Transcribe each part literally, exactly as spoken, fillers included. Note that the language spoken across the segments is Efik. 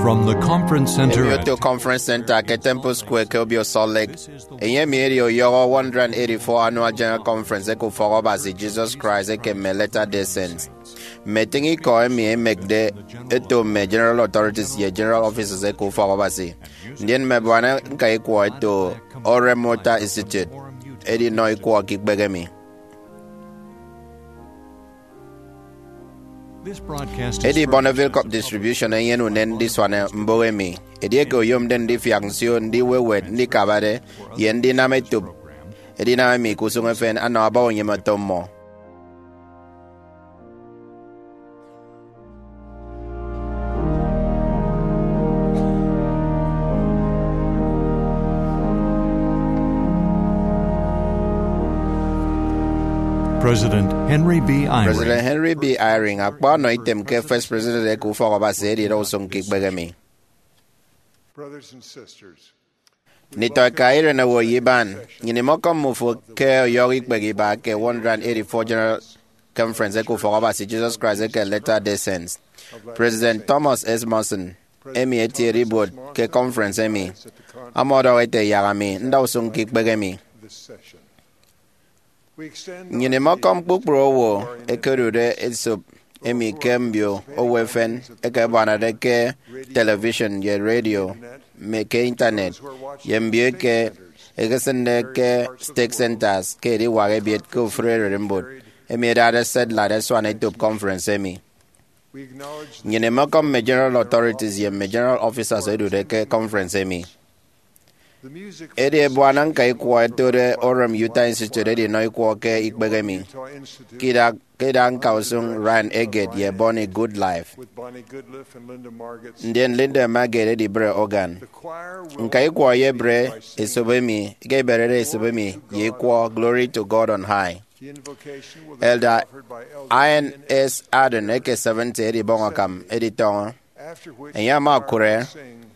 From the Conference Center. Emi oto Conference Center ke Temple Square ke Obio Salt Lake. Enye emi edi ọyọhọ one hundred eighty-four Annual General Conference eke Ufọk Abasi Jesus Christ eke mme Latter-day Saints. Mme etịñ ikọ emi ẹmekde ẹto mme General Authorities ye General Officers eke Ufọk Abasi, ndien mme abuana ñka ikwọ ẹto Orem Utah Institute, ẹdinọ ikwọ ke ikpehe emi. Edi Bonneville Cup Distribution enyene unen ndisuana mbụk emi. Edieke oyomde ndifiak nsio ndiwewet ndikabade ye ndinam etop edinam emi ke usụñ efen, anam aba unyịme oto mmọ. President Henry B. Eyring. President Henry B. Eyring akpa ọnọ item ke First President eke Ufọk Abasi edida usụñ ke ikpehe emi. Brothers and sisters, nditọ eka iren owo ye iban, nnyịn imọkọm mmufo ke ọyọhọ ikpehe iba ke one hundred eighty-four General Conference eke Ufọk Abasi Jesus Christ eke Latter-day Saints. President Thomas S. Monson, emi etiede ibuot ke conference emi, ama ọdọhọ ete, yak ami nda usụñ ke ikpehe emi. Nnyịn imọkọm kpukpru owo ẹkedude esop emi ke mbio owo efen eke ẹbuanade ke television ye radio, mme ke internet, ye mbio eke ẹkesịnde ke stake centers ke ediwak ebiet ke ofụri ererimbot emi ẹdade satellite ẹsuan etop conference emi. Nnyịn imọkọm mme General Authorities ye mme General Officers ẹdude ke conference emi. Edi ebuana ñka ikwọ ẹtode Orem Utah Institute ẹdinọ ikwọ ke ikpehe emi, ke idak, ke idak ñka usụñ Ryan Eggett ye Bonnie Goodlife, ndien Linda Magid edibre organ. Ñka ikwọ eyebre esop emi, ke iberede esop emi ye ikwọ Glory to God on High. Elder Ian S. Ardern eke seventy edibọñ akam editọñọ. Enye ama okụre,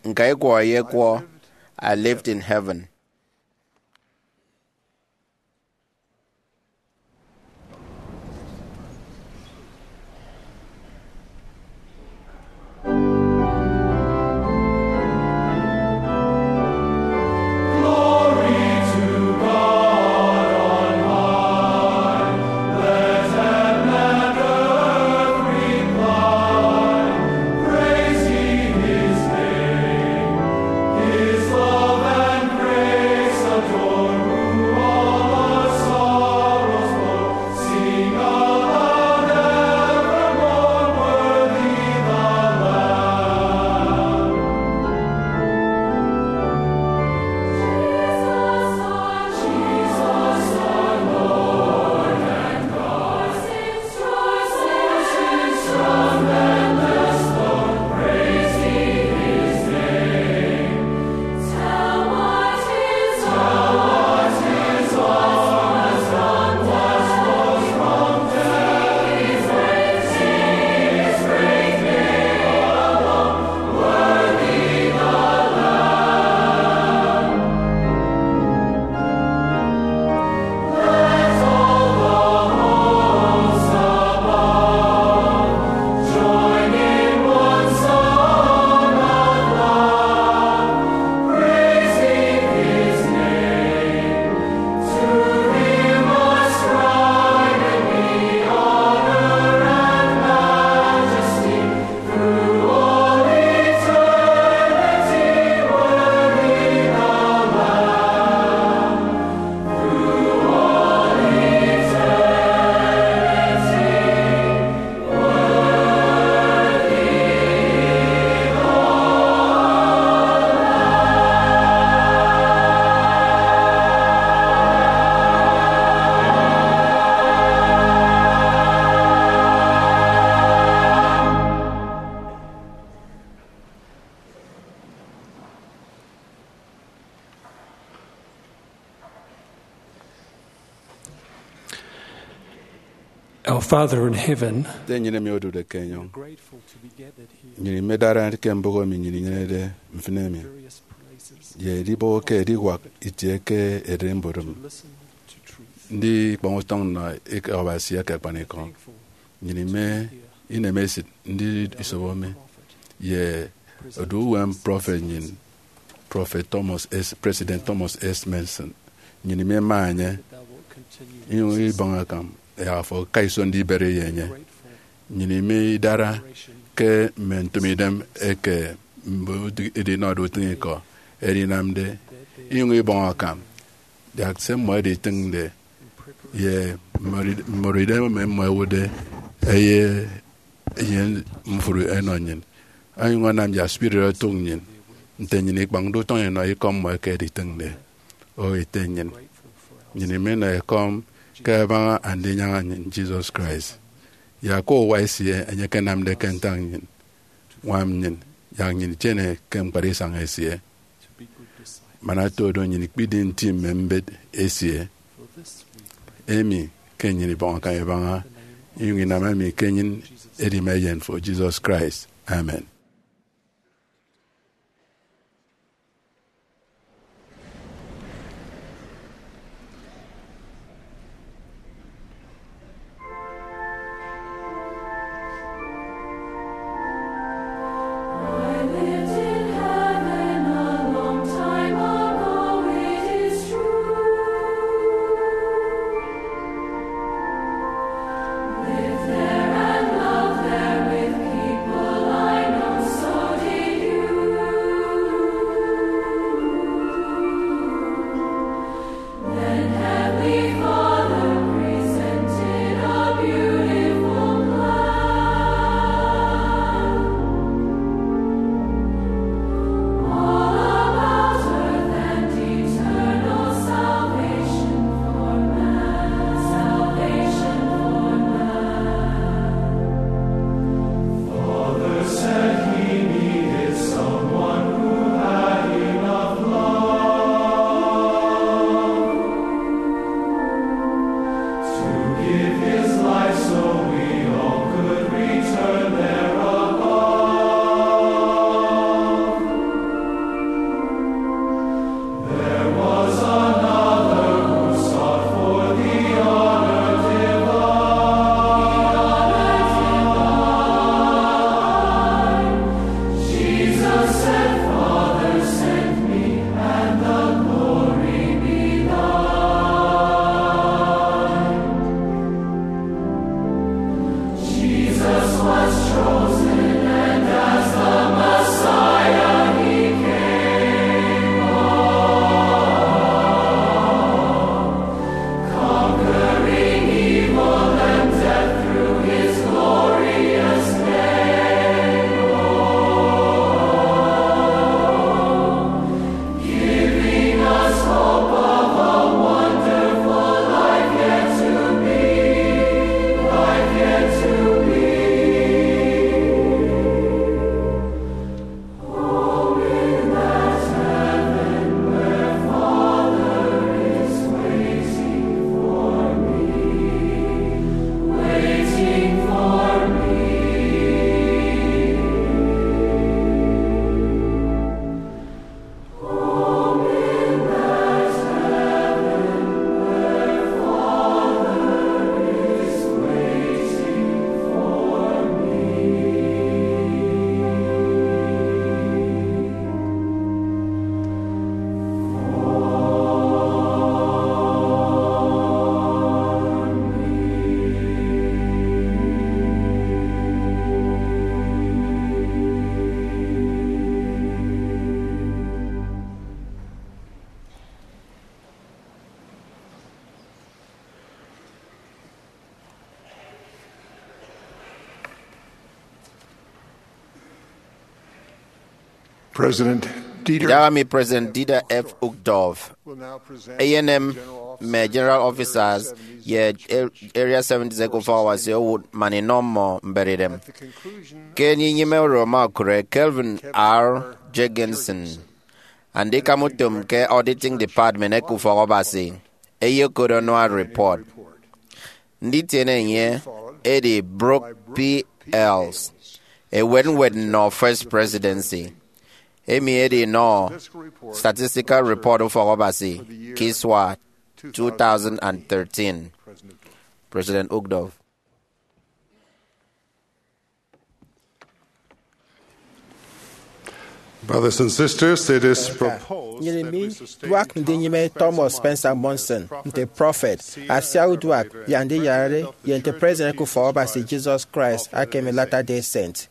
ñka ikwọ eyekwọ I Lived in Heaven. Our Father in heaven, Ete nnyịn emi odude ke enyọñ, grateful to be gathered here nnyịn imedara ke mbụk emi nnyịn inyenede mfịn emi, various places, ye edibọhọ ke ediwak itie ke ererimbot to listen to truth. Ndi ikpọñ utọñ nnọ eke Abasi eke akpanikọ. Thankful Nnyịn ime inemesịt ndi isobo mi ye Odu uwem prọfet nnyịn, Prọfet Thomas S., President Thomas S. Monson. Nnyịn imema enye, inyụñ ibọñ akam yak afo aka iso ndibere ye enye. Nnyịn ime idara ke mme ntụmidem eke mme edinọde utịñikọ ẹdinamde, inyụñ ibọñ akam yak se mmọ ẹditịñde ye mme idem mme mmọ ẹwụtde ẹye eyen mfri ẹnọ nnyịn, onyụñ anam yak spirit otụk nnyịn nte nnyịn ikpañde utọñ inọ ikọ mmọ eke ẹditịñde. O ete nnyịn, nnyịn iminọ ekọm ke abaña Andinyaña nnyịn, Jesus Christ, yak ke uwa esie enye ekenamde ke ntak nnyịn, ñwam nnyịn, yak nnyịn itiene ke ñkpara isañ esie. Man ata odo, nnyịn ikpidi nti mme mbet esie. Emi ke nnyịn ibọñ akam ibaña, inyụñ inam emi ke nnyịn edima Eyen fo, Jesus Christ. Amen. President Dieter Idaha emi President Dieter F. Uchtdorf eyenem mme General Officers ye Area seventies eke Ufọkabasi owụt man inọ mmọ mberidem. Ke enyịnyịme oro ama okụre, Kelvin R. Jenkinson, andikam utom ke Auditing Department eke Ufọkabasi, eyekot annual report. Nditiene enye edi Brooke P. Hales, ewet ñwed nnọ First Presidency, emi edinọ Statistical Report Ufọkabasi ke isua two thousand and thirteen. President Uchtdorf. Brothers and sisters, it is proposed nnyịn that we sustain miduak ndinyịme Thomas Spencer Monson nte prọfet, asiauduak, ye andiyarade, ye nte President ke Ufọkabasi Jesus Christ aka emi Latter-day Saint,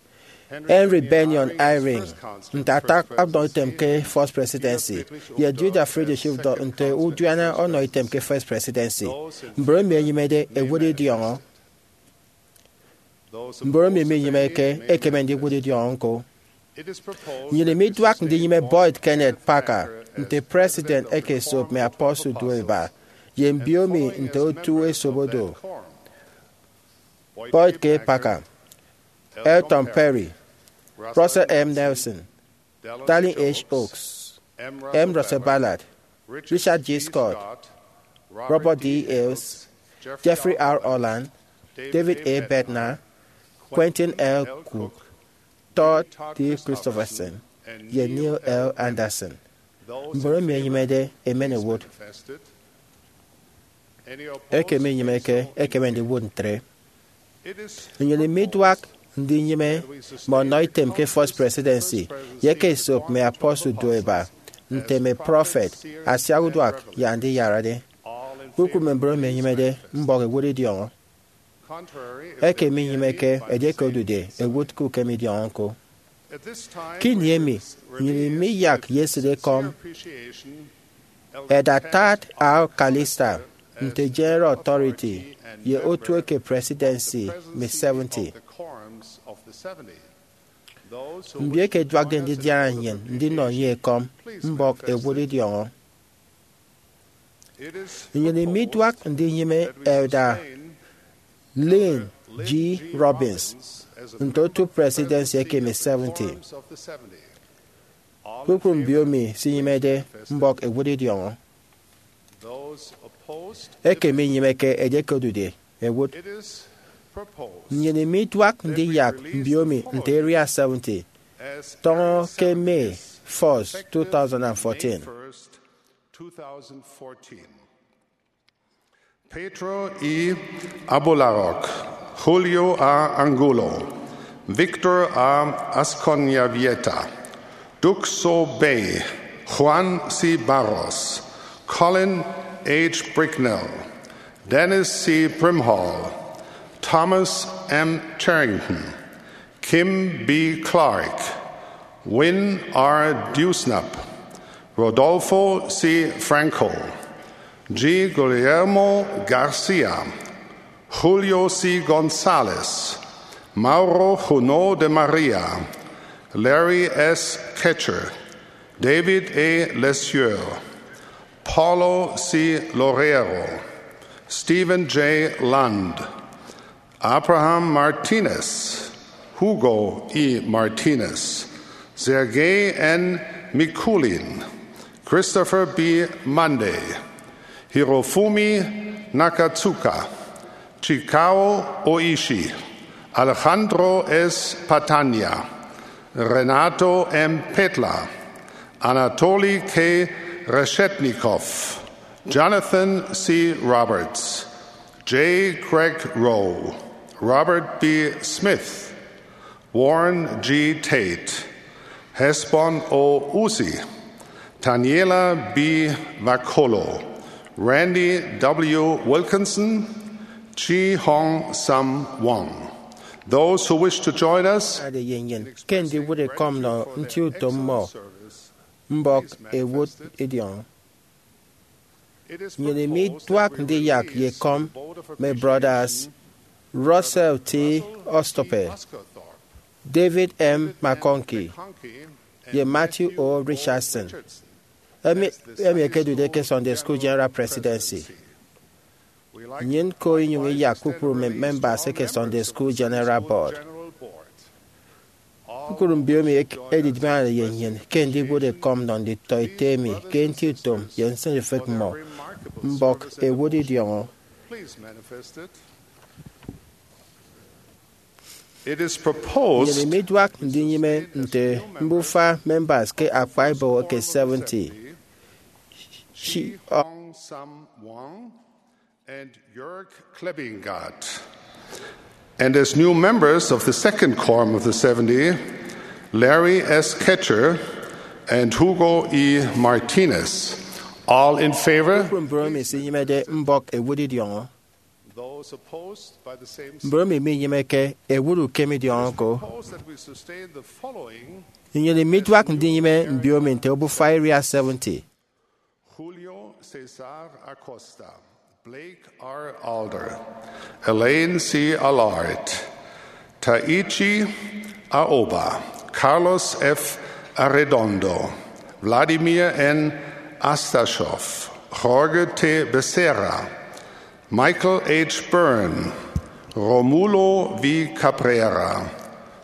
Henry Bennion Eyring nte ata ọdọitem ke First Presidency, ye Judah Friedrich Uchtdorf nte udiana ọnọitem ke First Presidency. Mbon emi ẹnyịmede ẹwụt idiọñọ. Mbon emi minyịmeke ẹkeme ndiwụt idiọñọ ñko. Nnyịn miduak ndinyịme Boyd Kenneth Packer nte President eke Esop Mme Apostle Duo Eba, ye mbiomi nte otu esobodo: Boyd K. Packer, Elton Perry, Russell M. Nelson, Dallin H. Oaks, M. Russell Ballard, Richard G. Scott, Robert D. Hales, Jeffrey R. Holland, David A. Bednar, Quentin L. Cook, Todd T. Christofferson, ye Neil L. Andersen. Mbon emi ẹnyịmede ẹmen ẹwụt. Eke minyịmeke ẹkeme ndiwụt ntre. Nnyịn miduak ndinyịme mme ọnọitem ke First Presidency ye eke Esop Mme Apostle Duo Eba, nte mme prọfet, asiauduak, ye andiyarade. Kpukpru mme mbon emi ẹnyịmede mbọk ẹwụt idiọñọ. Eke minyịmeke, edieke odude, ẹwụt ke ukem idiọñọ ñko. Ke ini emi, nnyịn miyak ye esịtekọm Elder Tad R. Callister nte General Authority ye otu eke Presidency mme seventy. Mbi eke ẹduakde ndidiara nnyịn ndinọ enye ekọm, mbọk ẹwụt idiọñọ. Nnyịn miduak ndinyịme Elder Lynn G. Robbins nte otu Presidency eke mme seventy. Kpukpru mbiomi sinyịmede mbọk ẹwụt idiọñọ. Eke minyịmeke, edieke odude, ẹwụt. Nnyịn miduak ndiyak mbiomi nte Area seventy tọñọ ke May first, two thousand and fourteen. Pedro E. Abularok, Julio A. Angulo, Victor A. Asconyavieta, Duc So Bey, Juan C. Barros, Colin H. Bricknell, Dennis C. Brimhall, Thomas M. Cherrington, Kim B. Clark, Wynn R. Dewsnup, Rodolfo C. Franco, G. Guillermo Garcia, Julio C. Gonzalez, Mauro Junot de Maria, Larry S. Ketchur, David A. Lesieur, Paulo C. Loureiro, Stephen J. Land, Abraham Martinez, Hugo E. Martinez, Sergei N. Mikulin, Christopher B. Monday, Hirofumi Nakatsuka, Chikao Oishi, Alejandro S. Patania, Renato M. Petla, Anatoly K. Reshetnikov, Jonathan C. Roberts, J. Craig Rowe, Robert B. Smith, Warren G. Tate, Hesbon O. Uzi, Taniela B. Vakolo, Randy W. Wilkinson, Chi Hong Sam Wong. Those who wish to join us, ade ye nnyịn ke ndiwụt ekọm nnọ nti utom mmọ, mbọk ẹwụt idiọñọ. Nnyịn miduak ndiyak ye ekọm mme Brothers Russell T. Ostope, David M. McConkie, ye Matthew O. Richardson, emi, emi ẹkedude ke Sunday School General Presidency. Nnyịn ko inyụñ iyak kpukpru mme members eke Sunday School General Board. Kpukpru mbiomi ek-, ẹdidibañade ye nnyịn ke ndiwụt ekọm nnọ nditọete emi ke nti utom ye nsịnufịk mmọ, mbọk ẹwụt idiọñọ. It is proposed nnyịn miduak ndinyịme nte mbufa members ke akpa ibọhọ eke seventy. Shi Hong Sam Wong and Jörg Klebingart. And as new members of the second quorum of the seventy, Larry S. Ketchur, and Hugo E. Martinez. All in favor? Kpukpru mbon emi esinyịmede mbọk ewut idiọñọ. Those opposed by the same. Mbon emi minyịmeke ewut ukem idiọñọ ko. Propose that we sustain the following. Nnyịn miduak ndinyịme mbiomi nte obufa area seventy. Julio Cesar Acosta, Blake R. Alder, Elaine C. Allard, Taichi Aoba, Carlos F. Arredondo, Vladimir N. Astashov, Jorge T. Becerra, Michael H. Byrne, Romulo V. Cabrera,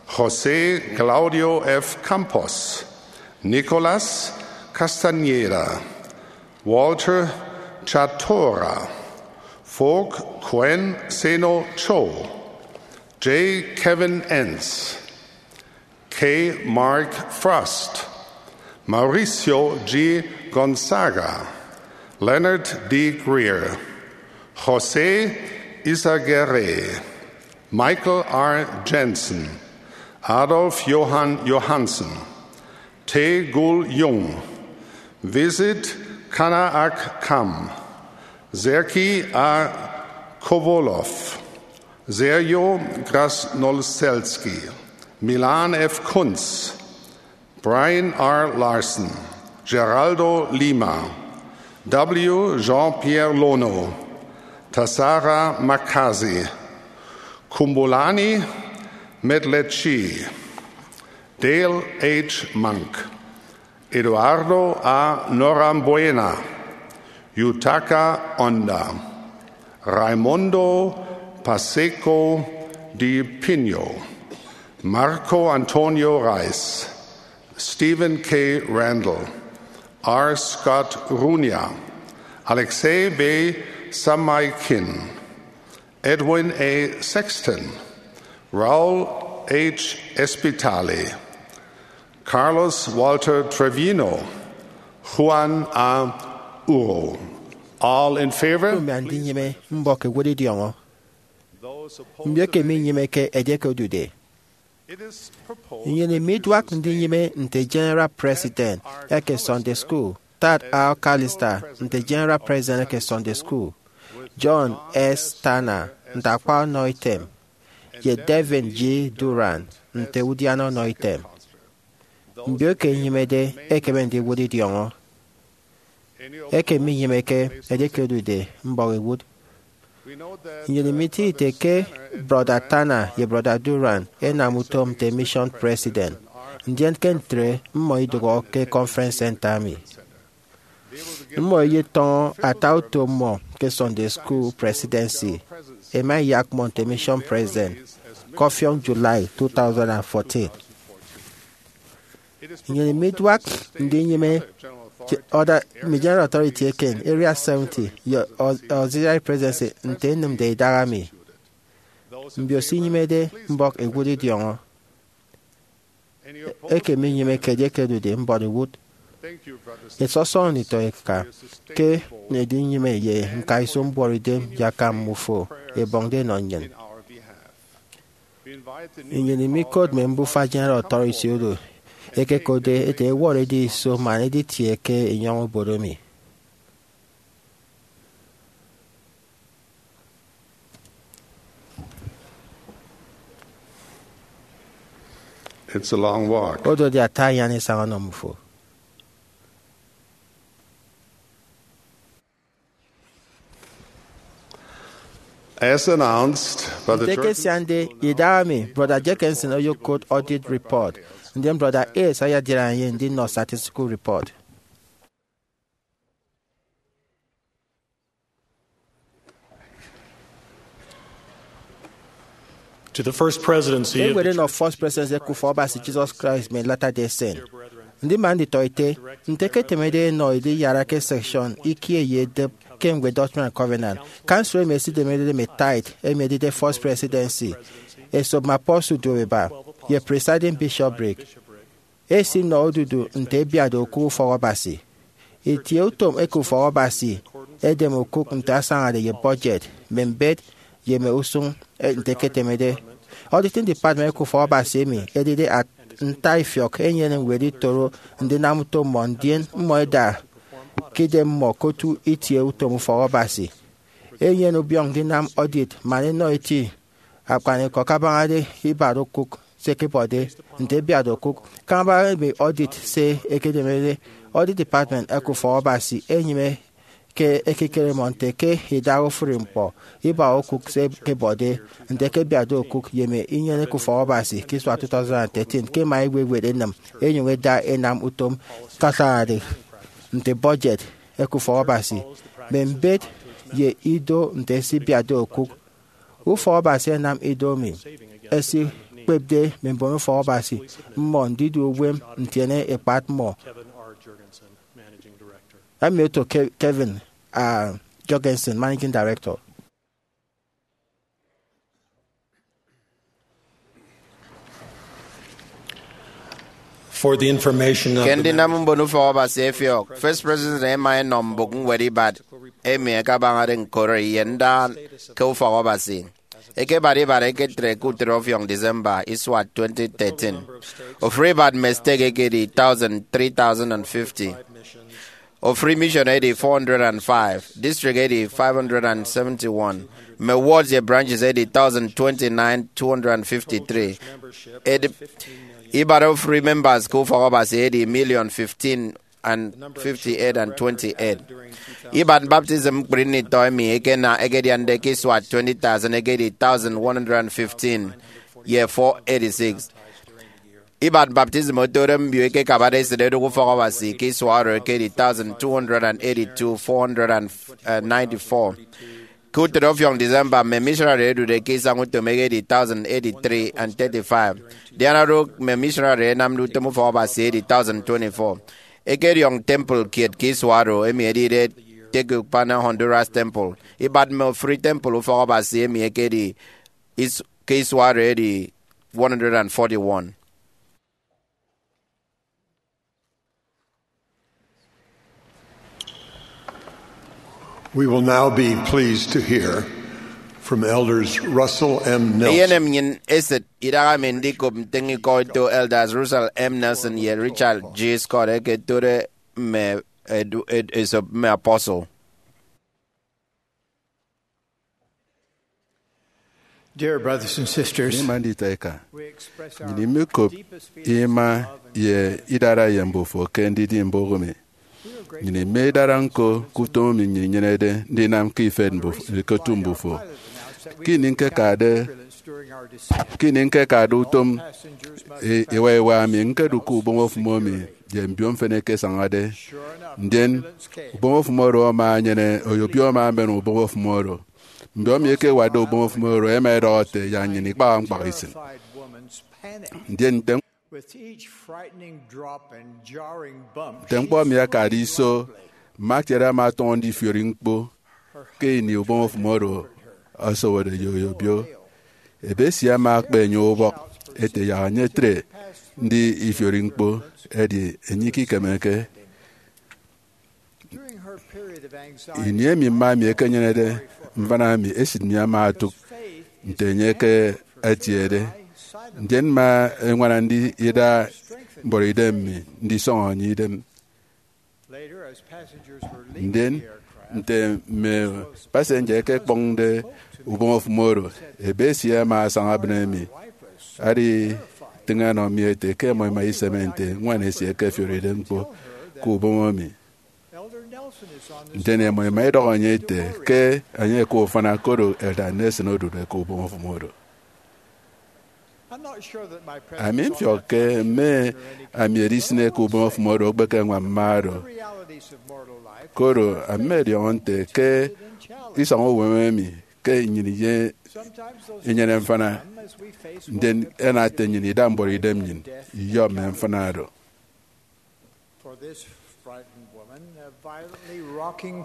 José Claudio F. Campos, Nicolas Castañeda, Walter Chatora, Fook Kuen Seno Cho, J. Kevin Entz, K. Mark Frost, Mauricio G. Gonzaga, Leonard D. Greer, José Izaguirre, Michael R. Jensen, Adolf Johann Johansen, Tae Gul Jung, Visit Kana Ak Kam, Sergei A. Kovolov, Sergio Krasnolselski, Milan F. Kunz, Brian R. Larson, Geraldo Lima, W. Jean-Pierre Lono, Tasara Makazi, Kumbulani Medlechi, Dale H. Monk, Eduardo A. Norambuena, Yutaka Onda, Raimundo Pacheco de Pino, Marco Antonio Rice, Stephen K. Randall, R. Scott Runia, Alexei V. Samaikin, Edwin A. Sexton, Raul H. Espitali, Carlos Walter Trevino, Juan A. Uro. All in favor? Mbia ndinyịme mbọk ewut idiọñọ. Mbio eke minyịmeke edieke odude. Nnyịn miduak ndinyịme nte General President eke Sunday School, Tad R. Callister nte General President eke Sunday School, John S. Tanner nte akwa ọnọ item, ye Devin G. Durrant nte udiana ọnọ item. Mbio eke ẹnyịmede ẹkeme ndiwụt idiọñọ. Eke minyịmeke edieke odude mbọk ewut. Nnyịn imịti ite ke Brọda Tanner ye Brọda Durrant ẹnam utom nte mission president, ndien ke ntre mmọ idụhọ ke conference center emi. Mmọ ẹyetọñọ ata utom mmọ ke Sunday School Presidency, ẹma ẹyak mmọ nte mission president ke ọfiọñ July two thousand and fourteen. Nnyịn miduak ndinyịme je-, order, mme General Authority eken Area seventy ye au-, Auxiliary Presidency nte ẹnịmde idaha mi. Mbio se inyịmede mbọk ewut idiọñọ. Eke minyịmeke edieke odude mbọk ewut. Ẹsọsọñọ nditọ eka ke edinyịme ye ñkaiso mbuọtidem ye akam mmufo ẹbọñde ẹnọ nnyịn. Nnyịn imikot mme mbufa General Authority oro ẹkekotde ete ẹwọrọ ediye iso man ẹditie ke enyọñ obodo mi. It's a long walk. Odot ata anyan isañ ọnọ mmufo. As announced by the Nte ke George siande idaha mi, Brother Jenkinson oyokot audit report, ndien Brother Hayes ayadiara enye ndinọ statistical report. To the First Presidency of Eñwed the enọ First Presidency eke Ufọkabasi Jesus Christ mme Latter-day Saint. Ndima nditọete, nte eketemede enọ ediyara ke section ikie ye edep ke ñwed Doctrine and Covenant, council emi esidemerede mme tithe emi edide First Presidency, esop mme apostle duopeba, ye presiding bishopric, esinọ odudu nte ebiatde okụk ufọkabasi. Itieutom eke ufọkabasi edem okụk nte asañade ye budget, mme mbet, ye mme usụñ, eh, nte eketemede. Auditing Department eke ufọkabasi emi edide at-, ntaifiọk enyene ñwed itoro ndinam utom mmọ, ndien mmọ eda ke idem mmọ ke otu itie utom ufọk Abasi. Enyene ubiọñ ndinam audit man enọ eti akpanikọ kabañade ibat okụk se ẹkebọde nte ẹbiatde okụk. Kabaña emi audit se ẹkenemede, Audit Department eke ufọk Abasi enyịme ke ekikere mmọ nte ke idaha ofụri ñkpọ, ibat okụk se ẹkebọde nte ẹkebiatde okụk, ye mme inyeneke ufọk Abasi ke isua two thousand and thirteen ke ẹma ẹwewet ẹnịm ẹnyụñ ẹda ẹnam utom kasañade nte budget eke ufọk Abasi, mme mbet ye ido nte ẹsibiatde okụk. Ufọk Abasi ẹnam ido emi ẹsikpepde mme mbon ufọk Abasi mmọ ndidu uwem ntiene ekpat mmọ. Emi oto Ke- Kevin, ah, Jorgensen, Managing Director. For the information of Ke the ndinam members, mbon ufọk Abasi ẹfiọk, First President ẹma ẹnọ mbụk ñwed ibat emi ẹkabañade ñkọri ye ndaha ke ufọk Abasi. Ẹkebat ibat ẹketre ke utịt ọfiọñ December isua twenty thirteen. Ofụri ibat mme stake ekedi thousand, three thousand and fifty. Ofụri mission edi four hundred and five, district edi five hundred and seventy-one, mme wards ye branches edi thousand twenty-nine, two hundred and fifty-three. Ed- ibat ofụri members ke ufọk Abasi edi million fifteen and fifty-eight and twenty-eight. Ibat baptism ñkpri nnitọ emi ekena ekediande ke isua twenty thousand ekedi thousand one hundred and fifteen ye four eighty-six. Ibat baptism otode mbio ekekabade esịt edụk ufọk Abasi ke isua oro ekedi thousand two hundred and eighty-two, four hundred and ninety-four. Ke utịt ọfiọñ December, mme missionary ẹdude ke isañ utom ekedi thousand eighty-three and thirty-five. Diana orụk mme missionary ẹnamde utom ufọk Abasi edi thousand twenty-four. Ẹkediọñ temple kiet ke isua oro, emi edide Tegucigalpa, Honduras Temple. Ibat mme ofụri temple ufọk Abasi emi ekedi is- ke isua oro edi one hundred and forty-one. We will now be pleased to hear from Elders Russell M. Nelson. Eyenem nnyịn esịt idaha emi ndikop ntịñikọ eto Elders Russell M. Nelson ye Richard G. Scott eke ẹtode mme edu- ed- esop mme apostle. Dear brothers and sisters, Ima nditọeka, we express our nnyịn imikop deepest feelings ima of love and ye gratitude. Idara ye mbufo ke ndidi mbụk mi. Nnyịn ime idara ñko ke utom emi nnyịn inyenede ndinam ke ifet mbuf- ke otu mbufo. Ke ini ñkekade, ke ini ñkekade utom i- iwa iwa mi, ñkedu ke ubọñ ofụm emi ye mbio mfịn ẹkesañade. Ndien ubọñ ofụm oro ama enyene, oyobio ama emen ubọñ ofụm oro. Mbio emi ẹkewatde ubọñ ofụm oro ẹma ẹdọhọ ẹte yak nnyịn ikpaha ñkpọk isịn. Ndien nte With each frightening drop and jarring bump, nte ñkpọ emi akade iso, mma kiet ama atọñọ ndifiori ñkpo. Ke ini ubọñ ofụm oro ọsọwọde ye oyobio, ebe esie ama akpa enye ubọk ete yak enye etre ndi ifiori ñkpo, edi enye ikikemeke. Ini emi mma mi ekenyenede mfana mi, esịt mi ama otụk nte enye ke etiede. Ndien mma eñwana ndi ida mbọrọidem mi ndisọñọ enye idem. Ndien nte mme passenger ẹkekpọñde ubọñ ofụm oro, ebe esie ama asaña ebịne mi, aditịñ ọnọ mi ete ke ẹmọ ẹma iseme nte ñwan esie ekefioride ñkpo ke ubọñ emi. Ndien ẹmọ ẹma ẹdọhọ enye ete ke enye eka ufana, koro Elder Nelson odude ke ubọñ ofụm oro. Ami mfiọk ke mme ami edisịne ke ubọñ ofụm oro okpeke ñwan mma oro. Koro ami mmọdiọñọ nte ke isọñ uwem emi ke nnyịn iye- inyene mfana, ndien ẹna ete nnyịn ida mbọrọidem nnyịn, iyọ mme mfana oro.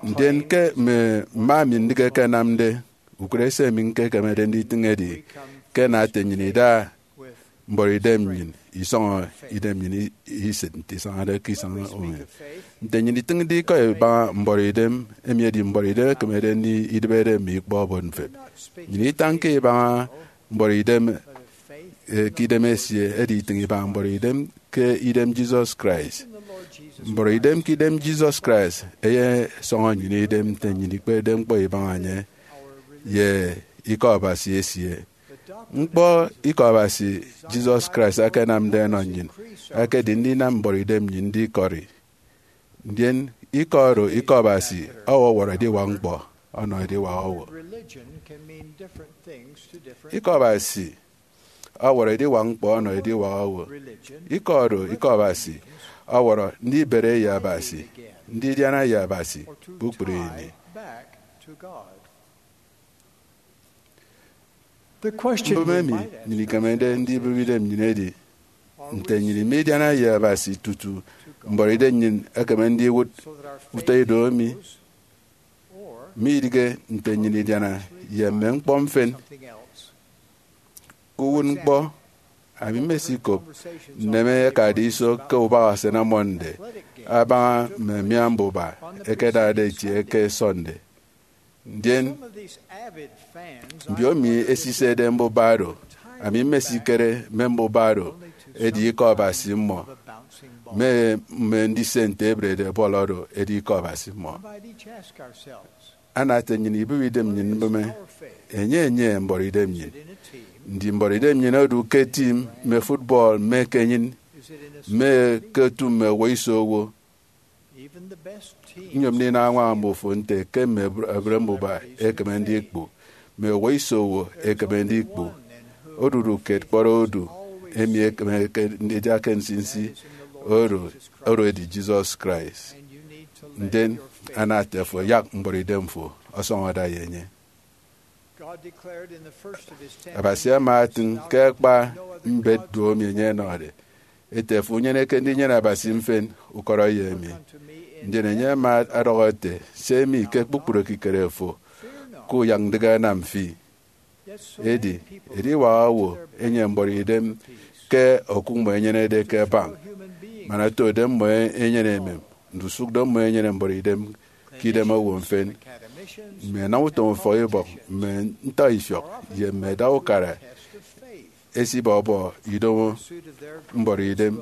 Ndien ke mme mma mi ndịk ẹkenamde, ukụre se mi ñkekemede nditịñ edi ke ẹna ete nnyịn ida mbọrọidem nnyịn, isọñọ idem nnyịn i- isịt nte isañade ke isañ uwem. Nte nnyịn itịñde ikọ ibaña mbọrọidem, emi edi mbọrọidem ekemede ndidịbede mme ikpọ obot mfep. Nnyịn itañke ibaña mbọrọidem eh, ke idem esie, edi itịñ ibaña mbuọtidem ke idem Jesus Christ. Mbuọtidem ke idem Jesus Christ eyesọñọ nnyịn idem nte nnyịn ikpepde ñkpọ ibaña enye ye Ikọ Abasi esie. Ñkpọ Ikọ Abasi Jesus Christ akanamde ọnọ nnyịn ekedi ndinam mbuọtidem nnyịn ndikọri. Ndien ikọ oro Ikọ Abasi ọwọwọrọ ediwak ñkpọ ọnọ ediwak owo. Ikọ Abasi ọwọrọ ediwak ñkpọ ọnọ ediwak owo. Ikọ oro Ikọ Abasi ọwọrọ ndibere ye Abasi, ndidiana ye Abasi kpukpru ini. Mbụme emi nnyịn ikemede ndibịbide nnyịn edi, nte nnyịn midiana ye Abasi tutu mbuọtidem nnyịn ekeme ndiwụt utọ ido emi? Midịghe nte nnyịn idiana ye mme ñkpọ mfịn. Ke uwụtñkpọ, ami mmesikop nneme ẹkade iso ke ubak Asana Mọnde abaña mme mia mbuba ẹkedade itie ke Sọnde. Ndien mbiomi esisede mbuba oro, ami mmesikere mme mbuba oro edi Ikọ Abasi mmọ, mme mme ndise nte ebrede bọl oro edi Ikọ Abasi mmọ. Ana ete nnyịn ibịbide nnyịn mbụme, enye enye mbuọtidem nnyịn. Ndi mbuọtidem nnyịn odu ke tim mme football mme ke enyịn, mme ke otu mme owo iso owo? Nyom ndinam añwaña mbufo nte ke mme ebre mbuba ekeme ndikpu, mme owo iso owo ekeme ndikpu. Odudu kiet kpọt odu emi ekeme ndida ke nsinsi oro, oro edi Jesus Christ. Ndien ana ete fo yak mbuọtidem fo ọsọñọ ada ye enye. Abasi ama etịñ ke akpa mbet duomi enye enọde ete, fo unyeneke ndinyene Abasi mfịn, ukọrọ ye emi. Ndien enye ama ọdọhọ ete, se mi ke kpukpru ekikere fo ke uyak ndịk anam fi. Edi, ediwak owo enyene mbuọtidem ke okụk mmọ enyenede ke bank, man otode mmọ enyene emem, ndusụk do mmọ enyene mbuọtidem ke idem owo mfịn. Mme ẹnam utom ufọkibọk, mme ntọifiọk, ye mme ẹda ukara ẹsibọbọ idomo mbuọtidem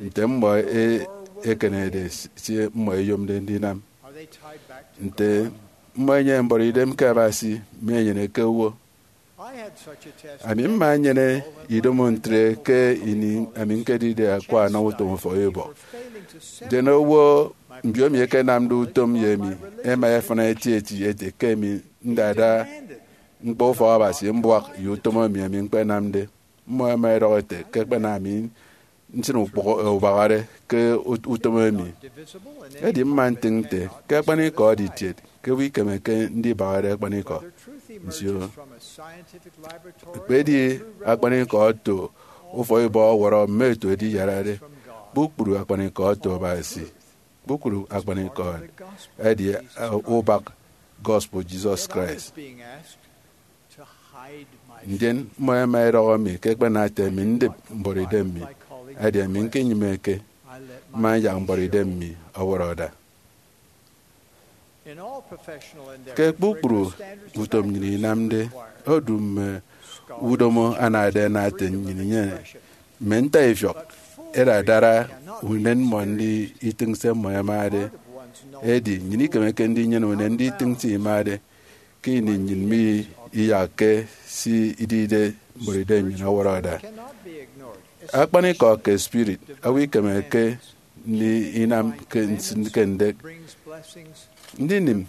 nte mmọ e- ekenede se mmọ ẹyomde ndinam. Nte mmọ ẹnyene mbuọtidem ke Abasi, mi enyene ke owo. Ami mma nnyene idomo ntre ke ini ami ñkedide akwa anam utom ufọkibọk. Ndien owo mbiomi ẹkenamde utom ye emi ẹma ẹfịna etieti ete ke ami ndada ñkpọ ufọk Abasi mbuak ye utom emi ami ñkpenamde. Mmọ ẹma ẹdọhọ ẹte ke ẹkpena ami nsịn ukpụhọ ubahare ke ut- utom emi. Edi mma ntịñ nte ke akpanikọ edi kiet, ke owo ikemeke ndibahare akpanikọ nsio. Ekpedi akpanikọ oto ufọkibọk ọwọrọ mme otu ediyarade, kpukpru akpanikọ oto Abasi. Kpukpru akpanikọ edi ubak gospel Jesus Christ. Ndien mmọ ẹma ẹdọhọ mi ke ẹkpena ete mi ndịp mbuọtidem mi, edi ami ñkenyịmeke, mma nyak mbuọtidem mi ọwọrọ ada. Ke kpukpru utom nnyịn inamde, odu mme udomo anade ana ete nnyịn inyene. Mme ntaifiọk ẹda ẹdara unen mmọ ndi itịñ se mmọ ẹmade. Edi, nnyịn ikemeke ndinyene unen nditịñ se imade ke ini nnyịn mi iyakke se idide mbuọtidem nnyịn ọwọrọ ada. Akpanikọ ke spirit owo ikemeke ndinam ke nsịn ke ndek. Ndinịm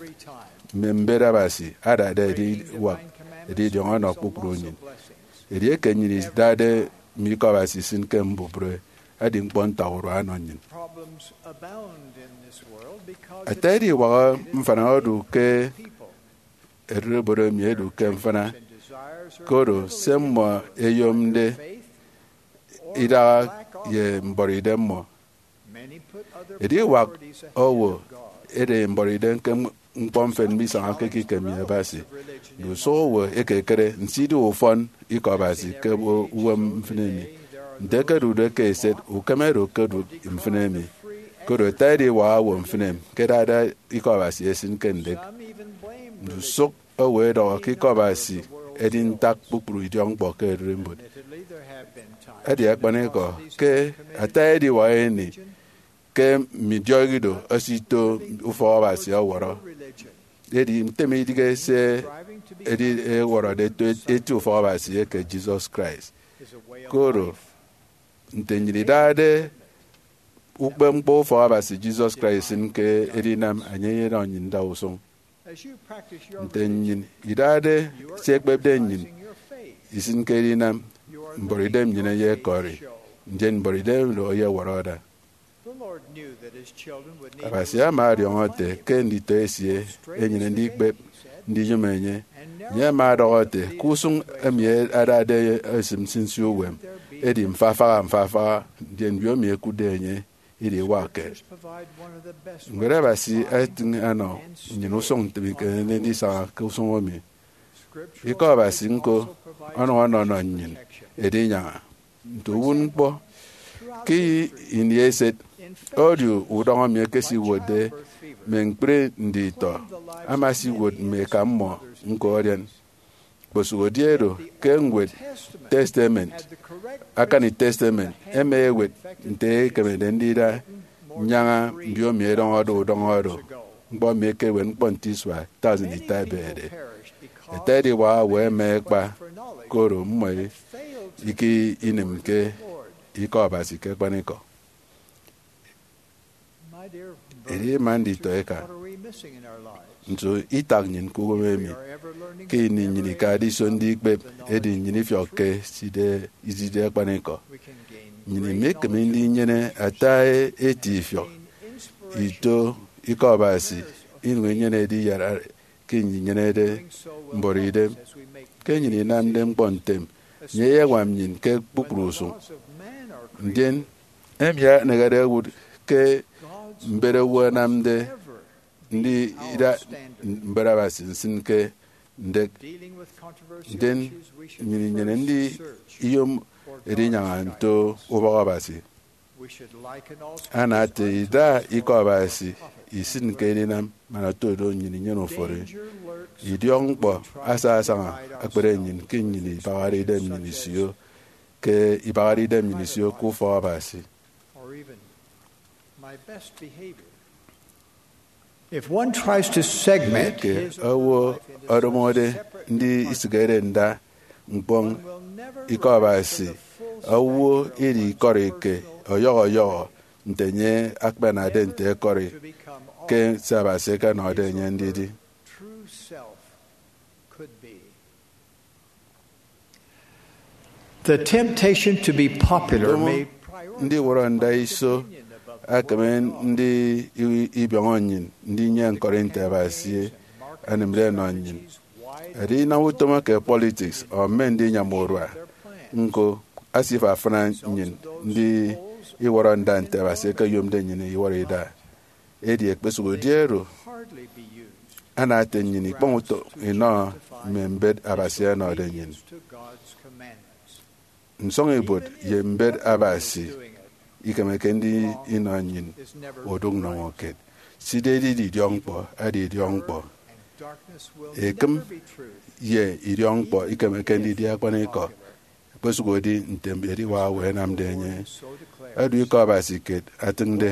mme mbet Abasi adade ediwak edidiọñ ọnọ kpukpru nnyịn. Edieke nnyịn idade mme ikọ Abasi isịn ke mbubịre, edi ñkpọ ntakurua ọnọ nnyịn. Ata ediwak mfịna odu ke ererimbot emi edu ke mfịna, koro se mmọ ẹyomde idaha ye mbuọtidem mmọ. Ediwak owo ede mbuọtidem ke ñkpọ mfịn misañake ke ikem ye Abasi. Ndusụk owo ẹkekere nso idi ufọn ikọ Abasi ke uwem mfịn emi. Nte ẹkedude ke eset, ukeme do ke odụk mfịn emi. Koro ata ediwak owo mfịn emi ke ẹdade ikọ Abasi ẹsịn ke ndek. Ndusụk owo ẹdọhọ ke ikọ Abasi edi ntak kpukpru idiọkñkpọ ke ererimbot. Edi akpanikọ ke ata ediwak ini ke mme idiọk ido ẹsito ufọk Abasi ọwọrọ. Edi ntem idige se edi ewọrọde eto eti ufọk Abasi eke Jesus Christ. Koro nte nnyịn idade ukpepñkpọ ufọk Abasi Jesus Christ isịn ke edinam, enye eyenọ nnyịn ndausụñ. Nte nnyịn idade se ekpepde nnyịn isịn ke edinam, mbọrọidem nnyịn eyekọri, ndien mbọrọidem oro eyewọrọ ada. Abasi ama ọdiọñọ ete ke nditọ esie ẹnyene ndikpep ndiyom enye. Enye ama ọdọhọ ete ke usụñ emi adade esịm nsinsi uwem edi mfafaha mfafaha, ndien mbiomi ẹkụtde enye idiwakke. Ñwed Abasi etịñ ẹnọ nnyịn usụñ nte emi ikemede ndisaña ke usụñ emi. Ikọ Abasi ñko ọnọñ ọnọnọ nnyịn edinyaña nte uwụtñkpọ. Ke ini eset, odu udọñ emi ekesiwotde mme ñkpri nditọ ama esiwot mme eka mmọ ñko ọdian. Kposụk edi oro ke Ñwed Testament, Akani Testament, ẹma ẹwet nte ekemede ndida nyaña mbiomi ẹdọñọde udọñ oro, ñkpọ emi ekewet ñkpọ nte isua thousand ita ẹbede. Ata ediwak owo ẹma ẹkpa, koro mmọ ike inịmke Ikọ Abasi ke akpanikọ. Edi ima nditọ eka, nso itak nnyịn ke uwem emi? Ke ini nnyịn ikade iso ndikpep, edi nnyịn ifiọkke side, iside akpanikọ. Nnyịn imekeme ndinyene ata eti ifiọk ito Ikọ Abasi, inyụñ inyene ediyara ke nnyịn inyenede mbọrọidem. Ke nnyịn inamde ñkpọ ntem, enye eyeñwam nnyịn ke kpukpru usụñ. Ndien emi anehede owụt ke mbet owo anamde ndida mbet Abasi nsịn ke ndek. Ndien nnyịn inyene ndi iyom edinyaña nto ubọk Abasi. Ana ete ida Ikọ Abasi isịn ke edinam man oto do nnyịn inyene uforo. Idiọkñkpọ asasaña ekpere nnyịn ke nnyịn ibahade idem nnyịn isio, ke ibahade idem nnyịn isio ke ufọk Abasi. If one tries to segment Ke his owo own life into ọdọñọde ndi isịkere nda ñkpọñ Ikọ Abasi, owo edi ikọri ke ọyọhọ ọyọhọ nte enye akpanade nte ekọri ke se Abasi ekenọde enye ndidi. True self could be. The temptation to be popular Ndomo may prioritize ndiwọrọ nda iso opinion above ekeme ndi i- ibiọñọ nnyịn ndinyeñ ñkọri nte Abasi anịmde ọnọ nnyịn. Edi inam utom ke politiks ọ mme ndinyam urua ñko asifafana nnyịn ndi iwọrọ nda nte Abasi ekeyomde nnyịn iwọrọ ida. Edi ekpesụk edi oro, ana ete nnyịn ikpọñ utom inọ mme mbet Abasi ẹnọde nnyịn. Nsọñibuot ye mbet Abasi ikemeke ndi inọ nnyịn odụk nnọñọ kiet. Sida edidi idiọkñkpọ edi idiọkñkpọ. Ekịm ye idiọkñkpọ ikemeke ndidi akpanikọ, ekpesụk edi nte ediwak owo ẹnamde enye. Edu Ikọ Abasi kiet atịñde,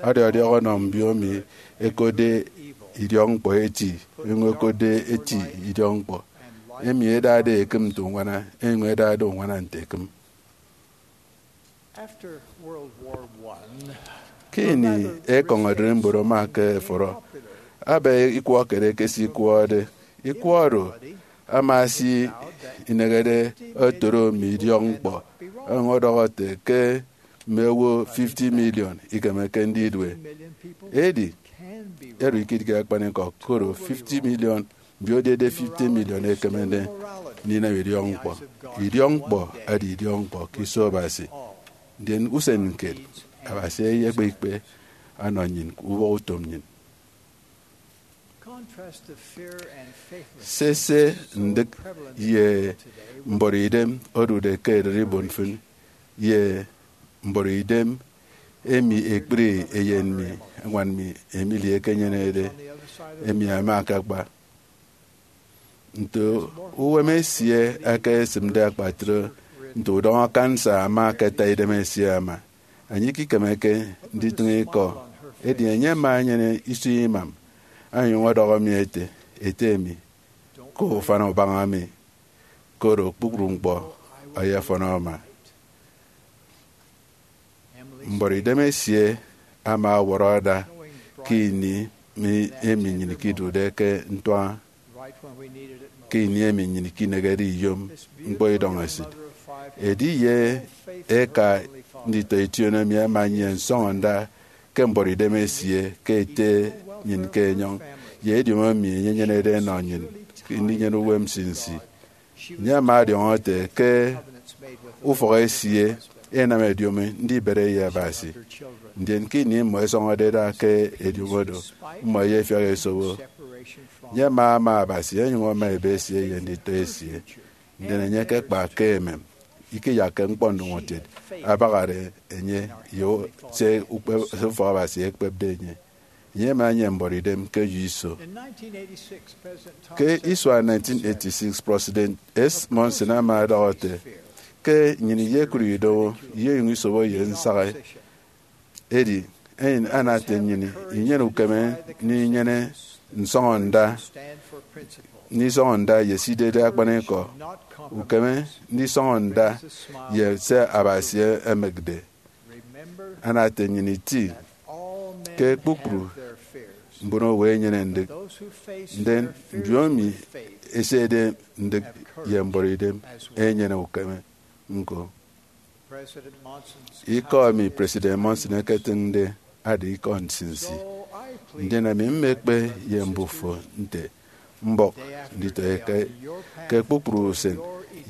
ọdiọdiọk ọnọ mbiomi ẹkotde idiọkñkpọ eti, ẹnyụñ ẹkotde eti idiọkñkpọ, emi ẹdade ekịm nte uñwana, ẹnyụñ ẹdade uñwana nte ekịm. After World War One, Ke ini ekọñ ererimbot ama ke ẹfọrọ, aba ikwọ kiet ekesikwọde. Ikwọ oro ama esi inehede otoro mme idiọkñkpọ, ọnyụñ ọdọhọ ete ke mme owo fifty million ikemeke ndidue. Edi, oro ikidige akpanikọ, koro fifty million, mbiodede fifty million ekemede ndinam idiọkñkpọ. Idiọkñkpọ edi idiọkñkpọ ke iso Abasi. Ndien usen kiet, Abasi eyekpe ikpe ọnọ nnyịn ke ubọhọ utom nnyịn. Contrast the fear and faithlessness Sese ndịk ye mbọrọidem odude ke ererimbot mfịn ye mbọrọidem emi ekpri eyen mi, ñwan mi, Emily, ekenyenede, emi ama akakpa. nte uwem esie aka esịmde akpatre, nte udọñọ kansa ama akata idem esie ama. Enye ikikemeke nditịñ ikọ, edi enye ama enyene isua imam, onyụñ ọdọhọ mi ete, Ete mi, kop ufan ubaña mi, koro kpukpru ñkpọ ọyọfọn ọma. Mbuọtidem esie ama ọwọrọ ada ke ini mi emi nnyịn ikidude ke ntuaña, ke ini emi nnyịn ikinehede iyom ñkpọ idọñesịt. Ediye eka nditọ ition emi ẹma nnyịn nsọñọnda ke mbuọtidem esie ke ete nnyịn ke enyọñ, ye ediomi emi enye enyenede enọ nnyịn ndinyene uwem nsinsi. Enye ama ọdiọñọ ete ke ufọk esie enam ediomi ndibere ye Abasi, ndien ke ini mmọ ẹsọñọde ẹda ke ediomi do, mmọ ẹyefiak ẹsobo. Enye ama ama Abasi onyụñ ama ebe esie ye nditọ esie, ndien enye ke kpa ke emem, ikiyakke ñkpọ ndụñọtiet abahade enye ye se ukpe-, se ufọk Abasi ekpepde enye. Enye ama enyene mbuọtidem ke eyo iso. Ke isua nineteen eighty-six, President S. Monson ama ọdọhọ ete, Ke nnyịn iyekụt idomo, iyeyụñ isobo ye nsaha, edi enyịn anate nnyịn inyene ukeme ndinyene nsọñọnda, ndisọñọnda ye se idide akpanikọ, ukeme ndisọñọnda ye se Abasi emekde. Anate nnyịn iti ke kpukpru mbon owo enyene ndịk, ndien mbiomi ẹsede ndịk ye mbuọtidem ẹnyene ukeme ñko. Ikọ emi President Monson eketịñde ada ikọ nsinsi, ndien ami mmekpe ye mbufo nte mbọk nditọete ke kpukpru usen,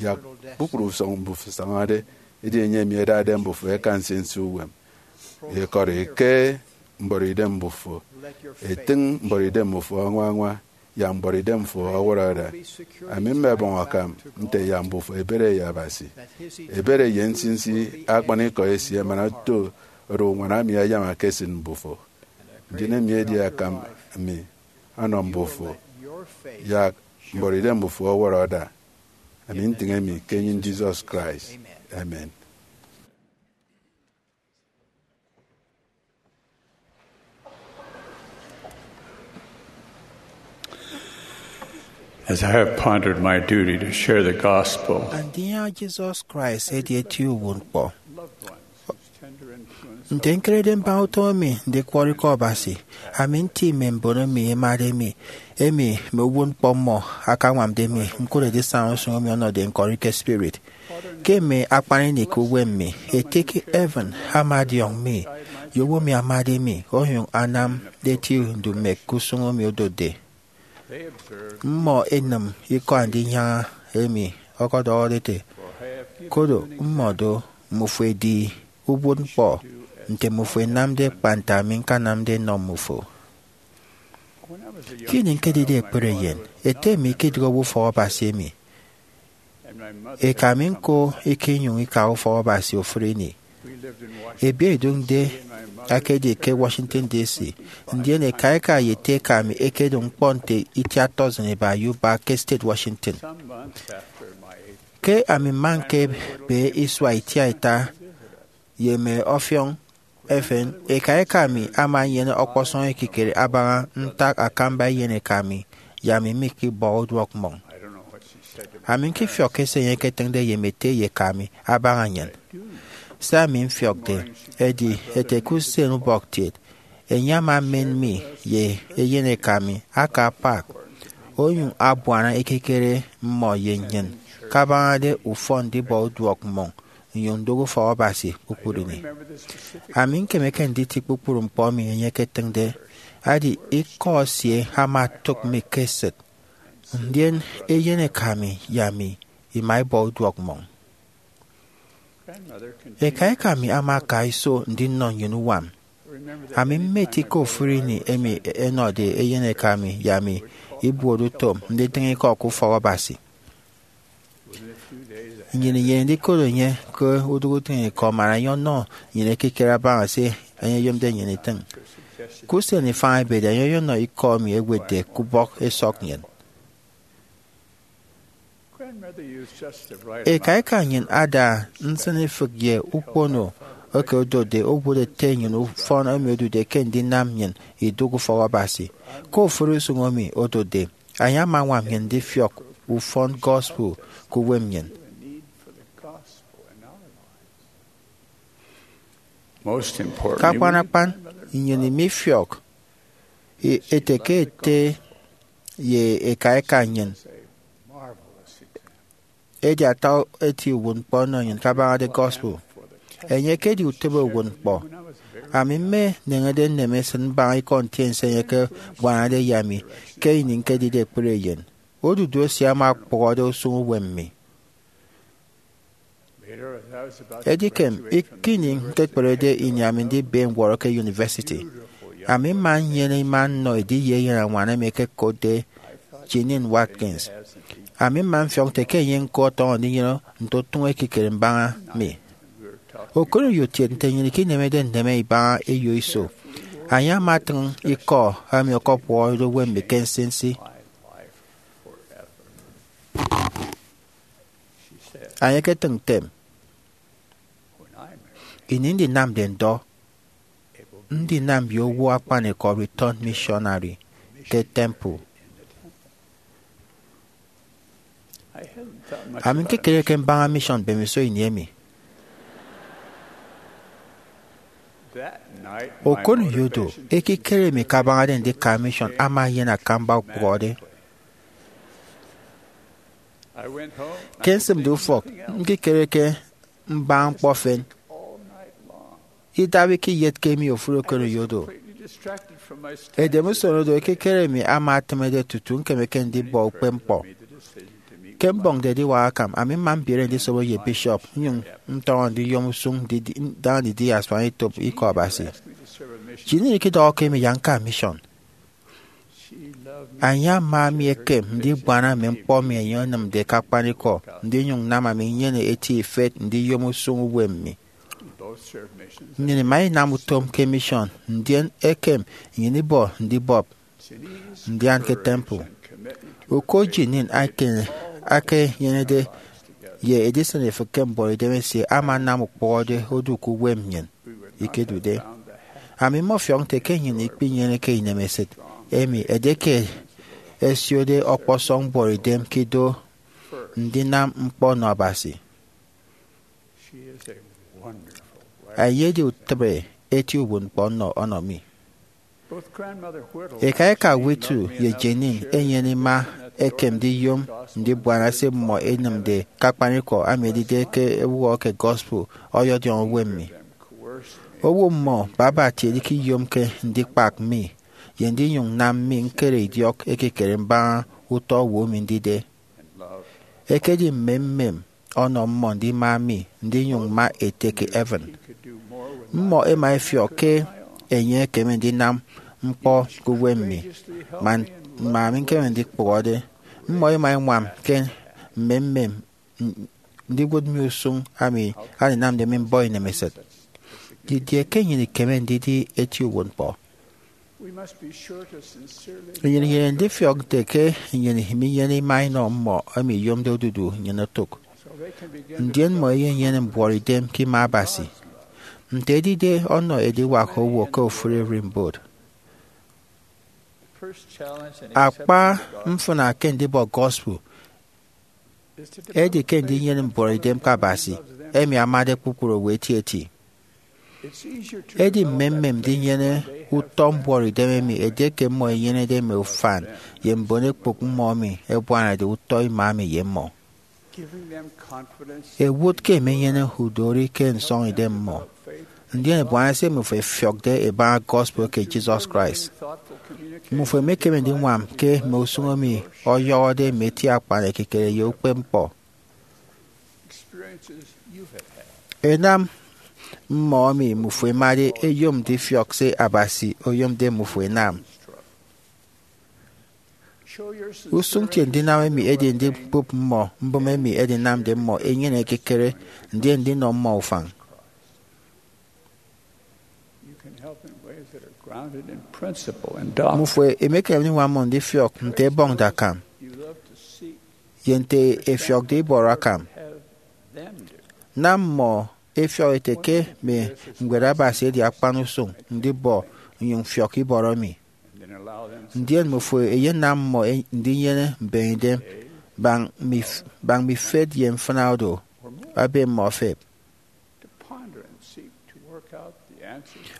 yak kpukpru usọñ mbufo ẹsañade, edi enye emi ẹdade mbufo ẹka nsinsi uwem. Ikọri ke mbuọtidem mbufo, etịñ mbuọtidem mbufo añwa añwa, yak mbuọtidem fo ọwọrọ ada. Ami mmebọñ akam nte yak mbufo ebede ye Abasi, ebede ye nsinsi akpanikọ esie, man oto oro uñwana mi ayama ke esịt mbufo. Ndien emi edi akam mi ọnọ mbufo, yak mbuọtidem mbufo ọwọrọ ada. Ami ntịñ emi ke enyịn Jesus Christ. Amen. As I have pondered my duty to share the gospel, Andinyaña Jesus Christ edi eti uwụtñkpọ. Nte ñkerede mbaña utom emi ndikwọrọ ikọ Abasi, ami nti mme mbon emi ẹmade mi, emi mme uwụtñkpọ mmọ akañwamde mi ñkụt edisaña usụñ emi ọnọde ñkọri ke spirit. Ke mme akpan ini ke uwem mi, Ete ke Evan ama ọdiọñ mi, ye owo emi amade mi, onyụñ anamde eti ndumek ke usụñ emi odotde. Mmọ ẹnịm ikọ andinyaña emi ọkọdọhọde ete, Kodo mmọ do, mmufo ẹdi uwụtñkpọ, nte mmufo ẹnamde kpa nte ami ñkanamde nnọ mmufo. Ke ini ñkedide ekpere eyen, ete mi ikedịghe owo ufọk Abasi emi. Eka mi ñko ikinyụñ ika ufọk Abasi ofụri ini. Ebieidụñ nde akedi ke Washington, D C, ndien eka eka ye ete eka mi ẹkedụñ ñkpọ nte itiat dozen iba ye ubak ke state Washington. Ke ami mma ñkebe isua itiaita ye mme ọfiọñ efen, eka eka mi ama enyene ọkpọsọñ ekikere abaña ntak akamba eyeneka mi ye ami mikibọ uduọk mmọñ. Ami ñkifiọkke se enye eketịñde ye mme ete ye eka mi abaña nnyịn. Se ami mfiọkde edi ete ke usen ubọktiet, enye ama emen mi ye eyeneka mi aka apak, onyụñ abuana ekikere mmọ ye nnyịn kabañade ufọn ndibọ uduọk mmọñ nnyụñ ndụk ufọk Abasi kpukpru ini. Ami ñkemeke nditi kpukpru ñkpọ emi enye eketịñde, edi ikọ esie ama otụk mi ke esịt, ndien eyeneka mi ye ami ima ibọ uduọk mmọñ. Eka eka mi ama aka iso ndinọ nnyịn uñwam. Ami mmeti ke ofụri ini emi ẹnọde eyeneka mi ye ami ibuot utom nditịñ ikọ ke ufọk Abasi. Nnyịn inyene ndikot enye ke udụk utịñikọ man enye ọnọ nnyịn ekikere abaña se enye oyomde nnyịn itịñ. Ke usen ifañ ebede, enye ọyọnọ ikọ emi ẹwetde ke ubọk esọk nnyịn. Eka eka nnyịn ada nsịnifịk ye ukpono eke odotde owụt ete nnyịn ufọn emi odude ke ndinam nnyịn idụk ufọk Abasi. Ke ofụri usụñ emi odotde, enye ama añwam nnyịn ndifiọk ufọn gospel ke uwem nnyịn. Ke akpan akpan, nnyịn mifiọk ete ke ete ye eka eka nnyịn edi ata eti uwụtñkpọ ọnọ nnyịn kabañade gospel. Enye ekedi utịbe uwụtñkpọ. Ami mmeneñede nneme esịt mbaña ikọ ntiense enye ke buanade ye ami ke ini ñkedide ekpere eyen. Odudu esie ama okpụhọde usụñ uwem mi. Edikem, ke ini ñkekperede ini ami ndibe ñwọrọ ke university, ami mma nnyene ima nnọ ediye eyen añwan emi ẹkekotde Jeanene Watkins. Ami mma mfiọk nte ke enye ñko ọtọñọ ndinyene nte utụñ ekikere mbaña mi. Okoneyo kiet nte nnyịn ikinemede nneme ibaña eyo iso. Enye ama atịñ ikọ emi ọkọkpụhọde uwem mi ke nsinsi. Enye eketịñ ntem, ini ndinamde ndọ, ndinam ye owo akpanikọ return missionary ke temple. Ami ñkekereke mbaña mission mbemiso ini emi. Okoneyo do, ekikere emi kabañade ndika mission ama eyen akamba ukpụhọde. Ke nsịmde ufọk, ñkikereke mbaña ñkpọ efen, idabiki iyet ke emi ofụri okoneyo do. Edem usen odo, ekikere emi ama etịmede tutu ñkemeke ndibọ ukpepñkpọ. Ke mbọñde ediwak akam, ami mma mbiere ndisobo ye bishop nnyụñ ntọñọ ndiyom usụñ ndidi- ndaña ndidi asuanetop Ikọ Abasi. Jeanene ikidọhọke mi yak ñka mission. Enye ama mi ekem ndibuana mme ñkpọ emi enye enịmde ke akpanikọ, ndinyụñ nnam ami nnyene eti ifet ndiyom usụñ uwem mi. Nnyịn ima inam utom ke mission, ndien ekem nnyịn ibọ ndibọp ndian ke temple. Uko Jeanene ake- akenyenede ye edisịn ifịk ke mbuọtidem esie ama anam ukpụhọde odu ke uwem nnyịn ikedude. Ami mmọfiọk nte ke nnyịn ikpinyeneke inemesịt emi edieke ẹsiode ọkpọsọñ mbuọtidem ke ido ndinam ñkpọ nnọ Abasi. Enye edi utịbe eti uwụtñkpọ nnọ ọnọ mi. Eka eka Whittle ye Jeanene enyene ima ekem ndiyom ndibuana se mmọ ẹnịmde ke akpanikọ, emi edide ke ewụhọ ke gospel ọyọdiọñ uwem mi. Owo mmọ baba kiet ikiyomke ndikpak mi ye ndinyụñ nnam mi ñkere idiọk ekikere mbaña utọ owo emi ndide. Ekedi mmemmem ọnọ mmọ ndima mi ndinyụñ mma ete ke heaven. Mmọ ẹma ẹfiọk ke enye ekeme ndinam ñkpọ ke uwem mi man mma mi ñkeme ndikpụhọde. Mmọ ẹma ẹñwam ke mmemmem ndiwụt mi usụñ ami andinamde mi mbọ inemesịt. Didie ke nnyịn ikeme ndidi eti uwụtñkpọ? Nnyịn inyene ndifiọk nte ke nnyịn minyene ima inọ mmọ emi iyomde odudu nnyịn otụk, ndien mmọ ẹyenyene mbuọtidem ke ima Abasi. Nte edide ọnọ ediwak owo ke ofụri ererimbot, akpa mfịna ke ndibọ gospel edi ke ndinyene mbuọtidem ke Abasi, emi amade kpukpru owo etieti. Edi mmemmem ndinyene utọ mbuọtidem emi edieke mmọ ẹnyenede mme ufan ye mbon ekpụk mmọ emi ẹbuanade utọ ima emi ye mmọ. Ẹwụt ke ẹmenyene udori ke nsọñidem mmọ, ndien ẹbuana se mmifo ẹfiọkde ẹbaña gospel ke Jesus Christ. Mmifo ẹmekeme ndiñwam ke mme usụñ emi ọyọhọde mme eti akpan ekikere ye ukpepñkpọ. Ẹnam mmọ emi mmifo ẹmade ẹyom ndifiọk se Abasi oyomde mmifo ẹnam. Usụñ kiet ndinam emi edi ndikpụp mmọ mbụme emi ẹdinamde mmọ ẹnyene ekikere, ndien ndinọ mmọ ufañ. Mmifo ẹmekeme ndiñwam mmọ ndifiọk nte ẹbọñde akam. ye nte ẹfiọkde ibọrọ akam. Nam mmọ ẹfiọk ẹte ke mme Ñwed Abasi edi akpan usụñ ndibọ nnyụñ mfiọk ibọrọ mi. Ndien mmufo ẹyenam mmọ ndinyene mbeñedem baña mme ifet ye mfịna odo, ebe mmọ efep.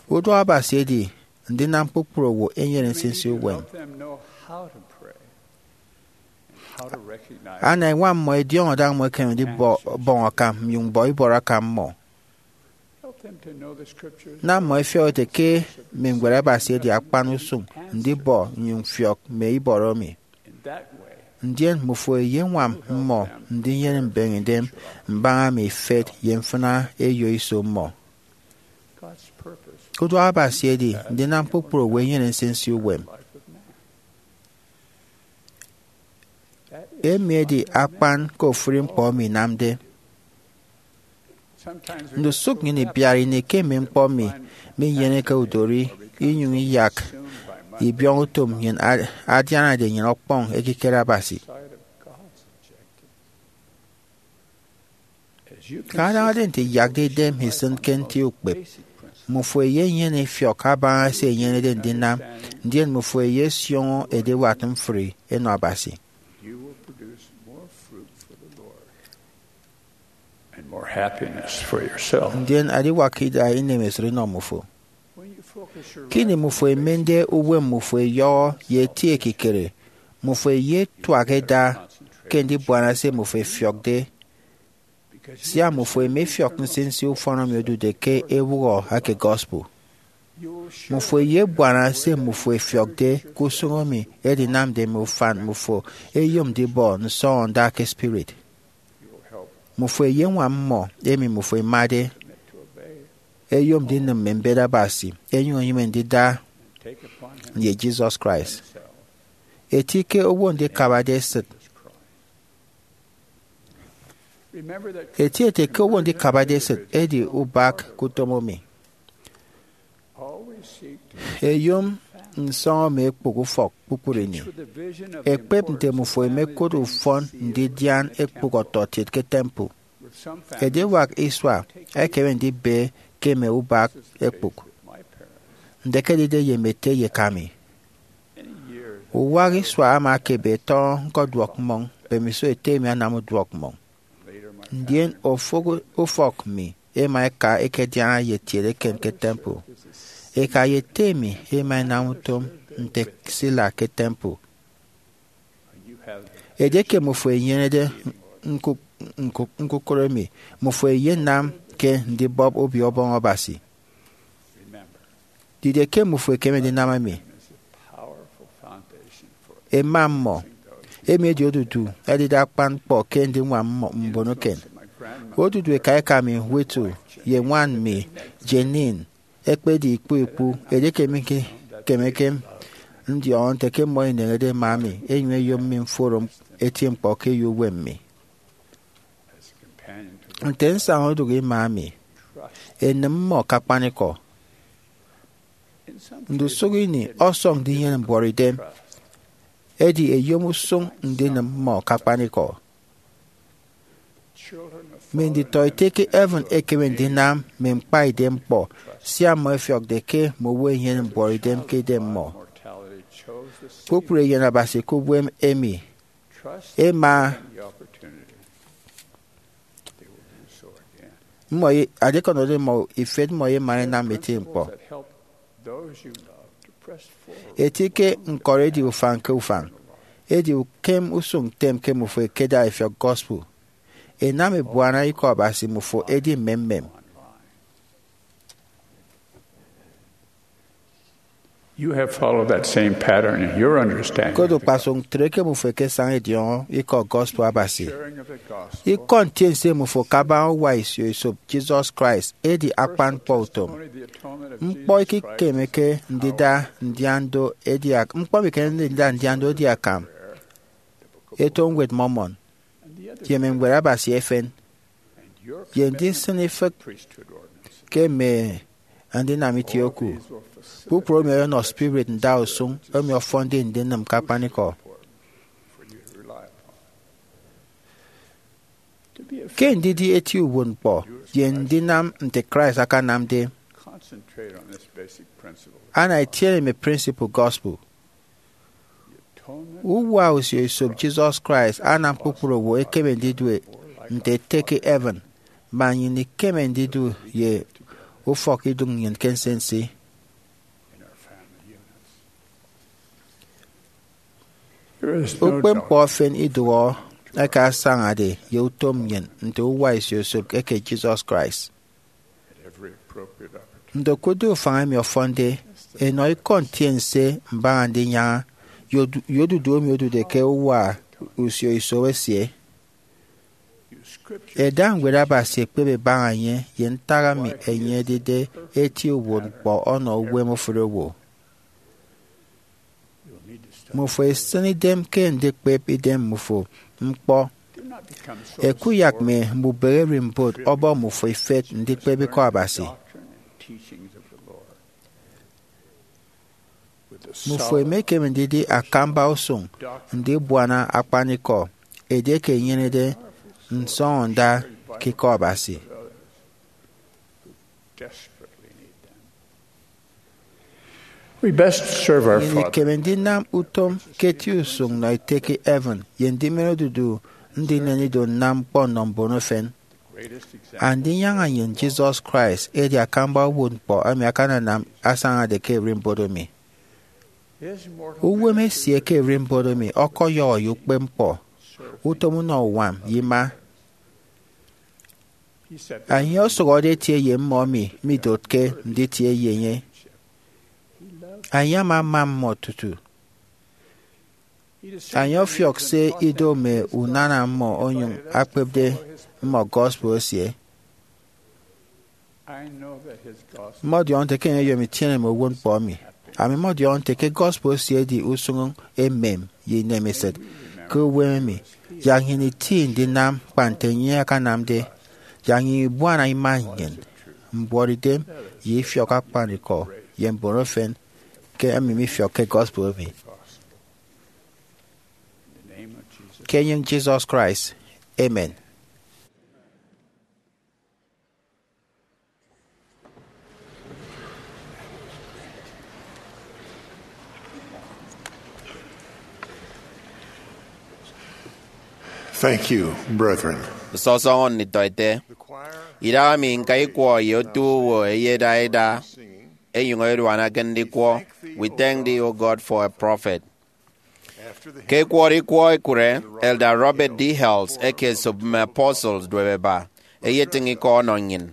Uduak Abasi edi ndinam kpukpru owo ẹnyene nsinsi uwem. Ana ẹñwam mmọ ẹdiọñọ daña mmọ ẹkeme ndibọñ akam nnyụñ bọ ibọrọ akam mmọ. Nam mmọ ẹfiọk ẹte ke mme Ñwed Abasi edi akpan usụñ ndibọ nnyụñ mfiọk mme ibọrọ mi. Ndien mmufo ẹyeñwam mmọ ndinyene mbeñedem mbaña mme ifet ye mfịna eyo iso mmọ. Uduak Abasi edi ndinam kpukpru owo ẹnyene nsinsi uwem. Emi edi akpan ke ofụri ñkpọ emi inamde. Ndusụk nnyịn ibiara ini ke mme ñkpọ mi minyeneke udori inyụñ iyak ibiọñ utom nnyịn adianade nnyịn ọkpọñ ekikere Abasi. Ke adañade nte iyakde idem isịn ke nti ukpep, mmufo ẹyenyene ifiọk abaña se ẹnyenede ndinam, ndien mmufo ẹyesioño ediwat mfri ẹnọ Abasi. Ndien adiwak ida inemesịt inọ mmufo. Ke ini mmufo ẹmende uwem mmufo ẹyọhọ ye eti ekikere, mmufo ẹyetuak ẹda ke ndibuana se mmufo ẹfiọkde. Sia mmufo ẹmefiọk nsinsi ufọn emi odude ke ewụhọ eke gospel, mmufo ẹyebuana se mmufo ẹfiọkde ke usụñ emi edinamde mme ufan mmufo ẹyom ndibọ nsọñọnda ke spirit. Mmufo ẹyeñwam mmọ emi mmufo ẹmade ẹyom ndinịm mme mbet Abasi ẹnyụñ ẹnyịme ndida ye Jesus Christ. Eti ke owo ndikabade esịt. Eti ete ke owo ndikabade esịt edi ubak ke utom emi. Ẹyom nsọñọ emi ẹkpụk ufọk kpukpru ini. Ẹkpep nte mmufo ẹmekụt ufọn ndidian ekpụk ọtọkiet ke temple. Ediwak isua ẹkeme ndibe ke mme ubak ẹkpụk. Nde ke edide ye mme ete ye eka mi? Uwak isua ama ekebe tọñọ ñkọduọk mmọñ, mbemiso ete mi anam uduọk mmọñ. Ndien ofụk ufọk mi ẹma ẹka ẹkediaña ye kiet eken ke temple. Eka ye ete mi ẹma ẹnam utom nte sila ke temple. Edieke mmufo ẹnyenede ñkukụre mi, mmufo ẹyenam ke ndibọp Obio Ọbọñ Abasi. Didie ke mmufo ẹkeme ndinam emi? Ẹma mmọ. Emi edi odudu ẹdide akpan ñkpọ ke ndiñwam mmọ mbon eken. Odudu eka eka mi, Whittle, ye ñwan mi, Jeanene, ẹkpedi ikpu ikpu edieke mikemeke ndiọñọ nte ke mmọ ẹneñede ẹma mi ẹnyụñ ẹyom mi mforo eti ñkpọ ke eyo uwem mi. Nte nsaña odụk ima mi, ẹnịm mmọ ke akpanikọ. Ndusụk ini ọsọñ ndinyene mbuọtidem, edi ẹyom usụñ ndinịm mmọ ke akpanikọ. Mme nditọete ke heaven ẹkeme ndinam mme ñkpaidem ñkpọ sia mmọ ẹfiọkde ke mme owo ẹnyene mbuọtidem ke idemmọ. Kpukpru eyen Abasi ke uwem emi ẹma mmọ ye, adikọnọde mmọ ifet, mmọ ye emana ẹnam eti ñkpọ. Eti ke ñkọri edi ufañ ke ufañ, edi ukem usụñ ntem ke mmufo ẹkeda ẹfiọk gospel. Ẹnam ẹbuana Ikọ Abasi, mmufo ẹdi mmemmem. You have followed that same pattern in your understanding. Koro kpasụk ntre ke mmufo ẹkesaña ẹdiọñọ ikọ gospel Abasi. Ikọ ntiense mmufo kabaña uwa isio esop Jesus Christ edi akpan ñkpọ utom. Ñkpọ ikikemeke ndida ndian do edi ak-, ñkpọ mikemeke ndida ndian do edi akam eto Ñwed Mormon, ye mme Ñwed Abasi efen, ye ndisịn ifịk ke mme andinam itie oku. Kpukpru emi ọyọnọ spirit ndausụñ emi ọfọnde ndinịm ke akpanikọ. Ke ndidi eti uwụtñkpọ ye ndinam nte Christ akanamde, ana itiene mme principle gospel. Uwa usio esop Jesus Christ anam kpukpru owo ẹkeme ndidu nte ẹte ke heaven, man nnyịn ikeme ndidu ye ufọk idụñ nnyịn ke nsinsi. Ukpepñkpọ efen idụhe eke asañade ye utom nnyịn nte uwa isio esop eke Jesus Christ. Nte okụtde ufañ emi ọfọnde, enọ ikọ ntiense mbaña ndinyaña ye odu-, ye odudu emi odude ke uwa usio iso esie. Ẹda Ñwed Abasi ẹkpep ẹbaña enye ye ntak emi enye edide eti uwụtñkpọ ọnọ uwem ofụri owo. Mmufo ẹsịn idem ke ndikpep idem mmufo ñkpọ. Ẹkuyak mme mbubehe ererimbot ọbọ mmufo ifet ndikpep ikọ Abasi. Mmufo ẹmekeme ndidi akamba usụñ ndibuana akpanikọ edieke inyenede nsọñọnda ke ikọ Abasi. We best serve our Nnyịn Father. Ikeme ndinam utom ke eti usụñ nọ ete ke heaven ye ndimen odudu ndinen ido nnam ñkpọ nnọ mbon efen. Andinyaña nnyịn Jesus Christ edi akamba uwụtñkpọ emi akananam asañade ke ererimbot emi. Uwem esie ke ererimbot emi ọkọyọhọ ye ukpepñkpọ, utom unọ uñwam, ye ima. Enye osụhọde etie ye mmọ emi midotke nditie ye enye. Enye ama ama mmọ tutu. Enye ọfiọk se ido mme unana mmọ onyụñ akpepde mmọ gospel esie. Mmọdiọñọ nte ke enye oyom itiene mme uwụtñkpọ emi. Ami mmọdiọñọ nte ke gospel esie edi usụñ emem ye inemesịt. Ke uwem emi, yak nnyịn iti ndinam kpa nte enye akanamde, yak nnyịn ibuana ima nnyịn, mbuọtidem, ye ifiọk akpanikọ ye mbon efen ke emi mifiọkke gospel emi. Ke enyịñ Jesus Christ, amen. Thank you, brethren. Nsọsọñọ nditọete. Idahaemi ñka ikwọ ye otu owo ẹyeda ẹda, ẹnyụñ ẹduana ke ndikwọ We Thank Thee, O God, for a Prophet. Ke ẹkwọrọ ikwọ ekụre, Elder Robert D. Hales eke Esop Mme Apostles duep eba, eyetịñ ikọ ọnọ nnyịn.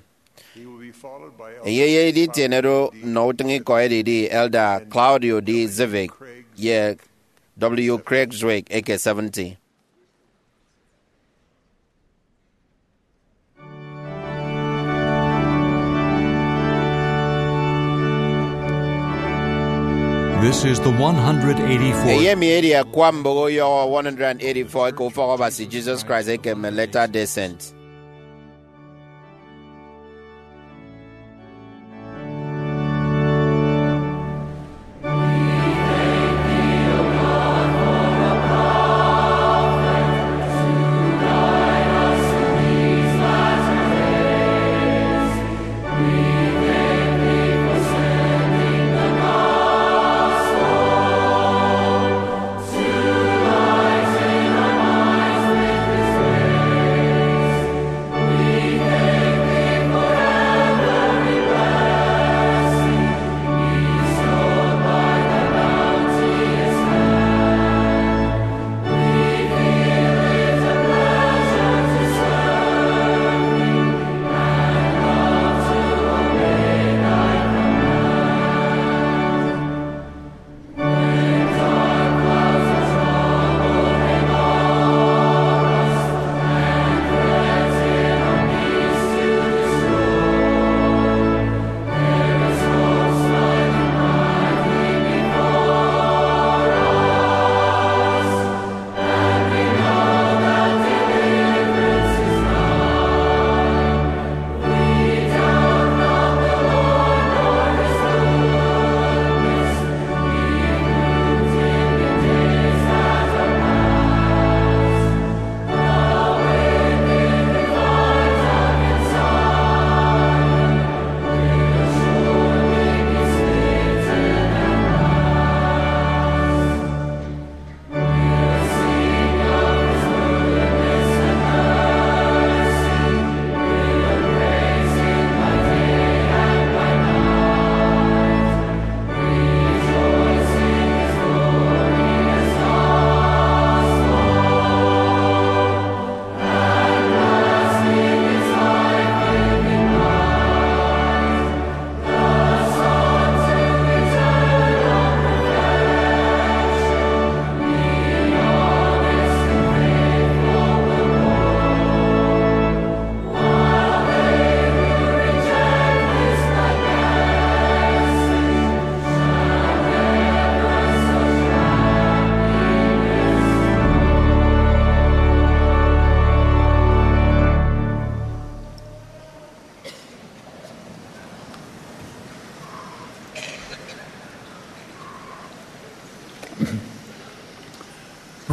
Enye eyedi itienede nnọ utịñikọ edidi Elder Claudio D. Zivik ye W. Craig Zwick eke seventy. This is the one hundred eighty-fourth. Eyemi edi akwa mbụk uyọhọ one hundred eighty-four eke Ufọk Abasi Jesus Christ eke mme Latter-day Saints.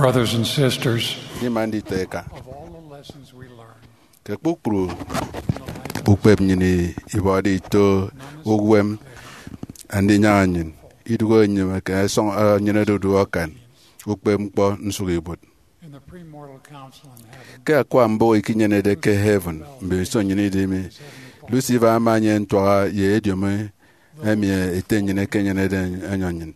Brothers and sisters, Ndima nditọ eka, of all the lessons we learn, ke kpukpru ukpep nnyịn ibọde ito uwem Andinyaña nnyịn, idụhe enyịn eke ẹsọñ ẹnyenede odu akan ukpep ñkpọ nsụk ibuot. In the premortal council in heaven, ke akwa mbụk ikinyenede ke heaven, mbemiso nnyịn idịmi, Lucifer ama enye ntuaha ye ediomi emi Ete nnyịn ekenyenede enyọ nnyịn.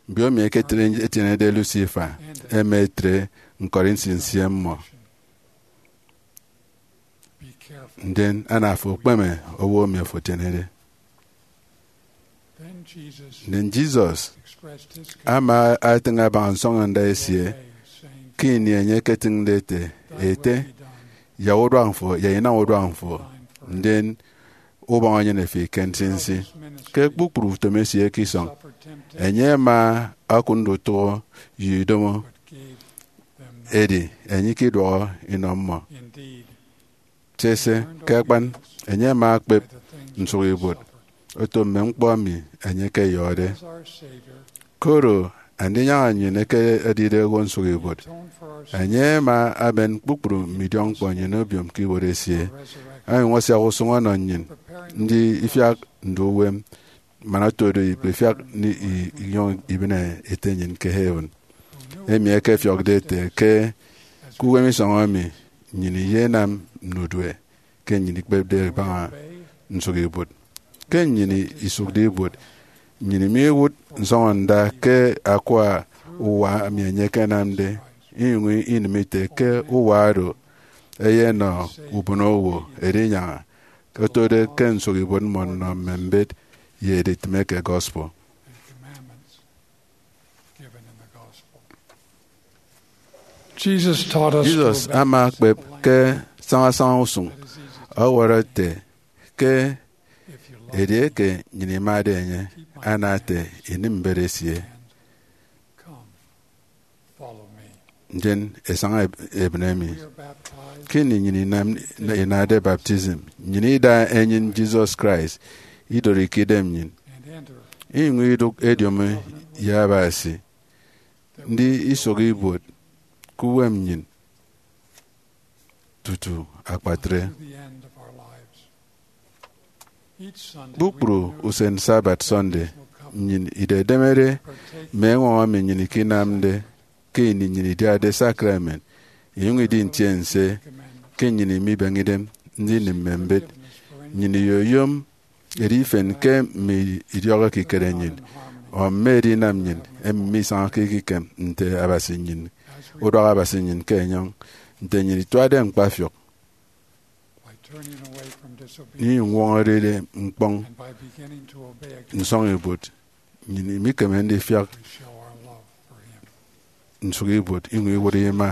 Mbiomi eke etienede Lucifer ẹma ẹtre ñkọri nsinsi mmọ. Ndien ana afo okpeme owo emi afo etienede. Ndien Jesus ama etịñ abaña nsọñọnda esie ke ini enye eketịñde ete, Ete, yak uduak mfo, yak inam uduak mfo, ndien ubọñ enyene fi ke nsinsi. Ke kpukpru utom esie ke isọñ, enye ama okụt ndutụhọ ye idomo, edi enye ikiduọhọ inọ mmọ. Sese, ke akpan, enye ama ekpep nsụk ibuot oto mme ñkpọ emi enye ekeyọhọde. Koro Andinyaña nnyịn eke edide owo nsụk ibuot, enye ama aben kpukpru mme idiọkñkpọ nnyịn obiom ke ibuot esie. Onyụñ asiak usụñ ọnọ nnyịn ndi ifiak ndu uwem, man otodo ikpefiak ni i- inyụñ ibịne Ete nnyịn ke heaven, emi ekefiọkde ete ke ke uwem isọñ emi nnyịn iyenam nnudue ke nnyịn ikpepde ibaña nsụk ibuot. Ke nnyịn isụkde ibuot, nnyịn miwụt nsọñọnda ke akwa uwa emi enye ekenamde, inyụñ inịm ite ke uwa oro eyenọ ubonowo Edinyaña, otode ke nsụk ibuot mmọ nnọ mme mbet ye editịme ke gospel. Jesus taught us to Jesus obey ama ekpep ke sañasaña usụñ, ọwọrọ ete ke edieke nnyịn imade enye, ana ete, inịm mbet esie, ndien esaña eb- ebịne mi. Ke ini nnyịn inam- inade baptism, nnyịn ida enyịn Jesus Christ idorike idem nnyịn, inyụñ idụk ediomi ye Abasi, ndi isụk ibuot ke uwem nnyịn tutu akpatre. Kpukpru usen Sabbath Sunday, nnyịn idedemede mme eñwọñọ emi nnyịn ikinamde ke ini nnyịn idiade sakramen, inyụñ idi ntiense ke nnyịn imibeñe idem ndinịm mme mbet. Nnyịn iyoyom edi ifen ke mme idiọk ekikere nnyịn, ọ mme edinam nnyịn emi misañake ekikem nte Abasi nnyịn, uduak Abasi nnyịn ke enyọñ, nte nnyịn ituade ñkpafiọk, inyụñ ñwọñọrede ñkpọñ nsọñ ibuot, nnyịn imikeme ndifiak nsụk ibuot iñwụk iwụt ima.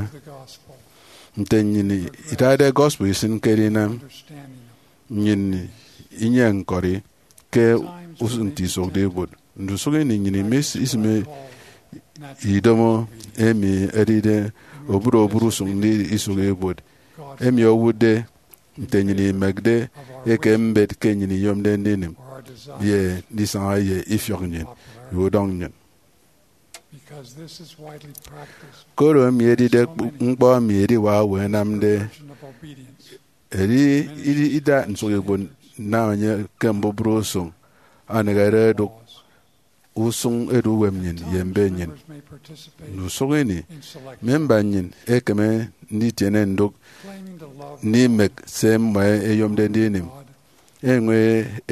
Nte nnyịn idade gospel isịn ke edinam, nnyịn inyehe ñkọri ke usụñ nte isụkde ibuot. Ndusụk ini nnyịn imis- isịme idomo emi edide obụt obụt usụñ nte isụk ibuot, emi owụtde nte nnyịn imekde ekem mbet ke nnyịn iyomde ndinịm ye ndisaña ye ifiọk nnyịn ye udọñ nnyịn. Koro emi edide kp- ñkpọ emi ediwak owo ẹnamde, edi ida nsụk ibuot nnam enye ke mbubru usụñ, aneghere edụk usụñ edu uwem nnyịn ye mbet nnyịn. Ndusụk ini, memba nnyịn ekeme nditiene ndụk ndimek se mmọ ẹyomde ndinịm, enyụñ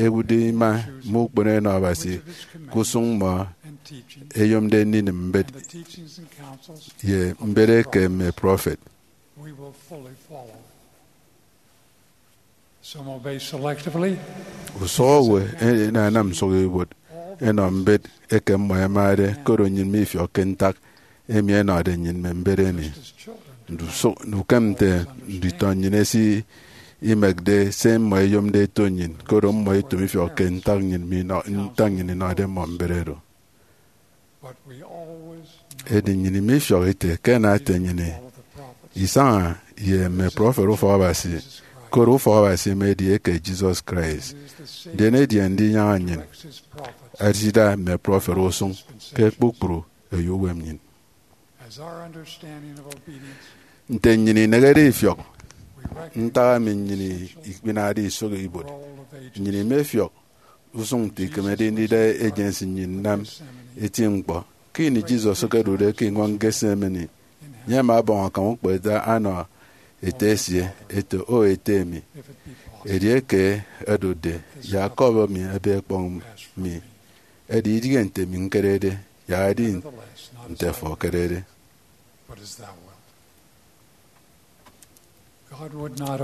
ewụtde ima mme ukpono enọ Abasi ke usụñ mmọ ẹyomde ndinịm mbet ye mbet eke mme prọfet. Usụhọwe ẹnanam nsụk ibuot ẹnọ mbet eke mmọ ẹmade, koro nnyịn mifiọkke ntak emi ẹnọde nnyịn mme mbet emi. Ndusụk ukem nte nditọ nnyịn ẹsimekde se mmọ ẹyomde ẹto nnyịn, koro mmọ ẹto mifiọkke ntak nnyịn minọ- ntak nnyịn inọde mmọ mbet oro. Edi nnyịn mifiọk ite ke ẹnam ete nnyịn isaña ye mme prọfet ufọk Abasi, koro ufọk Abasi emi edi eke Jesus Christ. Ndien edi Andinyaña nnyịn esida mme prọfet usụñ ke kpukpru eyo uwem nnyịn. Nte nnyịn inehede ifiọk ntak emi nnyịn ikpinade isụk ibuot, nnyịn imefiọk usụñ nte ikemede ndida Agency nnyịn nnam eti ñkpọ. Ke ini Jesus okodude ke iñwañ Gethsemane, enye ama ọbọñ akam ukpepñkpọ ete anọ ete esie, ete, O Ete mi, edieke ẹdụkde, yak cup emi ebe ẹkpọñ mi, edi idịghe nte mi ñkedede, yak edi nte afo ekedede.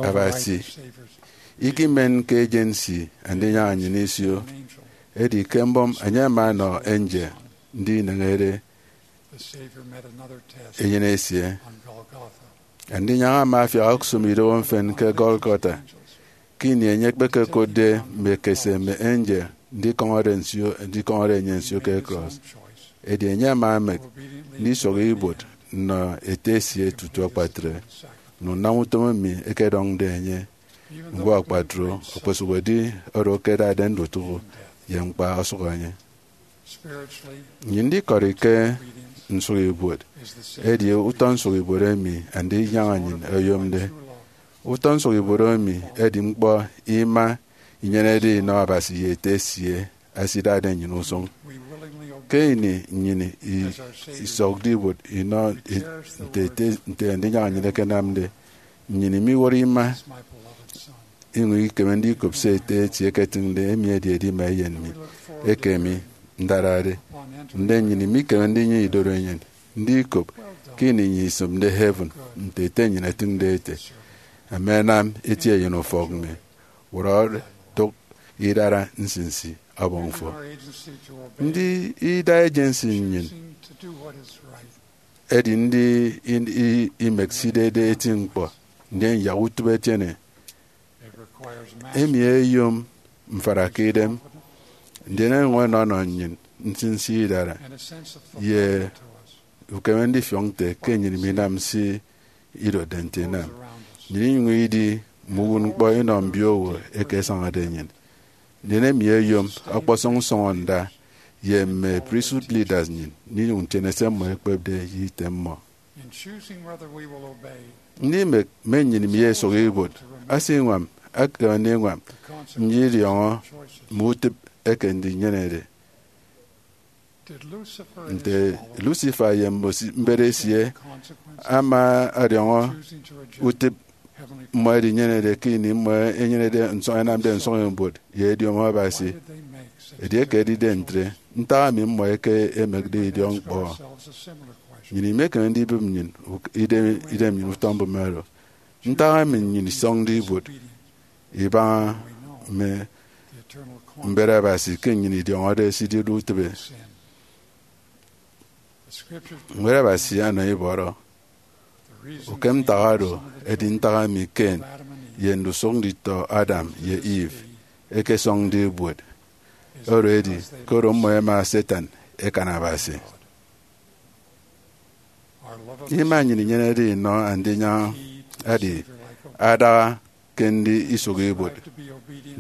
Abasi ikimen ke Agency Andinyaña nnyịn isio, edi ke mbọm enye ama ọnọ angel ndineñede enyịn esie. Andinyaña ama afiak okosụm idobo mfịn ke Golgotha, ke ini enye ekpekekotde mme ekese mme angel ndikọñọde nsio, ndikọñọde enye nsio ke cross. Edi enye ama emek ndisụk ibuot nnọ Ete esie tutu akpatre, nnọ nnam utom emi ẹkedọñde enye. Ñwo akpatre, okposụkedi oro ke ẹdade ndutụhọ ye ñkpa osụk enye. Nnyịn ndikọri ke nsụk ibuot edi utọ nsụk ibuot emi Andinyaña nnyịn oyomde. Utọ nsụk ibuot emi edi ñkpọ ima inyenede inọ Abasi ye Ete esie ẹsidade nnyịn usụñ. Ke ini nnyịn i- isọkde ibuot inọ i- nte ete, nte Andinyaña nnyịn ekenamde, nnyịn imiwọrọ ima, inyụñ ikeme ndikop se Ete esie eketịñde, emi edi edima Eyen mi, eke mi ndarade. Ndien nnyịn imikeme ndinyụñ idorenyin ndikop ke ini nnyịn isịmde heaven, nte Ete nnyịn etịñde ete, Ama ẹnam eti eyenufọk mi, wụrọde, dụk idara nsinsi ọbọñ fo. Ndida Agency nnyịn edi ndi i- i- imek sidede eti ñkpọ, ndien yak utịp etiene. Emi eyom mfara ke idem, ndien enyụñ ọnọnọ nnyịn nsinsi idara ye ukeme ndifiọk nte ke nnyịn minam se idotde nte inam. Nnyịn inyụñ idi mme uwụtñkpọ inọ mbiowo eke ẹsañade nnyịn. Ndien emi eyom ọkpọsọñ nsọñọnda ye mme priesthood leaders nnyịn ndinyụñ ntiene se mmọ ẹkpepde ye item mmọ. Ndimek mme nnyịn mi esụk ibuot, asiñwam, akam ndiñwam ndidiọñọ mme utịp eke ndinyenede. Nte Lucifer ye mbosi- mbet esie ama ọdiọñọ utịp mmọ ẹdinyenede ke ini mmọ ẹnyenede nsọñ, ẹnamde nsọñibuot ye ediomi Abasi? Edieke edide ntre, ntak emi mmọ eke emekde idiọkñkpọ? Nnyịn imekeme ndibịp nnyịn uk- idem, idem nnyịn utọ mbụme oro. Ntak emi nnyịn isọñde ibuot ibaña mme mbet Abasi ke nnyịn idiọñọde se ididu utịbe? Ñwed Abasi anọ ibọrọ. Ukem ntak oro edi ntak emi Cain ye ndusụk nditọ Adam ye Eve ẹkesọñde ibuot. Oro edi, koro mmọ ẹma Satan ẹkan Abasi. Ima nnyịn inyenede inọ Andinyaña edi adaha ke ndi isụk ibuot.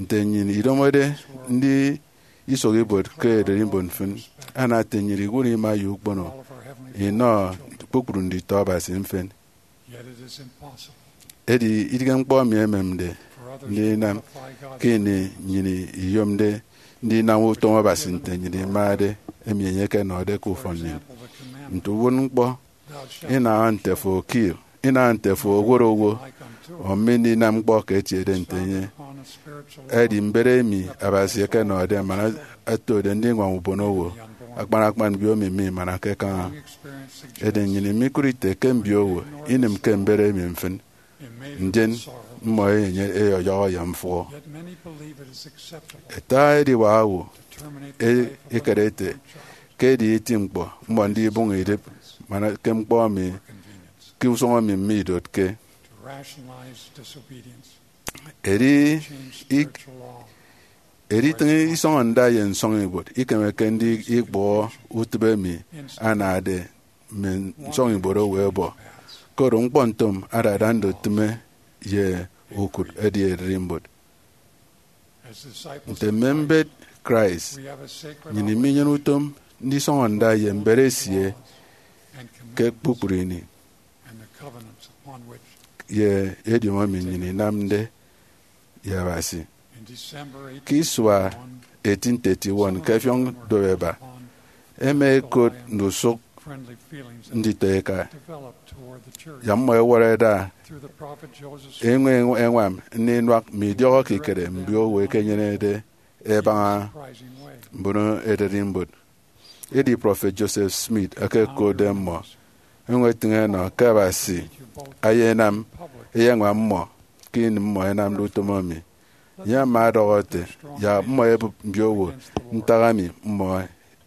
Nte nnyịn idomode ndi isụk ibuot ke ererimbot mfịn, ana ete nnyịn iwụt ima ye ukpono inọ kpukpru nditọ Abasi mfịn. Edi idịghe ñkpọ emi ẹmemde ndinam ke ini nnyịn iyomde ndinam utom Abasi nte nnyịn imade, emi enye ekenọde ke ufọn nnyịn. Nte uwụtñkpọ, inaha nte afo okio, inaha nte afo owot owo, o mme ndinam ñkpọ ke etiede nte enye. Edi mbet emi Abasi ekenọde man otode ndiñwam ubonowo, akpan akpan mbiomi mimanake kaña. Edi nnyịn imikụt ite ke mbiowo inịmke mbet emi mfịn, ndien mmọ ẹyọyọhọ ye mfụhọ. Ata ediwak owo e- ekere ete ke edi eti ñkpọ mmọ ndibụñ idịp man ke ñkpọ emi ke usụñ emi mme idotke. Edi ik- editịñ isọñọnda ye nsọñibuot ikemeke ndikpụhọ utịp emi anade mme nsọñibuot owo ẹbọ, koro ñkpọntịm adada ndutịme ye ukụt edi ererimbot. Nte mme mbet Christ, nnyịn iminyene utom ndisọñọ nda ye mbet esie ke kpukpru ini ye ediomi emi nnyịn inamde ye Abasi. Ke isua eighteen thirty-one, ke ẹfiọk Doweba, ẹma ẹkot ndusụk nditọeka, yak mmọ ẹwọrọ ẹda eñwen ẹñwam nninuak mme idiọk ekikere mbiowo ẹkenyenede ẹbaña mbono ererimbot. Edi Prọfet Joseph Smith ekekotde mmọ, enyụñ etịñ enọ ke Abasi ayenam eyeñwam mmọ ke ini mmọ ẹnamde utom emi. Enye ama ọdọhọ ete, yak mmọ ẹbụp mbiowo ntak emi mmọ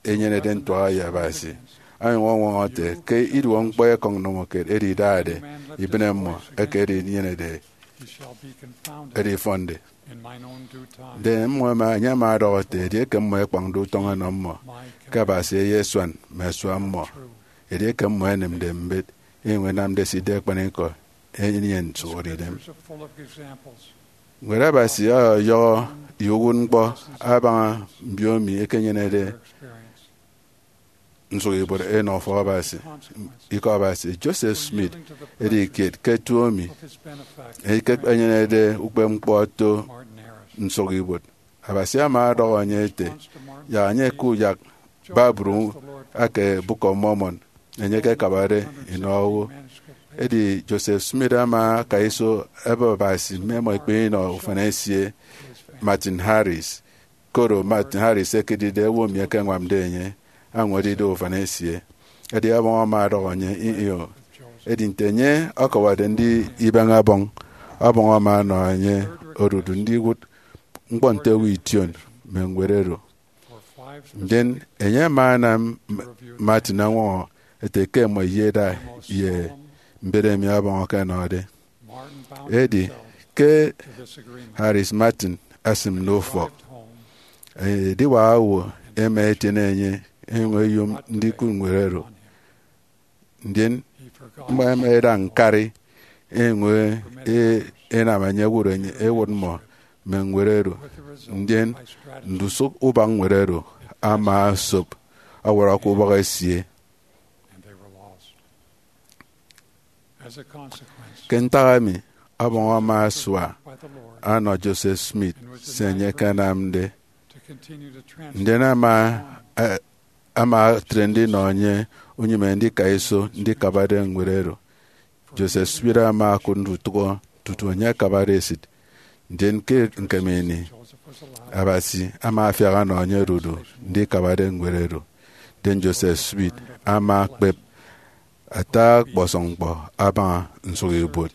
ẹnyenede ntuaha ye Abasi, onyụñ ọñwọñọ ete ke iduọk ñkpọ ekọñ ndomokiet edi idade ibịne mmọ eke edinyenede edifọnde. Ndien mmọ ẹma, enye ama ọdọhọ ete, edieke mmọ ẹkpañde utọñ ẹnọ mmọ, ke Abasi eyesuan mme asua mmọ. Edieke mmọ ẹnịmde mbet, enyụñ ẹnamde se ida akpanikọ, enyịn nsụhọdeidem. Ñwed Abasi ọyọhọ ye uwụtñkpọ abaña mbiomi ẹkenyenede nsụkibuot ẹnọ ufọk Abasi, ikọ Abasi. Joseph Smith edi kiet ke tuo emi enyenede ukpepñkpọ oto nsụkibuot. Abasi ama ọdọhọ enye ete, yak enye ke uyak Bible ake Book of Mormon enye ekekabade inọ owo. Edi Joseph Smith ama aka iso ẹbụp Abasi mme ẹmọ ikpe inọ ufan esie, Martin Harris. Koro Martin Harris ekedide owo emi ẹkeñwamde enye, añwam ido ufan esie. Edi Ọbọñ ama ọdọhọ enye, ih, ih, o. Edi nte enye ọkọwọrọde ndi ibeñe Ọbọñ, Ọbọñ ama ọnọ enye odudu ndiwụt ñkpọ nte owo ition mme ñwed oro. Ndien enye ama anam M-, Martin añwọñọ ete ke ẹmọ iyeda ye mbet emi Ọbọñ ọkọnọde. Edi ke Harris Martin asịm nọ ufọk, ediwak owo ẹma ẹtiene enye, ẹnyụñ ẹyom ndikụt ñwed oro. Ndien mmọ ẹma ẹda ñkari, ẹnyụñ e-, ẹnam enye ẹwụt enye, ẹwụt mmọ mme ñwed oro. Ndien ndusụk ubak ñwed oro ama osop ọwọrọ ke ubọk esie. Ke ntak emi, Ọbọñ ama asua anọ Joseph Smith se enye akanamde. Ndien ama, a-, ama etre ndinọ enye unyịme ndika iso ndikabade ñwed oro. Joseph Smith ama okụt ndutụhọ tutu enye akabade esịt. Ndien ke ñkeme ini, Abasi ama afiak ọnọ enye odudu ndikabade ñwed oro. Ndien Joseph Smith ama akpep ata ọkpọsọñ ñkpọ abaña nsụkibuot.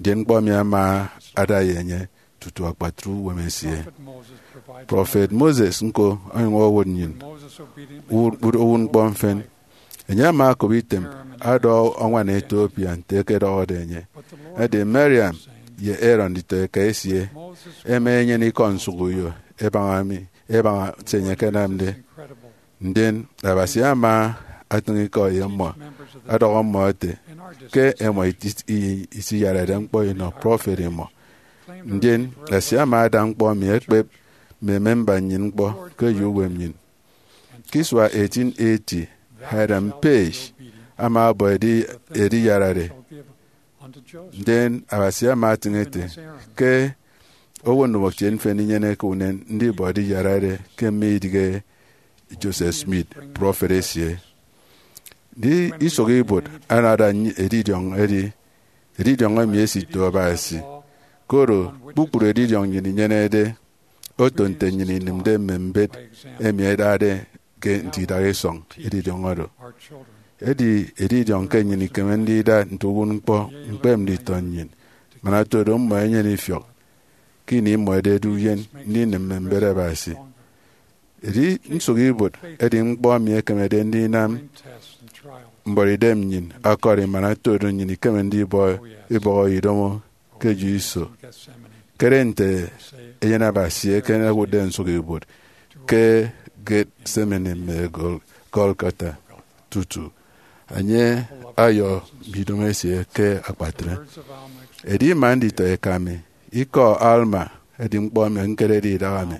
Ndien ñkpọ emi ama ada ye enye tutu akpatre uwem esie. Prọfet Moses ñko onyụñ owụt nnyịn u-, u-, uwụtñkpọ mfịn. Enye ama okop item ada ọñwan Ethiopia nte ẹkedọhọde enye. Edi Miriam ye Aaron nditọeka esie ẹma ẹnyene ikọ nsụk uyo ẹbaña mi, ẹbaña se enye akanamde. Ndien Abasi ama atịñ ikọ ye mmọ, ọdọhọ mmọ ete ke ẹmọ iti-, i-, isiyarade ñkpọ inọ prọfet imọ. Ndien Abasi ama ada ñkpọ emi ekpep mme memba nnyịn ñkpọ ke eyo uwem nnyịn. Ke isua eighteen eighty, Hiram Page ama ọbọ edi-, ediyarade. Ndien Abasi ama atịñ ete ke owo ndomokiet mfịn inyeneke unen ndibọ ediyarade ke mme idịghe Joseph Smith, prọfet esie. Ndi isụk ibuot anada nny-, edidiọñ edi, edidiọñ emi esito Abasi, koro kpukpru edidiọñ nnyịn inyenede oto nte nnyịn inịmde mme mbet emi ẹdade ke nti idaha isọñ edidiọñ oro. Edi edidiọñ ke nnyịn ikeme ndida nte uwụtñkpọ ñkpep nditọ nnyịn, man otodo mmọ ẹnyene ifiọk ke ini mmọ ẹdede uyen ndinịm mme mbet Abasi. Edi nsụk ibuot edi ñkpọ emi ekemede ndinam mbuọtidem nnyịn ọkọri man otodo nnyịn ikeme ndibọ ibọhọ idomo ke eyo iso. Kere nte Eyen Abasi eken ewụtde nsụk ibuot ke Gethsemane mme Gol-, Golgotha tutu enye ọyọ mme idomo esie ke akpatre. Edi ima nditọ eka mi. Ikọ Alma edi ñkpọ emi ñkerede idaha mi.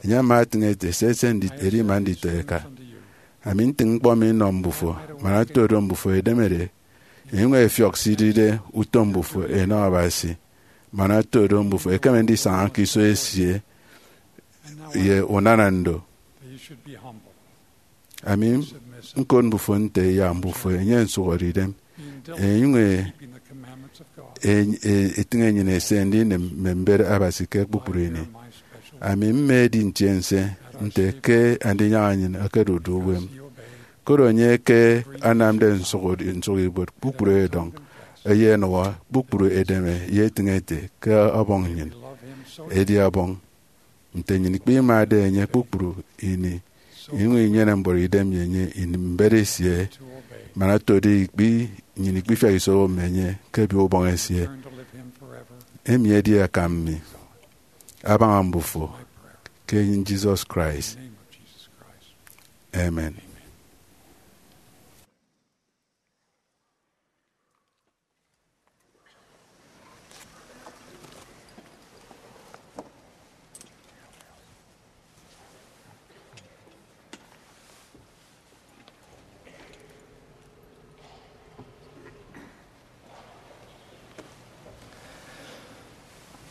Enye ama etịñ ete, sese, ndi-, edi ima nditọ eka. Ami ntịñ ñkpọ mi nnọ mbufo, man oto do mbufo ẹdemede ẹnyụñ ẹfiọk se idide utom mbufo ẹnọ Abasi, man oto do mbufo ẹkeme ndisaña ke iso esie ye unana ndo. Ami ñkot mbufo nte yak mbufo ẹnyene nsụhọdeidem, ẹnyụñ e- e- etịñ enyịn ese ndinịm mme mbet Abasi ke kpukpru ini. Ami mma edi ntiense nte ke Andinyaña enyịn okodude uwem, koro enye ke anamde nsụk nsụk ibuot kpukpru edọñ, eyenụhọ kpukpru edeme ye etịñ ete ke Ọbọñ nnyịn edi Ọbọñ. Nte nnyịn ikpimade enye kpukpru ini, inyụñ inyene mbuọtidem ye enye, inịm mbet esie, man oto do ikpi, nnyịn ikpifiak iso owo mme enye ke ebiet ubọñ esie. Emi edi akam mi abaña mbufo ke enyịñ Jesus Christ. Amen.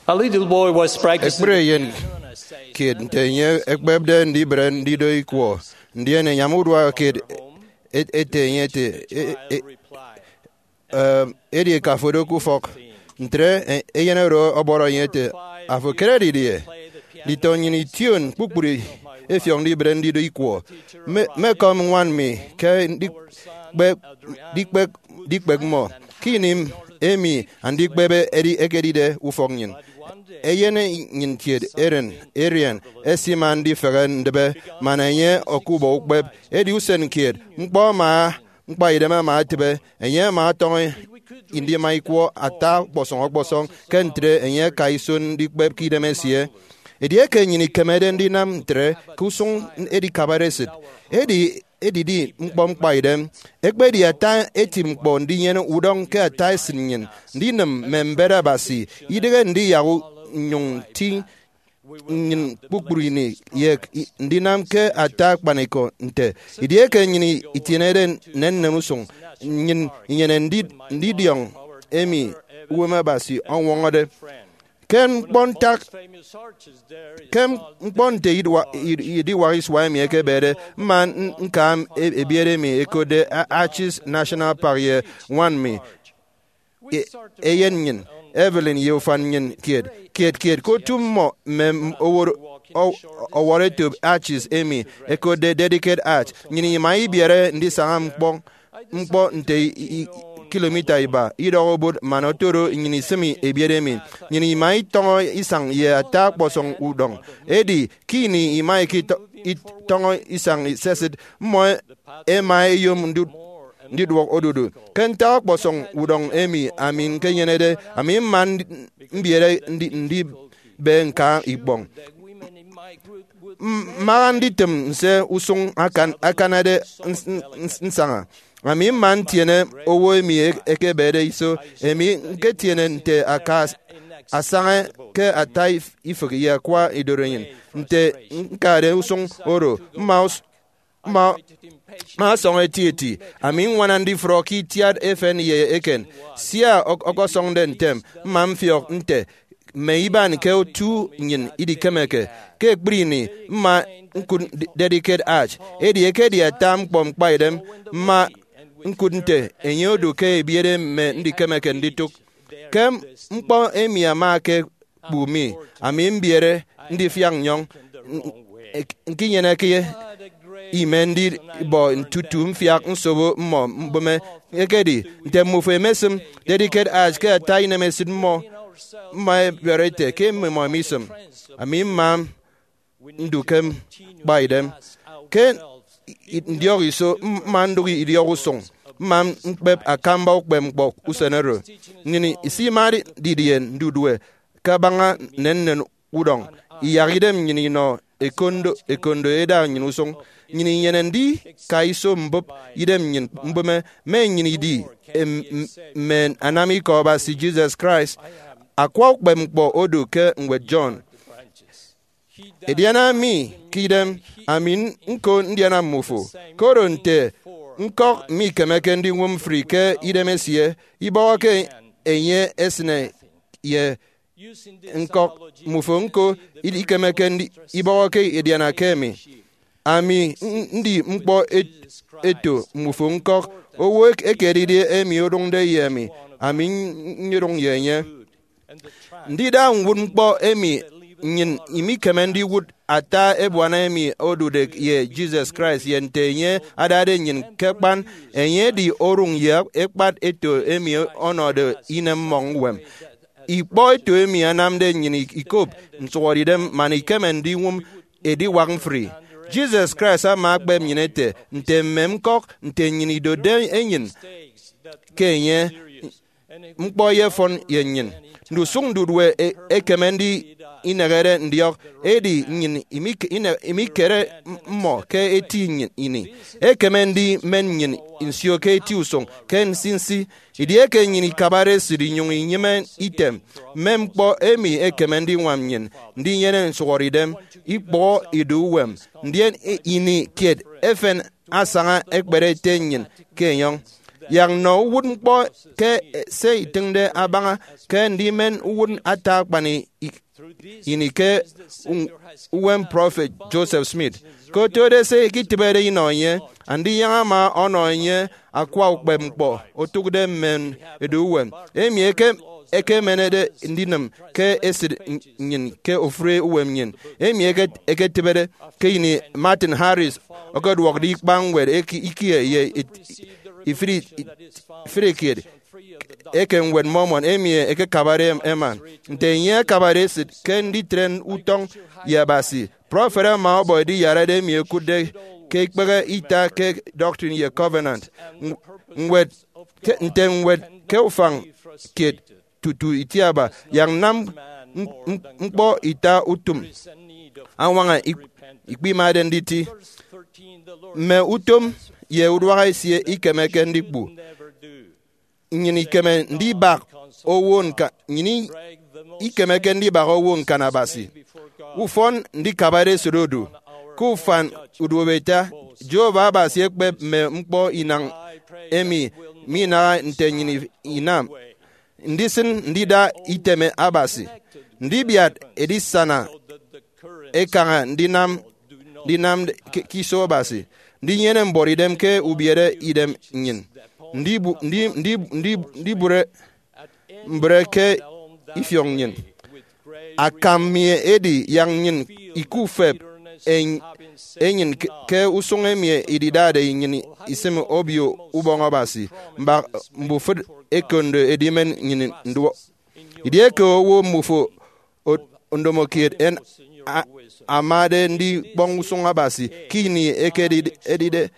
A little boy was practicing. Ekpri eyen kiet nte enye ekpepde ndibre ndido ikwọ, ndien enyam urua kiet e- ete enye ete, e- e- Em, edieke afo odo ke ufọk, ntre e- eyen oro ọbọrọ enye ete, "Afo ekere didie? Nditọ nnyịn ition kpukpru efiọk ndibre ndido ikwọ. Mme- mmekọm ñwan mi ke ndikpek, ndikpek, ndikpek mmọ ke ini emi andikpebe edi ekedide ufọk nnyịn." Eyen nnyịn kiet eren Arian esima ndifehe ndịbe man enye okubọ ukpep. Edi usen kiet, ñkpọ ama ñkpaidem ama etịbe, enye ama ọtọñọ ndima ikwọ ata ọkpọsọñ ọkpọsọñ, ke ntre enye aka iso ndikpep ke idem esie. Edieke nnyịn ikemede ndinam ntre ke usụñ edikabare esịt, edi edidi ñkpọ ñkpaidem. Ekpedi ata eti ñkpọ ndinyene udọñ ke ata esịt nnyịn, ndinịm mme mbet Abasi, idịghe ndiyak u- nnyụñ nti nnyịn kpukpru ini ye i- ndinam ke ata akpanikọ nte edieke nnyịn itienede nnennen usụñ, nnyịn inyene ndi- ndidiọñ emi uwem Abasi ọñwọñọde. Ke ñkpọ ntak, ke ñkpọ nte idwa- id- idiwak isua emi ekebede, mma n- ñkam e- ebiet emi ẹkotde A- Arches National Park ye ñwan mi, e- eyen nnyịn, Evelyn, ye ufan nnyịn kiet kiet kiet ke otu mmọ mme m- oworo- o- ọwọrọ etop arches emi ẹkotde Delicate Arch. Nnyịn ima ibiere ndisaña ñkpọ ñkpọ nte i- i- kilomita iba idọk obot man oto do nnyịn isịm ebiet emi. Nnyịn ima itọñọ isañ ye ata ọkpọsọñ udọñ. Edi ke ini ima ikitọ- itọñọ isañ sesịt, mmọ ẹma ẹyom ndu- ndiduọk odudu. Ke ntak ọkpọsọñ udọñ emi ami ñkenyenede, ami mma ndi- mbiere ndi- ndibe ñka ikpọñ. M- mmaha nditịm nse usụñ akan- akanade ns- ns- nsaña. Ami mma ntiene owo emi e- ekebede iso, emi ñketiene nte aka as- asaña ke ata if- ifịk ye akwa idorenyin. Nte ñkade usụñ oro, mma us- mma mma ọsọñ etieti. Ami ññwana ndifrọ ke itiat efen ye eken, sia ọk- ọkọsọñde ntem. Mma mfiọk nte mme iban ke otu nnyịn idikemeke. Ke ekpri ini, mma ñkụt Delicate Arch. Edi ekedi ata ñkpọ ñkpaidem, mma ñkụt nte enye odu ke ebiere mme ndikemeke nditụk. Ke ñkpọ emi ama ke kpu mi, ami mbiere ndifiak nnyọñ, n- ñkinyeneke ime ndibọ tutu mfiak nsobo mmọ mbụme. Ekedi nte mmufo emesịm Delicate Arch ke ata inemesịt mmọ, mma ẹbiọrọ ete ke mmimọ misịm. Ami mma ndu ke ñkpaidem. Ke i- ndiọk iso, m- mma ndụk idiọk usụñ, mma ñkpep akamba ukpepñkpọ usen oro. Nnyịn isimade didie ndudue kabaña nnennen udọñ, iyak idem nnyịn inọ ekondo ekondo eda nnyịn usụñ. Nnyịn inyene ndika iso mbụp idem nnyịn mbụme, mme nnyịn idi em- m- mme anam ikọ Abasi Jesus Christ. Akwa ukpepñkpọ odu ke ñwed John. Ediana mi ke idem, ami nko ndiana mmufo, koro nte ñkọk mikemeke ndiñwụm mfri ke idem esie, ibọhọke enye esịne ye ñkọk. Mmufo ñko ikemeke ndi-, ibọhọke ediana ke emi. Ami n-, ndi ñkpọ et-, eto mmufo ñkọk, owo ek-, ekedide emi odụñde ye emi, ami n-, nyodụñ ye enye. Ndida ñwụtñkpọ emi nnyịn imikeme ndiwụt ata ebuana emi odude ye Jesus Christ ye nte enye adade nnyịn ke akpan, enye edi orụñ ye ekpat eto emi ọnọde inem mmọñ uwem. Ikpọ eto emi anamde nnyịn ikop nsụhọdeidem man ikeme ndiñwụm ediwak mfri. Jesus Christ ama akpep nnyịn ete, nte mme ñkọk, nte nnyịn idotde enyịn ke enye, ñkpọ eyefọn ye nnyịn. Ndusụk ndudue e-, ekeme ndi inehede ndiọk, edi nnyịn imik-, ine-, imikere mmọ ke eti nnyịn ini. Ekeme ndimen nnyịn nsio ke eti usụñ, ke nsinsi. Edieke nnyịn ikabade esịt inyụñ inyịme item, mme ñkpọ emi ekeme ndiñwam nnyịn ndinyene nsụhọdeidem, ikpọhọ ido uwem, ndien i-, ini kiet efen asaña ekpere ete nnyịn ke enyọñ. Yak nnọ uwụtñkpọ ke se itịñde abaña ke ndimen uwụt ata akpan i-, ini ke u-, uwem prọfet Joseph Smith. Ke otode se iketịbede inọ enye, Andiyaña ama ọnọ enye akwa ukpepñkpọ otụkde mme edu uwem, emi eke-, ekemenede ndinịm ke esịt nnyịn ke ofụri uwem nnyịn, emi eke-, eketịbede ke ini Martin Harris okoduọkde ikpañ ñwed eke-, ikie ye it-, ifri-, ifrikiet eke Ñwed Mormon emi ekekabade em-, eman. Nte enye akabade esịt ke nditre utọñ ye Abasi, prọfet ama ọbọ ediyarade emi ekụtde ke ikpehe ita ke Doctrine ye Covenant, ñw-, ñwed ke, nte ñwed ke ufañ kiet tutu itiaba, yak nam m-, m-, ñkpọ ita utịm añwaña ik-, ikpimade nditi. Mme utom ye uduak esie ikemeke ndikpu. Nnyịn ikeme ndibak owo ñka-, nnyịn i-, ikemeke ndibak owo ñkan Abasi. Ufọn ndikabade esịt odu. Ke ufan uduobo ita, Jehovah Abasi ekpep mme ñkpọ inañ emi minaha nte nnyịn i-, inam. Ndisịn ndida iteme Abasi, ndibiat edisana ekaña ndinam, ndinam ke, ke iso Abasi, ndinyene mbuọtidem ke ubiere idem nnyịn, ndibu-, ndi-, ndi-, ndi-, ndibụre mbre ke ifiọk nnyịn. Akam mi edi yak nnyịn ikufep eny-, enyịn ke, ke usụñ emi ididade nnyịn isịm Obio Ubọñ Abasi, mbak mbufịt ekondo edimen nnyịn nduọ. Edieke owo mmufo o-, ndomokiet en-, a-, amade ndikpọñ usụñ Abasi ke ini eke edide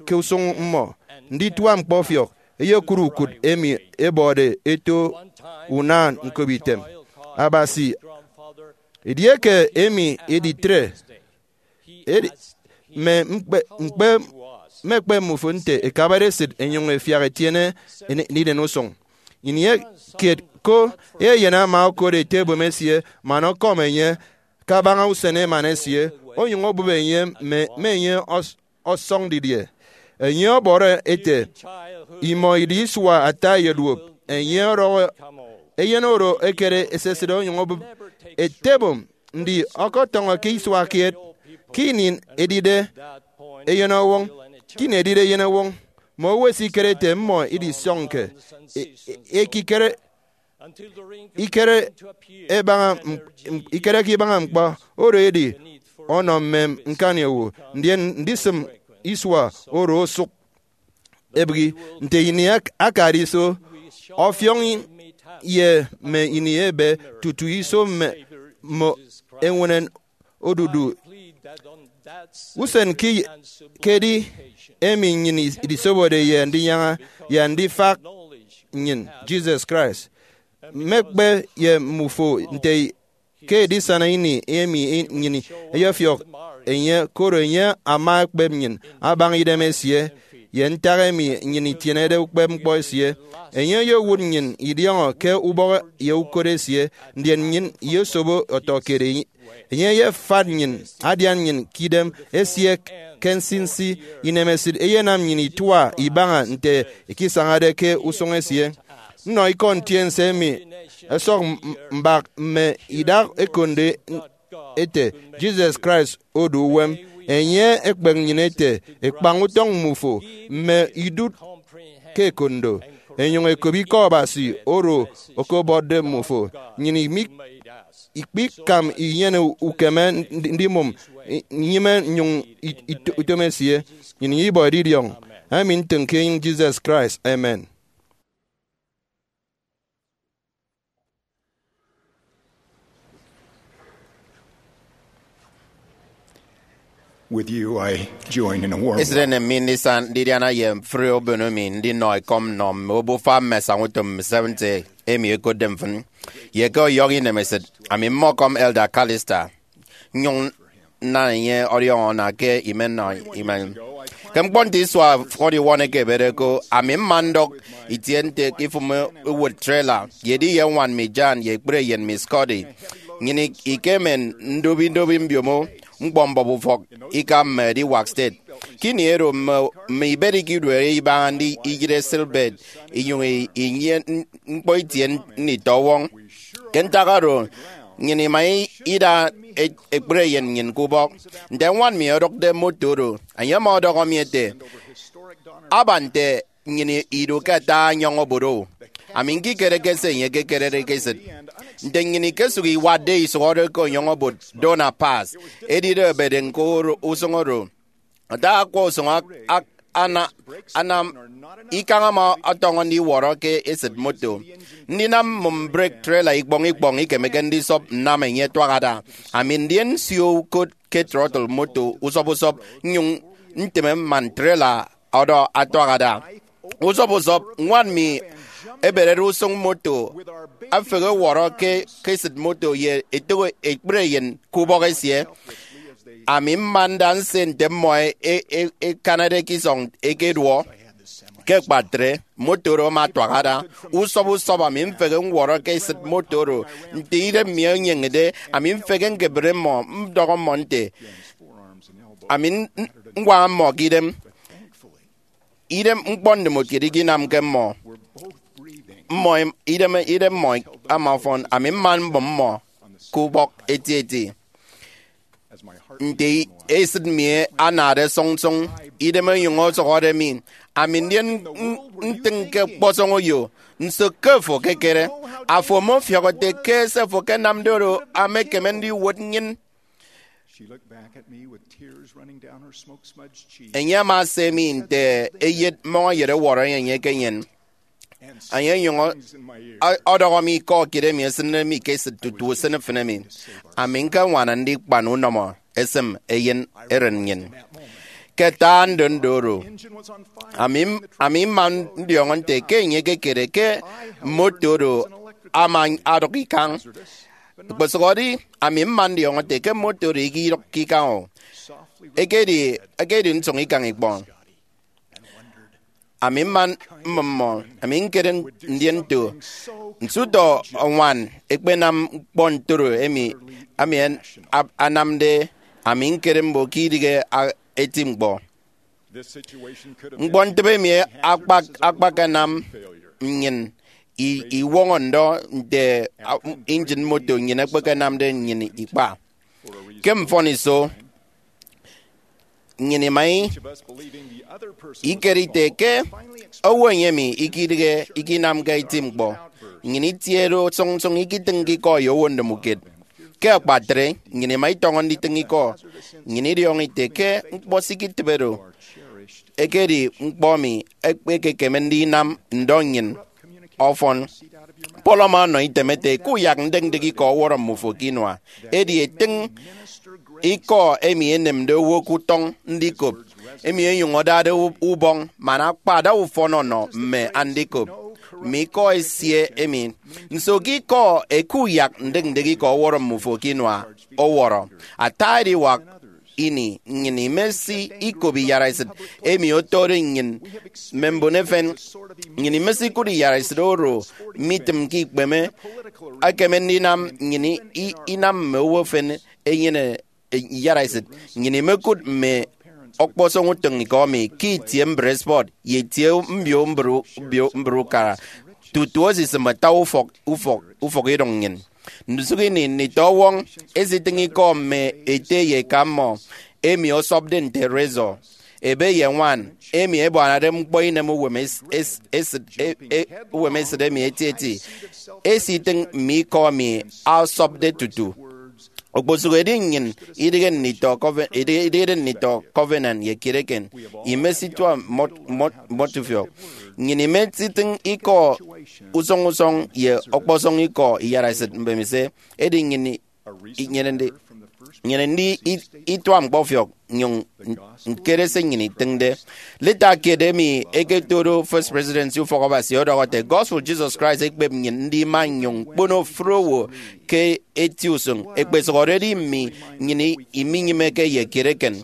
ke usụñ mmọ, ndituak ñkpọfiọk eyekụt ukụt emi ebọde eto unan ñkobitem Abasi. Edieke emi editre, edi, mme mkpe, mkpe, mmekpe mmufo nte ẹkabade esịt ẹnyụñ ẹfiak ẹtiene ene-, ndinen usụñ. Ini kiet ko, eyen ama okot ete ebom esie man ọkọm enye kabaña usen emana esie, onyụñ obụp enye mme, mme enye ọs-, ọsọñ didie. Enye ọbọrọ ete, imọ idi isua ata ẹyeduop, enye ọdọhọ eyen oro ekere esesịt onyụñ obụp ete ebom, ndi ọkọtọñọ ke isua kiet, ke ini edide eyenọwọñ, ke ini edide eyenọwọñ, mme owo ẹsikere ete mmọ idisọñke e-, e-, ekikere, ikere ebaña m-, m-, ikereke ibaña ñkpọ oro edi ọnọ mme ñkani owo, ndien ndisịm isua oro osụk ebịghi. Nte ini ak-, akade iso, ọfiọñ ye mme ini ebe tutu iso mme, mme eñwenen odudu usen ke, ke edi emi nnyịn idisobode ye ndinyaña ye ndifak nnyịn Jesus Christ. Mmekpe ye mmufo nte ke edisana ini emi nnyịn ẹyefiọk enye, koro enye ama ekpep nnyịn abaña idem esie, ye ntak emi nnyịn itienede ukpepñkpọ esie. Enye oyowụt nnyịn idiọñọ ke ubọk ye ukot esie, ndien nnyịn iyesobo ọtọkiet. Enye eyefat nnyịn, adian nnyịn ke idem esie ke nsinsi. Inemesịt eyenam nnyịn itua ibaña nte ikisañade ke usụñ esie. Nnọ ikọ ntiense emi ẹsọk m-, mbak mme idak ekondo ete, Jesus Christ odu uwem. Enye ekpek nnyịn ete, kpañ utọñ mmufo mme idụt ke ekondo, enyụñ ekop ikọ Abasi oro okobotde mmufo. Nnyịn imi-, ikpikam inyene ukeme ndi-, ndimụm i-, nnyịme nnyụñ i-, ito-, utom esie. Nnyịn ibọ edidiọñ emi ntịñ ke enyịñ Jesus Christ. Amen. With you, I join in a warm Esịt enem mi ndisa ndidiana ye mfri obono mi ndinọ ekọm nnọ mme obufa mme asañautom mme Seventh Day emi ẹkotde mfịn. Ye ke ọyọhọ inemesịt, ami mmọkọm Elder Callister, nnyụñ nna enye ọdiọñọ ana ke imenọ imen. Ke ñkpọ nte isua fọniwọñ eke ebede ko, ami mma ndọk itie nte ke ifụm uwụt trailer, ye edi ye ñwan mi Jan ye ekpri eyen mi Scotty. Nnyịn ik-, ikemen ndobi ndobi mbiomo ñkpọ mbọp ufọk ika mme ediwak state. Ke ini oro mme, mme ibet ikiduere ibaña ndi iyịre seatbelt, inyụñ i-, inye n-, ñkpọ itie nditọwọñ. Ke ntak oro, nnyịn ima i-, ida e-, ekpri eyen nnyịn ke ubọk. Nte ñwan mi ọdọkde moto oro, enye ama ọdọhọ mi ete, aba nte nnyịn idu ke ata enyọñ obot o. Ami ñkikereke se enye ekekerede ke esịt. Nte nnyịn ikesụk iwatde isụhọde ke enyọñ obot Donner Pass, edide ebede ñko oro, usụñ oro. Ata akwa usụñ ak-, ak-, ana-, anam ikañ ama ọtọñọ ndiwọrọ ke esịt moto. Ndinam mmụm brek trailer ikpọñ ikpọñ ikemeke ndisọp nnam enye ẹtuak ada. Ami ndien nsio ukot ke throttle moto usọp usọp, nnyụñ ntịme man trailer ọdọ atuak ada. Usọp usọp, ñwan mi eberede usụñ moto, efehe ewọrọ ke, ke esịt moto ye etịñ ekpri eyen ke ubọk esie. Ami mma nda nse nte mmọ e-, e-, e-, ekanade ke isọñ ekeduọ. Ke akpatre, moto oro ama atuak ada. Usọp usọp ami mfehe ñwọrọ ke esịt moto oro. Nte idem mi enyeñede, ami mfehe ñkebịre mmọ, ndọhọ mmọ nte, ami n-, n-, ññwaña mmọ ke idem. Idem ñkpọ ndịmụkiet ikinamke mmọ. Mmọ em-, idem, idem mmọ ama ọfọn, ami mma mbụm mmọ ke ubọk etieti. Nte esịt mi anade sụñsụñ, idem onyụñ osụhọde mi, ami ndien n-, ntịñ ke ọkpọsọñ oyo. Nso ke fo ekekere? Afo ọmọfiọk ete ke se fo ekenamde oro ama ekeme ndiwot nnyịn. Enye ama ese mi nte eyet mmọñeyet ọwọrọ enye ke nnyịn. Enye onyụñ ọ-, ọ-, ọdọhọ mi ikọ kiet emi esịnde mi ke esịt tutu usịn mfịn emi. Ami ñkeñwana ndikpan unọmọ esịm eyen eren nnyịn. Ke ata ndondo oro, ami, ami mma ndiọñọ nte ke enye ekekere ke moto oro ama adụk ikañ. Okposụkedi, ami mma ndiọñọ nte ke moto oro ikidụkke ikañ o. Ekedi, ekedi nsụñ ikañ ikpọ. Ami mma mmụm mmọ, ami ñkere ndien nto, nso utọ ñwan ekpenam ñkpọ ntoro emi, ami an-, ab-, anamde, ami ñkere mbon ke idịghe a-, eti ñkpọ. Ñkpọntịbe emi akpak-, akpakanam nnyịn i-, iwọñọ ndọ nte, a, injin moto nnyịn ekpekenamde nnyịn ikpa. Ke mfọniso, nnyịn ima i-, ikere ite ke owo emi ikidịghe ikinamke eti ñkpọ. Nnyịn itiede sụñsụñ ikitịñke ikọ ye owo ndomokiet. Ke akpatre, nnyịn ima itọñọ nditịñ ikọ. Nnyịn idiọñọ ite ke ñkpọ se ikitịbe do ekedi ñkpọ emi ekpekekeme ndinam ndọ nnyịn ọfọn. Paul ama ọnọ item ete, kuyak ndịk ndịk ikọ ọwọrọ mmufo ke inua. Edi etịñ ikọ emi enemde owo ke utọñ ndikop, emi enyụñ adade u-, ubọñ man akpa ada ufọn ọnọ mme andikop mme ikọ esie emi. Nso ke ikọ ekuyak ndịk ndịk ikọ ọwọrọ mmufo ke inua ọwọrọ? Ata ediwak ini, nnyịn imesi ikop iyaraesịt emi otode nnyịn mme mbon efen. Nnyịn imesi ikụt iyaraesịt oro mitịmke ikpeme. Ekeme ndinam nnyịn i- inam mme owo efen enyene iyaraesịt. Nnyịn imekụt mme ọkpọsọñ utịñikọ emi ke itie mbre spọt ye itie mbio mbre, mbio mbre ukara, tutu esisịm ata ufọk ufọk ufọk idụñ nnyịn. Ndusụk ini, nditọ ọwọñ esitịñ ikọ mme ete ye eka mmọ emi ọsọpde nte razor. Ebe ye ñwan emi ẹbuanade ñkpọ inem uwem es- es- esịt e- e- uwem esịt emi etieti esitịñ mme ikọ emi ọsọpde tutu. Okposụkedi nnyịn idịghe nditọ coven- idịghe idịghede nditọ covenant ye kiet eken, imesituak mmọt- mmọt- mmọtufiọk. Nnyịn imesitịñ ikọ usọñ usọñ ye ọkpọsọñ ikọ iyaraesịt mbemiso, edi nnyịn inyene ndi- nyene ndi i- itua ñkpọfiọk nyụñ ñkere se nnyịn itịñde. Leta kiet emi eketodo First Presidency Ufọk Abasi ọdọhọ ete, Gospel Jesus Christ ekpep nnyịn ndima nnyụñ ñkpono ofụri owo ke eti usụñ, ekpesụhọde edi mme nnyịn iminyịmeke ye kiet eken.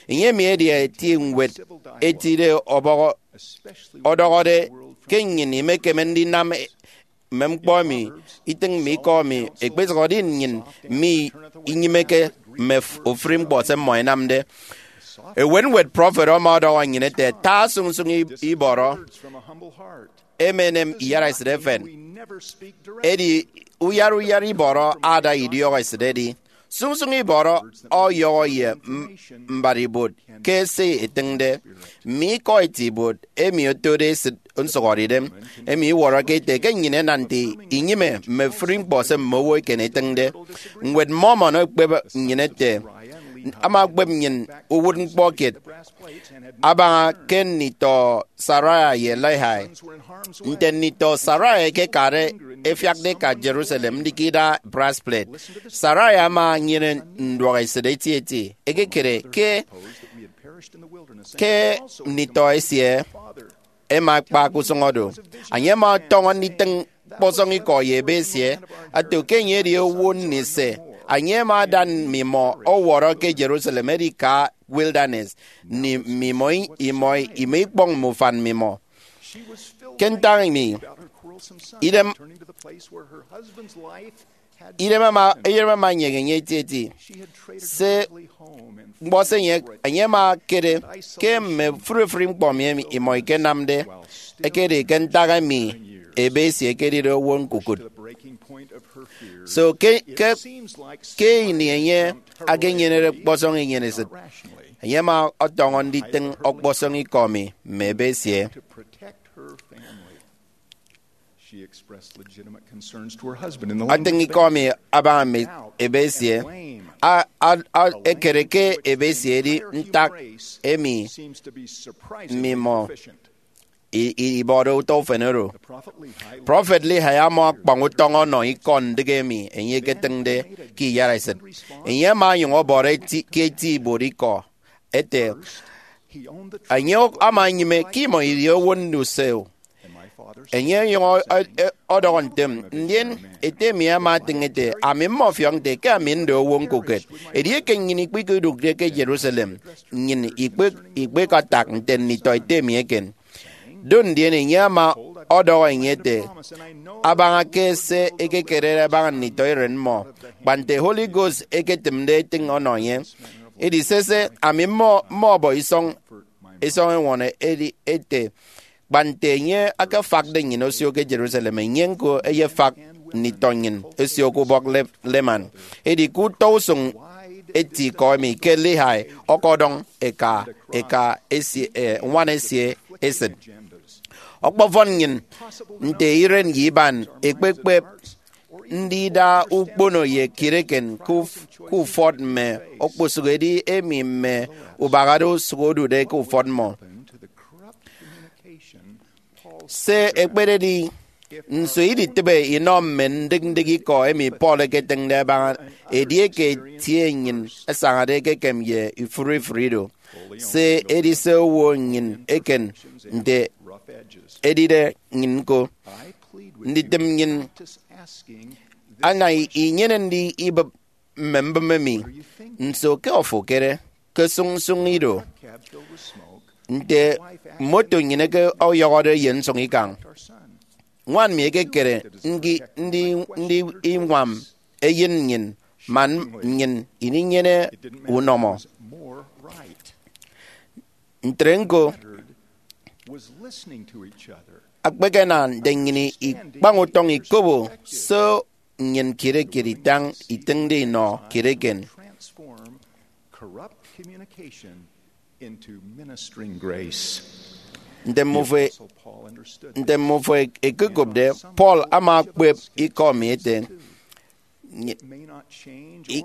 Enye emi edi eti ñwed etide ọbọhọ ọdọhọde ke nnyịn imekeme ndinam mme ñkpọ emi itịñ mme ikọ emi ekpesụhọde nnyịn mi inyịmeke mme f- ofụri ñkpọ se mmọ ẹnamde. Ewenwet prọfet ama ọdọhọ nnyịn ete, ta sụñsụñ i- ibọrọ, emenem iyaraesịt efen. Edi uyara uyara ibọrọ ada idiọk esịt edi. Sụñsụñ ibọrọ ọyọhọ ye m- mbat ibuot ke se etịñde. Mme ikọ eti ibuot emi otode esịt nsụhọdeidem emi iwọrọke ete ke nnyịn ẹnam nte inyịme mme ofụri ñkpọ se mme owo eken ẹtịñde. Ñwed Mormon ekpep nnyịn ete, ama ekpep nnyịn uwụtñkpọ kiet abaña ke nditọ Sariah ye Lehi. Nte nditọ Sariah ẹkekade ẹfiakde ẹka Jerusalem ndikida brass plate, Sariah ama enyene nduọk esịt etieti. Ekekere ke ke nditọ esie ẹma ẹkpa ke usụñ oro. Enye ama ọtọñọ nditịñ ọkpọsọñ ikọ ye ebe esie, ato ke enye edi owo nni se. Enye ama ada mmimọ ọwọrọ ke Jerusalem, edi ka wilderness, nni mmimọ i- imọ imọ ikpọñ mme ufan mmimọ. Ke ntak emi, idem idem ama idem ama enyeñe enye etieti. Se ñkpọ se enye enye ama ekere ke mme ofụri ofụri ñkpọ emi imọ ikenamde ekedi ke ntak emi ebe esie ekedide owo ñkukụt. So ke ke ke ini enye akenyenede ọkpọsọñ inyenesịt, enye ama ọtọñọ nditịñ ọkpọsọñ ikọ emi mme ebe esie. Atịñ ikọ emi abaña mme ebe esie. A- a- a- ekere ke ebe esie edi ntak emi mmimọ i- i- ibọde utọ ufen oro. Prọfet Lehi ama ọkpọñ utọñ ọnọ ikọ ndịk emi enye eketịñde ke iyaraesịt. Enye ama onyụñ ọbọrọ eti- ke eti ibuot ikọ ete, enye ama enyịme ke imọ idi owo nduseo. Enye onyụñ ọ- ọ- ọdọhọ ntem, ndien ete mi ama etịñ ete, ami mmọfiọk nte ke ami nde owo ñkukụt. Edieke nnyịn ikpikudụkde ke Jerusalem, nnyịn ikpe- ikpekatak nte nditọ ete mi eken. Do ndien enye ama ọdọhọ enye ete, abaña ke se ekekerede abaña nditọ iren mmọ, kpa nte Holy Ghost eketịmde etịñ ọnọ enye. Edi sese, ami mmọ mmọbọ isọñ isọñ eñwọrọ edi ete, kpa nte enye akefakde nnyịn osio ke Jerusalem, enye ñko eyefak nditọ nnyịn osio ke ubọk Le- Leman. Edi ke utọ usụñ eti ikọ emi ke Lehi ọkọdọñ eka eka esie eh, ñwan esie esịt. Ọkpọfọn nnyịn nte iren ye iban ekpekpep ndida ukpono ye kiet eken ke uf- ke ufọt mme okposụkedi emi mme ubahade osụk odude ke ufọt mmọ. Se ekpededi, nso iditịbe inọ mme ndịk ndịk ikọ emi Paul eketịñde abaña edieke etie nnyịn asañade ekekem ye ifụre ifụre ido? Se edi se owo nnyịn eken nte edide nnyịn ñko. Nditịm nnyịn ana inyene ndi ibịp mme mbịm emi. Nso ke ofo ekere? ke sụñsụñ ido, nte moto nnyịn eke ọyọhọde ye nsụñ ikañ. Ñwan mi ekekere ndi, ndi, ndi iñwam eyen nnyịn man nnyịn ininyene unọmọ. Ntre ñko, akpekena nte nnyịn ikpañ utọñ ikobo se nnyịn kiet kiet itañ itịñde inọ kiet eken. Nte mmọ fo, nte mmọ fo ekekopde, Paul ama okpep ikọ mi ete, Nyi-, i-,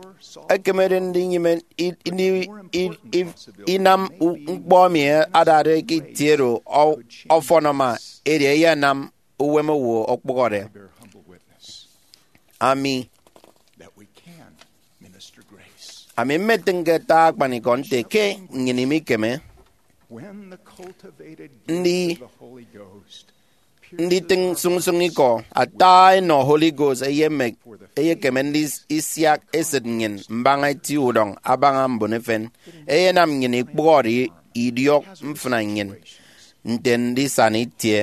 ekemede ndinyịme i-, ini-, i-, i-, inam u-, ñkpọ emi adade ke itie oro ọ-, ọfọn ama, edi eyenam uwem owo okpụhọde. Ami, ami mmetịñ ke ata akpanikọ nte ke nnyịn imikeme ndi nditịñ sụñsụñ ikọ. Ata enọ Holy Ghost eyemek, eyekeme ndisiak esịt nnyịn mbaña eti udọñ abaña mbon efen. Eyenam nnyịn ikpụhọde i-, idiọk mfịna nnyịn nte ndisana itie.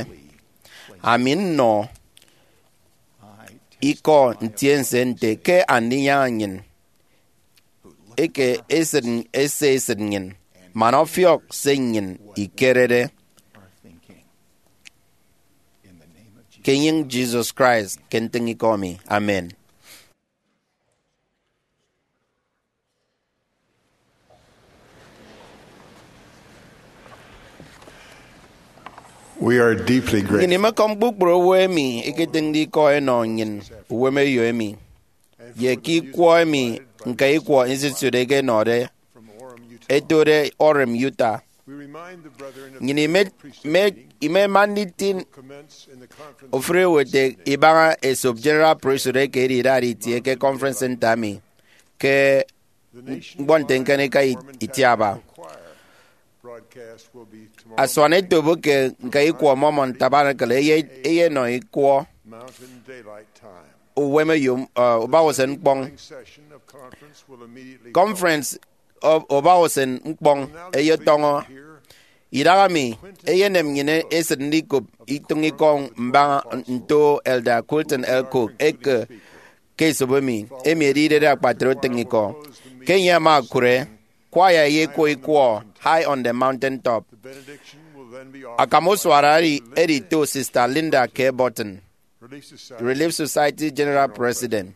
Ami nnọ ikọ ntiense nte ke Andinyaña nnyịn eke esịt, ese esịt nnyịn, man ọfiọk se nnyịn ikerede. Ke enyịñ Jesus Christ ke ntịñ ikọ mi. Amen. We are deeply grateful. Nnyịn imekọm kpukpru owo emi ẹketịñde ikọ ẹnọ nnyịn uwemeyo emi, ye ke ikwọ emi ñka ikwọ Institute ẹkenọde ẹtode Orem, Utah. Nnyịn ime-, ime-, imema nditịñ ofụri owo ete ibaña esop General Priesthood eke edi idade itie ke Conference Center mi ke ñkpọ nte ñkanika itiaba. Asuan etop ke ñka ikwọ Mormon Tabernacle eye-, eyenọ ikwọ uwemeyo, uh, ubausen ñkpọñ. Conference u-, ubausen ñkpọñ eyetọñọ. Idaha mi, eyenem nnyịn esịt ndikop itụñ ikọ mbaña nto Elder Quentin L. Cook eke ke esop emi, emi edi idede akpatre utịñikọ. Ke enye ama okụre, kwaya eyekwọ ikwọ High on the Mountain Top. Akam usụana edi, edi to Sister Linda K. Burton, Relief Society General President.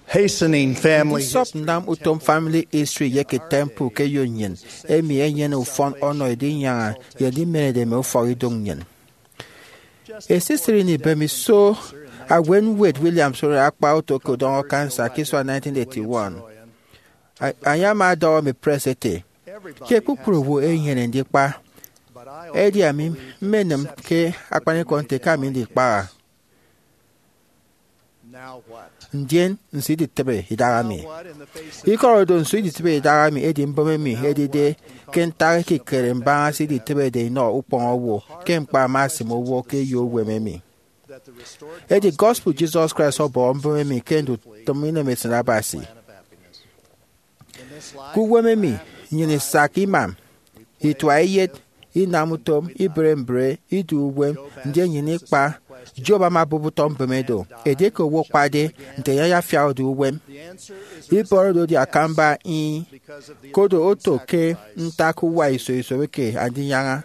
Hastening family Ndisọp nnam utom family history ye ke temple ke eyo nnyịn, emi enyene ufọn ọnọ edinyaña ye ndimenede mme ufọk idoñ nnyịn. Esisịt ini ibemiso, Awen Wade Williams oro akpa oto ke udọñọ cancer ke isua nineteen eighty-one. A-, enye ama ọdọhọ mme press ete, Ke kpukpru owo enyene ndikpa, edi ami mmenịm ke akpanikọ nte ke ami ndikpaha. Ndien nso iditịbe idaha mi? Ikọrọ do, nso iditịbe idaha mi edi mbụme mi edide ke ntak ekikere mbaña se iditịbede inọ ukpọñ owo ke ñkpa ama asịm owo ke eyo uwem emi. Edi gospel Jesus Christ ọbọhọ mbụme mi ke ndutịm inemesịt Abasi. Ke uwem emi, nnyịn isak imam, itua eyet, inam utom, ibre mbre, idu uwem, ndien nnyịn ikpa. Job ama obụp utọ mbụme do. Edieke owo akpade, nte enye ayafiak odu uwem? Ibọrọ do edi akamba ih, kodo oto ke ntak uwa iso iso eke Andinyaña.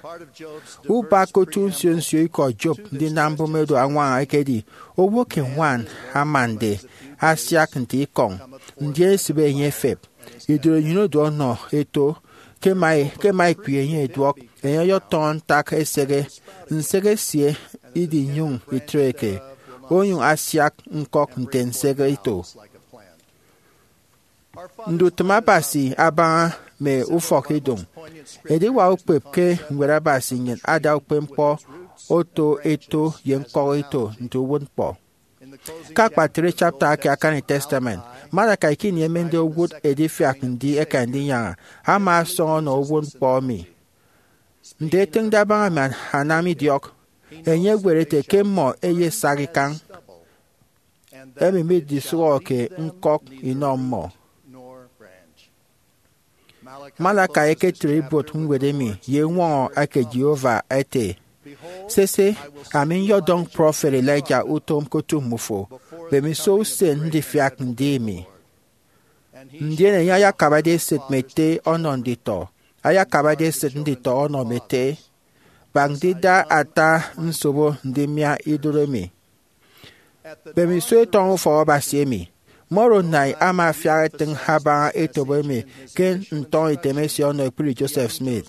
Ubak ke otu nsio nsio ikọ Job ndinam mbụme do añwaña ekedi, owo ke ñwan amande asiak nte ikọñ, ndien esịbe enye efep. Idụt enyịn odu ọnọ eto, ke ema, ke ema ekpri enye ẹduọk, enye ọyọtọñọ ntak eseghe, nseghe esie idinyụñ itreke, onyụñ asiak ñkọk nte nseghe ito. Ndutịm Abasi abaña mme ufọk idoñ. Ediwak ukpep ke Ñwed Abasi nnyịn ada ukpepñkpọ oto eto ye ñkọk ito nte uwụtñkpọ. Ke akpatre chapter eke Akani Testament, Malachi ke ini emende owụt edifiak ndi eke Andinyaña, ama ọsọñ ọnọ uwụtñkpọ emi. Nte etịñde abaña mme anamidiọk, enye eñwet ete ke mmọ ẹyesak ikañ, emi midisụhọke ñkọk inọ mmọ. Malakai eketre ibuot ñwed emi ye eñwọñọ eke Jehovah ete, "Sese, ami nyọdọñ prọfet Elijah utom ke otu mmufo, bemiso usen ndifiak ndi emi." Ndien enye ayakabade esịt mme ete ọnọ nditọ, ayakabade esịt nditọ ọnọ mme ete, bak ndida ata nsobo ndimia idụt emi. Bemiso etọñọ ufọk Abasi emi, Moroni ama afiak etịñ abaña etop emi ke ntọñọ item esie ọnọ ekpri Joseph Smith.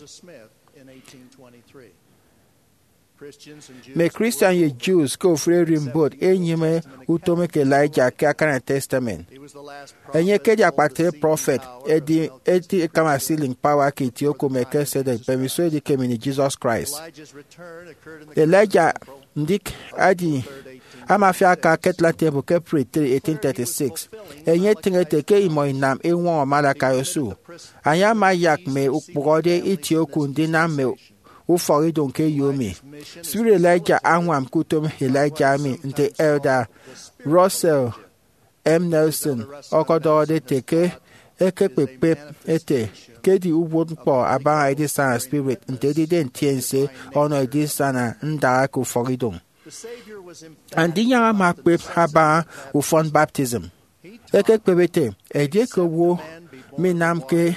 Mme Christian ye Jews ke ofụri ererimbot ẹnyịme utom eke Elijah ke Akani Testament. Enye ekedi akpatre prọfet, edi eti ikama sealing power ke itie oku Melchizedek, bemiso edikem ini Jesus Christ. Elijah ndik adi ama afiak aka ke Atlanta Temple ke April three, eighteen thirty-six. Enye etịñ ete ke imọ inam eñwọñọ Malakai osu. Enye ama ayak mme ukpụhọde itie oku ndinam mme ufọkidụñ ke eyo emi. Spirit Elijah añwam ke utom Elijah emi, nte Elder Russell M. Nelson ọkọdọhọde ete ke ekekpep ete ke edi uwụtñkpọ abaña edisana spirit nte edide ntiense ọnọ edisana ndaha ke ufọkidụñ. Andinyaña ama ekpep abaña ufọn baptism. Ekekpep ete, edieke owo minamke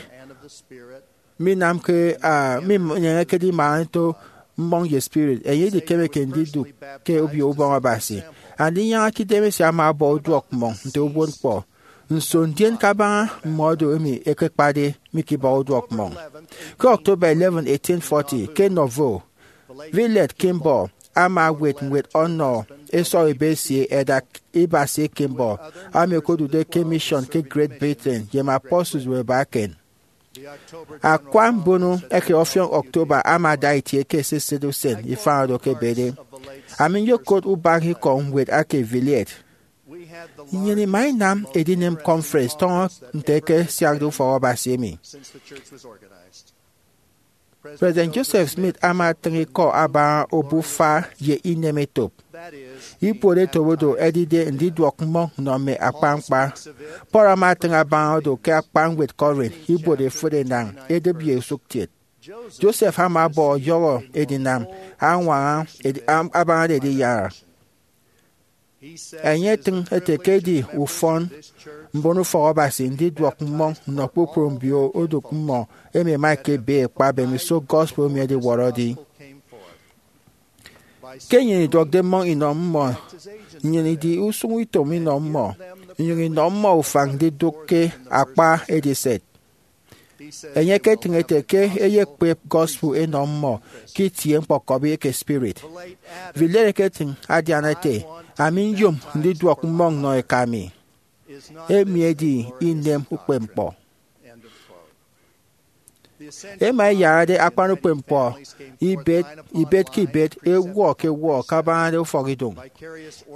minamke ah, minyeñekede imaha nto mmọñ ye spirit, enye idikemeke ndidụk ke Obio Ubọñ Abasi. Andinyaña ke idemesie ama ọbọ uduọk mmọñ nte uwụtñkpọ. Nso ndien kabaña mme odo emi ẹkekpade mikibọ uduọk mmọñ? Ke October eleven, eighteen forty, ke Nauvoo, Villette Kimball ama ewet ñwed ọnọ esọk ebe esie, Elder Ibasie Kimball, ami okodude ke mission ke Great Britain ye mme apostles ebe eken. Akwa mbono eke ọfiọñ October ama ada itie ke esisịt usen ifañ oro ke ebede. Ami nyokot ubaña ikọ ñwed eke Villette. Nnyịn ima inam edinem conference tọñọ nte ẹkesiakde ufọk Abasi emi. President Joseph Smith ama atịñ ikọ abaña obufa ye inem etop. Ibuot etop odo ẹdide ndiduọk mmọñ nnọ mme akpañkpa. Paul ama atịñ abaña odo ke akpa ñwed Corinth, ibuot efịt enañ, edịp ye usụkkiet. Joseph ama ọbọ ọyọhọ edinam añwaña edi- am- abañade ediyara. Enye etịñ ete ke edi ufọn mbon ufọk Abasi ndiduọk mmọñ nnọ kpukpru mbio odụk mmọ emi ẹma ẹkebe ẹkpa mbemiso gospel emi ediwọrọde. Ke nnyịn iduọkde mmọñ inọ mmọ, nnyịn idi usụñutom inọ mmọ, inyụñ inọ mmọ ufañ ndidụk ke akpa ediset. Enye eketịñ ete ke eyekpep gospel enọ mmọ ke itie ñkpọkọbi eke spirit. Villiers eketịñ adian ete, "Ami nyom ndiduọk mmọñ nnọ eka mi." Emi edi inem ukpepñkpọ. Ema eyarade akpan ukpepñkpọ ibet ibet ke ibet, ewuọ ke ewuọ, kabañade ufọkidụñ.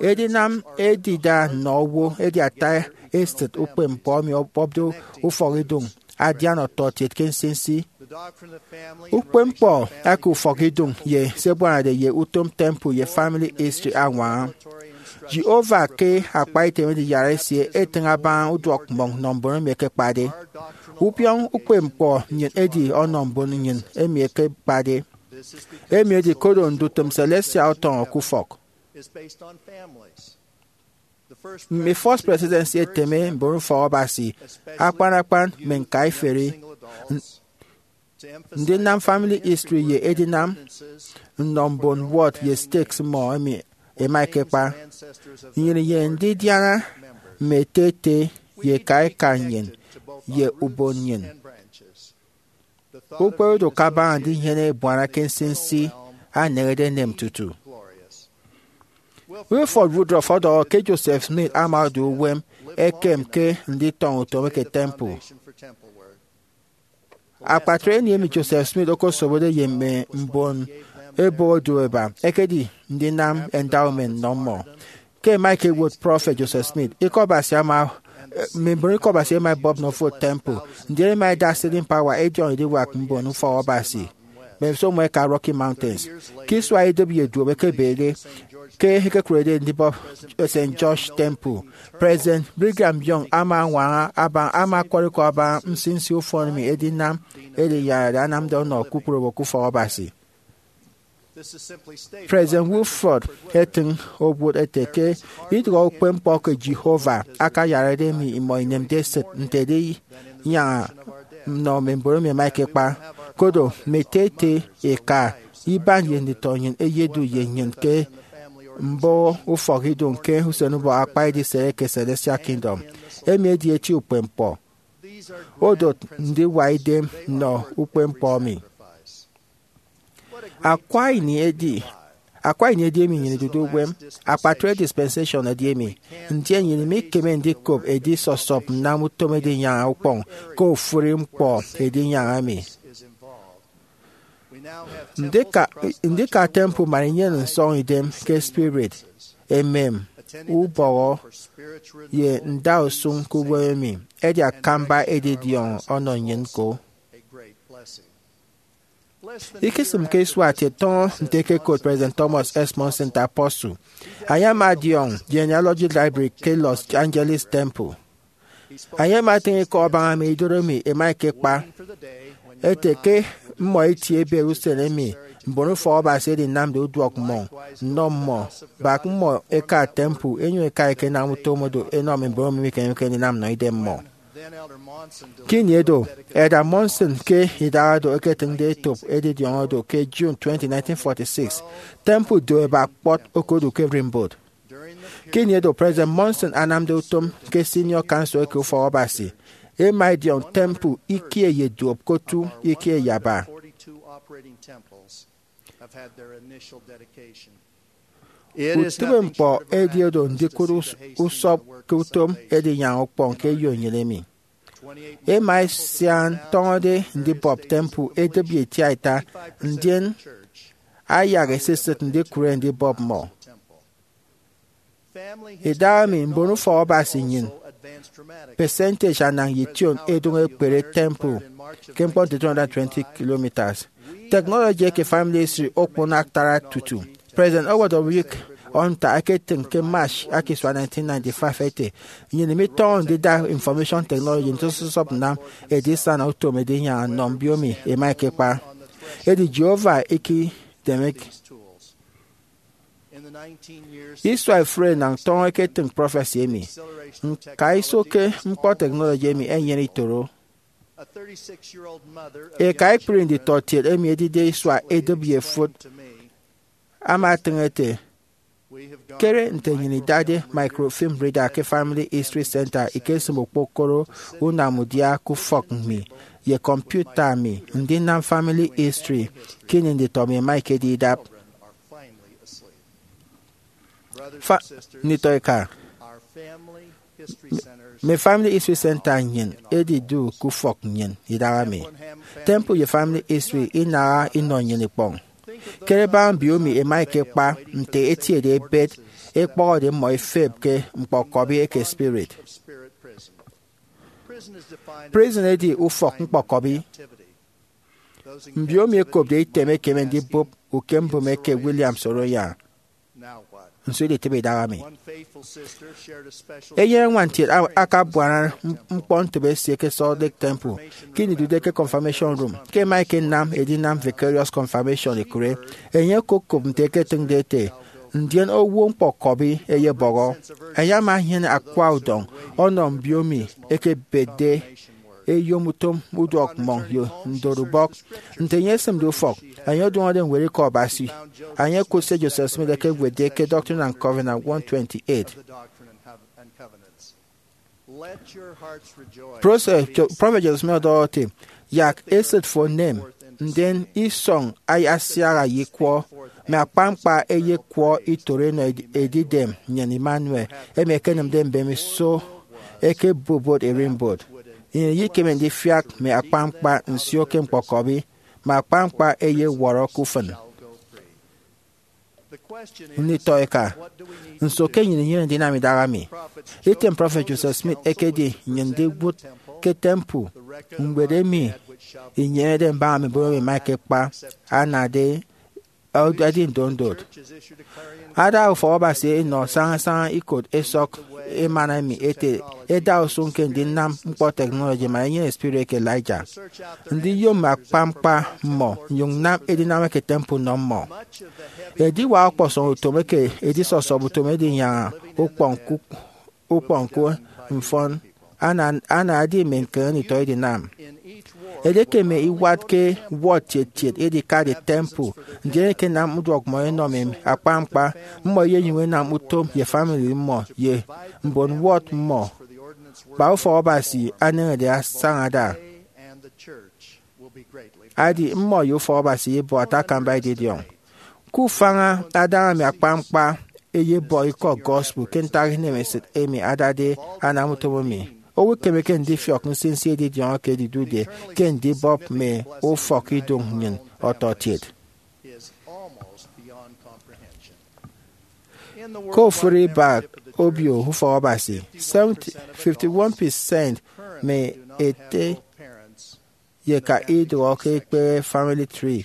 Edinam edida nnọ owo edi ata esịt ukpepñkpọ emi ọbọpde ufọkidụñ adian ọtọkiet ke nsinsi. Ukpepñkpọ eke ufọkidụñ ye se ẹbuanade ye utom temple ye family history añwaña. Jehovah ke akpa item ediyara esie etịñ abaña uduọk mmọñ nnọ mbon emi ẹkekpade. Ubiọñ ukpepñkpọ nnyịn edi ọnọ mbon nnyịn emi ẹkekpade. Emi edi koro ndutịm celestial ọtọñọ ke ufọk. Mme First Presidency eteme mbon ufọk Abasi, akpan akpan mme ñkaiferi, ndinam family history ye edinam nnọ mbon ward ye stakes mmọ emi ẹma ẹkekpa. Nnyịn inyene ndidiana mme ete ete ye eka eka nnyịn ye ubon nnyịn. Ukperedo kabaña ndinyene ebuana ke nsinsi aneñede enem tutu. Wilford Woodruff ọdọhọ ke Joseph Smith ama odu uwem ekem ke nditọñọ utom eke temple. Akpatre ini emi Joseph Smith okosobode ye mme mbon ebe odu eba ekedi ndinam endowment nnọ mmọ. Ke ẹma ẹkewot Prọfet Joseph Smith, Ikọ Abasi ama, mme mbon Ikọ Abasi ẹma ẹbọp nnọ ofụri temple, ndien ẹma ẹda sealing power ẹdiọñ ediwak mbon ufọk Abasi. mbemiso mmọ ẹka Rocky Mountains. Ke isua idụt ye duop ẹkebede ke ẹkekụrede ndibọp Saint George Temple, President Brigham Young ama añwaña abaña, ama ọkọrikọ abaña nsinsi ufọn emi edinam eriyarade anamde ọnọ kpukpru owo ke ufọk Abasi. President Wilford etịñ owụt ete ke idụhe ukpepñkpọ ke Jehovah akayarade emi imọ inemde esịt nte edinyaña nnọ mme mbon emi ẹma ẹkekpa. Koro mme ete ete eka iban ye nditọ nnyịn ẹyedu ye nnyịn ke mboho ufọkidụñ ke usenubọk akpa edisere ke Celestial Kingdom. Emi edi eti ukpepñkpọ. Odot ndiwa idem nnọ ukpepñkpọ emi. Akwa ini edi akwa ini edi emi nnyịn idude uwem. Akpatre dispensation edi emi, ndien nnyịn imikeme ndikop edisọsọp nnam utom edinyaña ukpọñ ke ofụri ñkpọ edinyaña emi. Ndika, ndika temple man inyene nsọñidem ke spirit, emem, ubọhọ, ye ndausụñ ke uwem emi edi akamba edidiọñ ọnọ nnyịn ñko. Ikisịm ke isua kiet tọñọ nte ẹkekot President Thomas S. Monson nte apostle. Enye ama adiọñ Genealogy Library ke Los Angeles Temple. Enye ama etịñ ikọ abaña mme idodo emi ẹma ẹkekpa, ete ke mmọ eti ebet usen emi mbon ufọk Abasi ẹdinamde uduọk mmọñ nnọ mmọ, bak mmọ ẹka temple, ẹnyụñ ẹka ẹkenam utom oro ẹnọ mme mbon emi mikemeke ndinam nnọ idem mmọ. Ke ini edo, Elder Monson ke idaha do eketịñde etop edidiọñ oro ke June twenty, nineteen forty-six. Temple do ebak kpọt okodu ke Rimbaud. Ke ini edo President Monson anamde utom ke Senior Council eke Ufọk Abasi, ẹma ẹdiọñ temple ikie ye duop ke otu ikie ye aba. Utịbeñkpọ edi oro ndikụt us- usọp ke utom edinyaña ukpọñ ke eyo nnyịn emi. Ẹma ẹsian tọñọde ndibọp temple edịp ye itiaita, ndien ayak esisịt ndikụre ndibọp mmọ. Idahaemi mbon ufọk Abasi nnyịn percentage anañ ye ition edụñ ekpere temple ke ñkpọ nte two hundred twenty kilometres. Technology eke family history okpon atara tutu. President Howard W. Hunter eketịñ ke March aka isua nineteen ninety-five ete, nnyịn imitọñọ ndida information technology nte sọsọp nnam edisana utom edinyaña nnọ mbiomi ẹma ẹkekpa. Edi Jehovah ikidemek. Isua ifụre enañ tọñọ eketịñ prọfesi emi. Ñkaiso ke ñkpọ technology emi enyene itoro. Eka ekpri nditọkiet emi edide isua edịp ye efụt ama etịñ ete, kere nte nnyịn idade microfilm reader ke Family History Center ikesịm okpokoro unamudia ke ufọk mi ye kọmputa mi ndinam family history ke ini nditọ mi ẹma ẹkedi idap. Fa, nditọ eka, mme Family History Center nnyịn edidu ke ufọk nnyịn idahaemi. Temple ye Family History inaha inọ nnyịn ikpọñ. Kere baña mbiomi ẹma ẹkekpa nte etiede ebet, ẹkpọhọde mmọ ẹfep ke ñkpọkọbi eke spirit. Prison edi ufọk ñkpọkọbi. Mbiomi ẹkopde item ẹkeme ndibụp ukembụme eke William Soroyan. Nso iditịbe idahaemi? Eyen añwan kiet a- akabuana ñkpọ ntịbe esie ke Salt Lake Temple ke ini idude ke Confirmation Room ke ẹma ẹkenam edinam vicarious confirmation ekụre. Enye okokop nte ẹketịñde ete, ndien owo ñkpọkọbi ẹyebọhọ. Enye ama enyene akwa udọñ ọnọ mbiomi ẹkebetde eyom utom uduọk mmọñ ye ndorubọk. Nte enye esịmde ufọk, enye odụñọde ñwed Ikọ Abasi. Enye okụt se Joseph Smith ekewetde ke Doctrine and Covenants one twenty-eight. Prọfet Jo- Prọfet Joseph Smith ọdọhọ ete, yak esịt fo enem, ndien isọñ ayasiaha ye ikwọ, mme akpañkpa ẹyekwọ itoro enọ ed- edidem nnyịn Emmanuel, emi ẹkenịmde mbemiso ẹkebubot ererimbot. Nnyịn iyekeme ndifiak mme akpañkpa nsio ke ñkpọkọbi, mme akpañkpa ẹyewọrọ ke ufịn. Nditọ eka, nso ke nnyịn inyene ndinam idahaemi? Item Prọfet Joseph Smith ekedi nnyịn ndiwụt ke temple, ñwed emi inyenede mbaña mme mbon emi ẹma ẹkekpa anade edi ndondot. Ada ufọk Abasi enọ sañasaña ikot ẹsọk emana emi ete ẹda usụñ ke ndinam ñkpọ technology man ẹnyene spirit eke Elijah. Ndiyom mme akpañkpa mmọ nnyụñ nnam edinam eke temple nnọ mmọ. Ediwak ọkpọsọñ utom eke edisọsọp utom edinyaña ukpọñ ku ukpọñ ku mfọn ana anaedi mme ñkeñi nditọ edinam. Edieke mme iwat ke ward kiet kiet edikade temple, ndien ẹkenam uduọk mmọ ẹnọ mme akpañkpa, mmọ ẹyenyụñ ẹnam utom ye famili mmọ ye mbon ward mmọ kpa ufọk Abasi aneñede asaña ada. Adi mmọ ye ufọk Abasi ẹyebuọt akamba edidiọñ. Ke ufaña adaña mme akpañkpa ẹyebọ ikọ gospel ke ntak inemesịt emi adade anam utom emi, owo ekemeke ndifiọk nsinsi edidiọñ eke edidude ke ndibọp mme ufọkidụñ nnyịn ọtọkiet. Ke ofụri ibak obio ufọk Abasi, seventy, fifty-one percent mme ete ye eka idụhọ ke ekpehe family tree.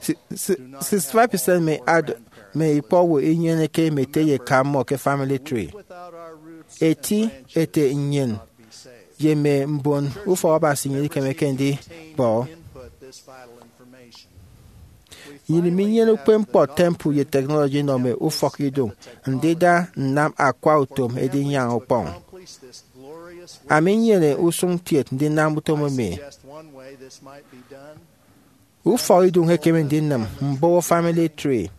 Si- si- sixty-five percent mme ad- mme ikpọ owo inyeneke mme ete ye eka mmọ ke family tree. Eti ete nnyịn ye mme mbon ufọk Abasi nnyịn ikemeke ndibọ. Nnyịn minyene ukpepñkpọ temple ye technology inọ mme ufọkidụñ ndida nnam akwa utom edinyaña ukpọñ. Ami nnyene usụñ kiet ndinam utom emi. Ufọkidụñ ekeme ndinịm mbụhọ family tree.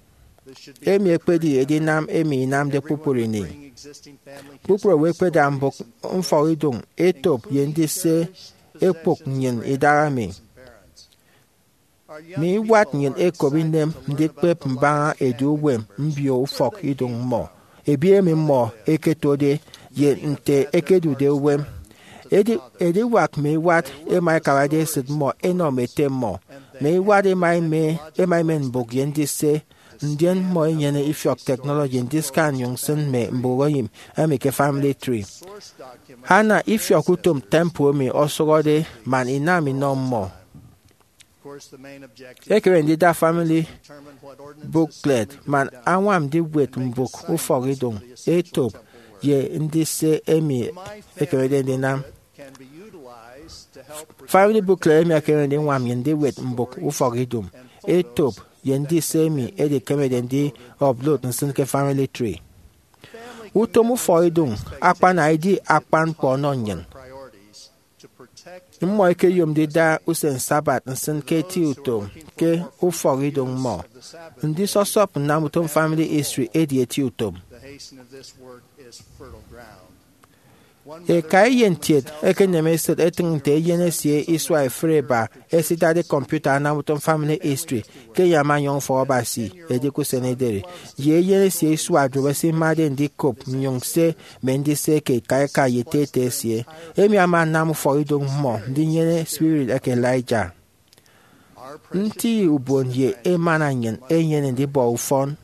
Emi ekpedi edinam emi inamde kpukpru ini. Kpukpru owo ẹkpeda mbụk mfọkidụñ etop ye ndise ekpụk nnyịn idahaemi. Mme iwat nnyịn ẹkop inem ndikpep mbaña edu uwem mbio ufọkidụñ mmọ, ebiet emi mmọ ẹketode, ye nte ẹkedude uwem. Edi- ediwak mme iwat ẹma ẹkabade esịt mmọ ẹnọ mme ete mmọ. Mme iwat ẹma ẹme- ẹma ẹmen mbụk ye ndise, ndien mmọ ẹnyene ifiọk technology ndisika nnyụñ nsịn mme mbụk eyịm emi ke family tree. Ana ifiọk utom temple emi ọsụhọde man inam inọ mmọ. Ekeme ndida family booklet man añwam ndiwet mbụk ufọkidụñ etop ye ndise emi ekemede ndinam. Family booklet emi ekeme ndiñwam nnyịn ndiwet mbụk ufọkidụñ etop ye ndise emi edikemede ndi upload nsịn ke family tree. Utom ufọkidụñ akpana edi akpan ñkpọ ọnọ nnyịn. Mmọ ẹkeyom ndida usen Sabbath nsịn ke eti utom ke ufọkidụñ mmọ. Ndisọsọp nnam utom family history edi eti utom. Eka eyen kiet ekeneme esịt etịñ nte eyen esie isua efịbe eba esidade kọmputa anam utom family history ke enye ama anyọñ ufọk Abasi edi ke usen ederi, ye eyen esie isua duop esimade ndikop nnyụñ nse mme ndise eke eka eka ye ete ete esie. Emi ama anam ufọkidụñ mmọ ndinyene spirit eke Elijah. Nti ubon ye emana nnyịn enyene ndibọ ufọn.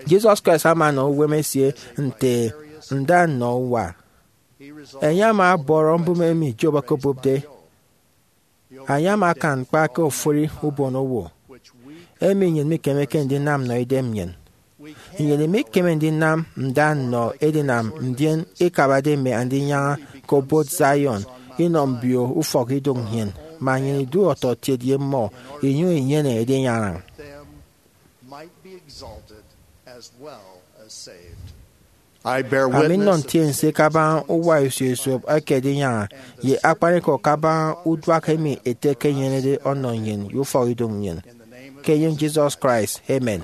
Jesus Christ ama anọ uwem esie nte nda nnọ uwa. Enye ama ọbọrọ mbụme emi Job okobụpde. Enye ama akan ñkpa ke ofụri ubonowo, emi nnyịn mikemeke ndinam nnọ idem nnyịn. Nnyịn imikeme ndinam nda nnọ edinam ndien ikabade mme andinyaña ke obot Zion, inọ mbio ufọkidụñ nnyịn, man nnyịn idu ọtọkiet ye mmọ, inyụñ inyene edinyaña. Ami nnọ ntiense kabaña uwa isio esop eke edinyaña ye akpanikọ kabaña uduak emi Ete ekenyenede ọnọ nnyịn ye ufọkidụñ nnyịn. Ke enyịñ Jesus Christ, amen.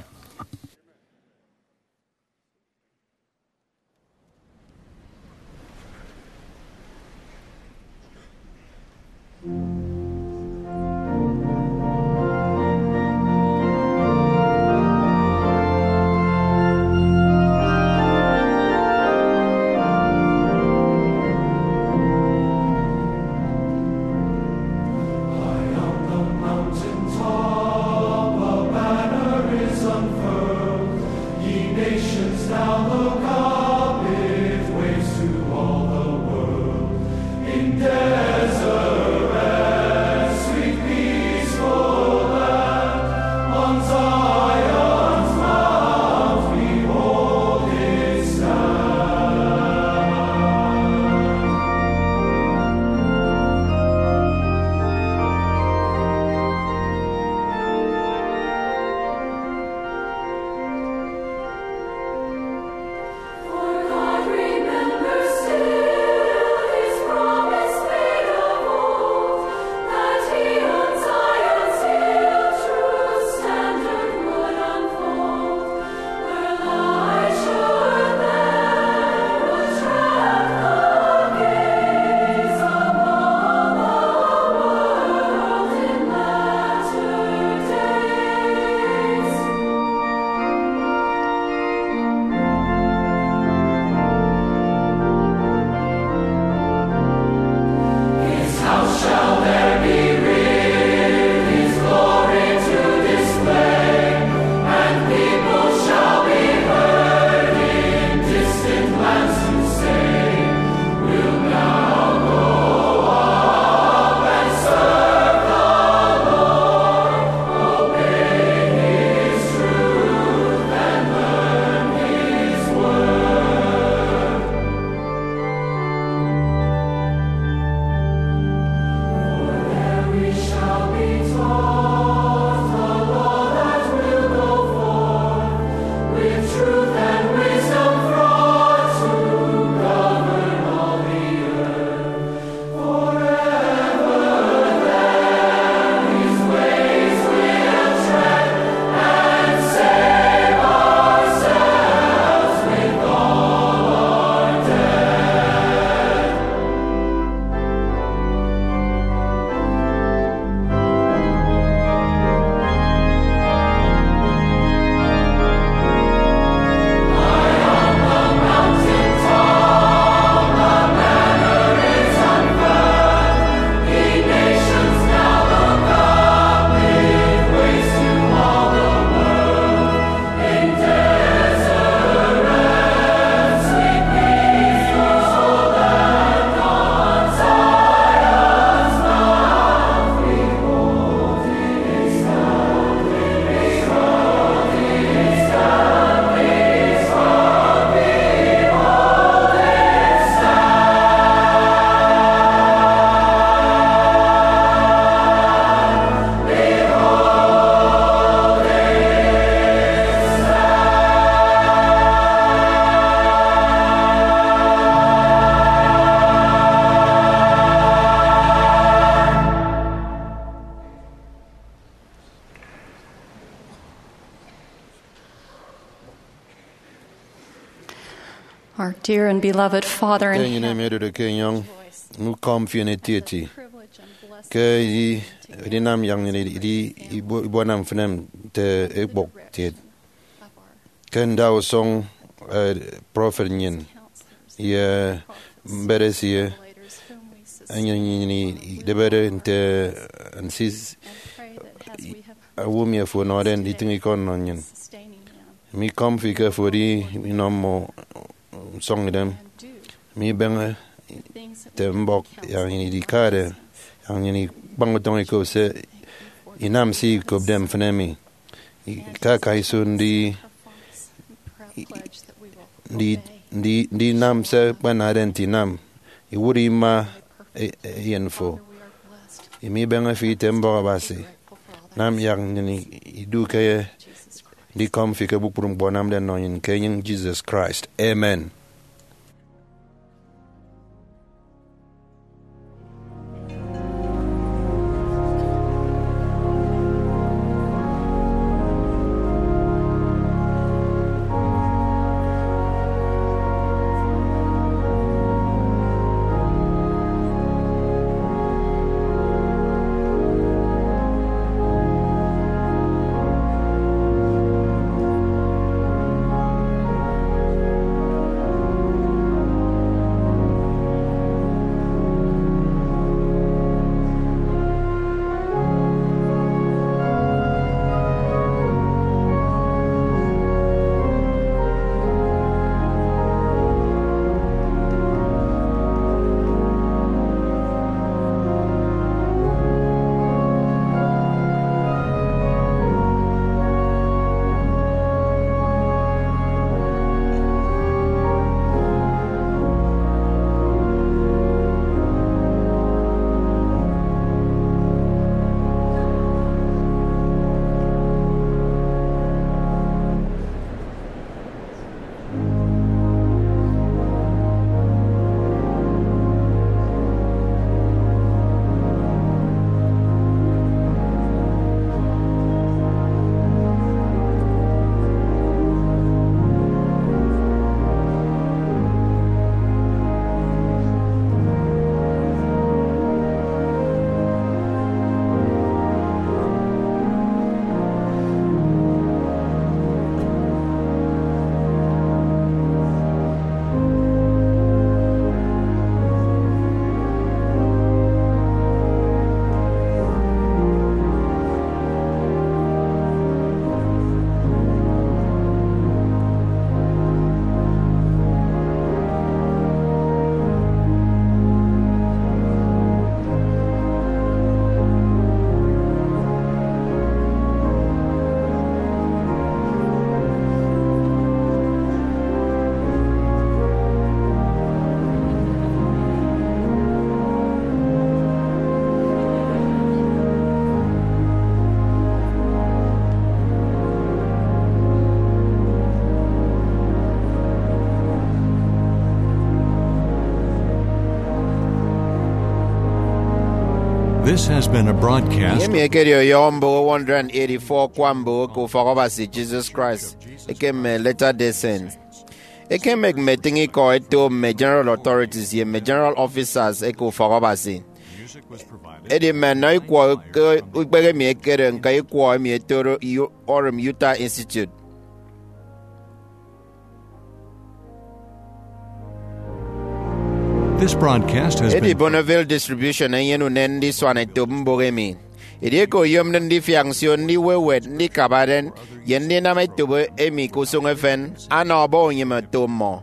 Dear and beloved Father in Ete nnyịn emi heaven, odụde ke enyọñ, ñkọm fi etieti ke edi edinam yak nnyịn idi ibuana mfịna nte ekpụk kiet. Ke ndausụñ, eh, prọfet nnyịn ye mbet esie, enyịn nnyịn idịbede nte nsis owo emi afo ọnọde nditịñ ikọ nnọ nnyịn. Mikọm fi ke afo edi inọ mmọ usọñ idem. Mibeñe nte mbọk yak nnyịn idikade yak nnyịn ikpañ utọñ ikop se inam se ikopde mfịna emi. Ikaka iso ndi, ndi, ndi, ndinam se akpanade nte inam. Iwụt ima e- e- eyen fo. Emi ibeñe fi ite mbọk Abasi. Nam yak nnyịn idu ke ndikọm fi ke kpukpru ñkpọ anamde nnọ nnyịn ke enyịñ Jesus Christ. Amen. This has been a broadcast. Emi ekedi ọyọhọ mbụk one hundred eighty-four akwa mbụk ke ufọk Abasi Jesus Christ eke mme Latter-day Saint. Ekemek mme etịñ ikọ eto mme general authorities ye mme general officers eke ufọk Abasi. Edi mme nnọ ikwọ ke ukpehe emi ekere ñka ikwọ emi etoro Urim Utah Institute. This broadcast has Edi been Bonneville Distribution enyene unen ndisuan etop mbụk emi. Edieke oyomde ndifiak nsio ndiwewet ndikabade ye ndinam etop emi ke usụñ efen, ana ọbọ unyịme oto mmọ.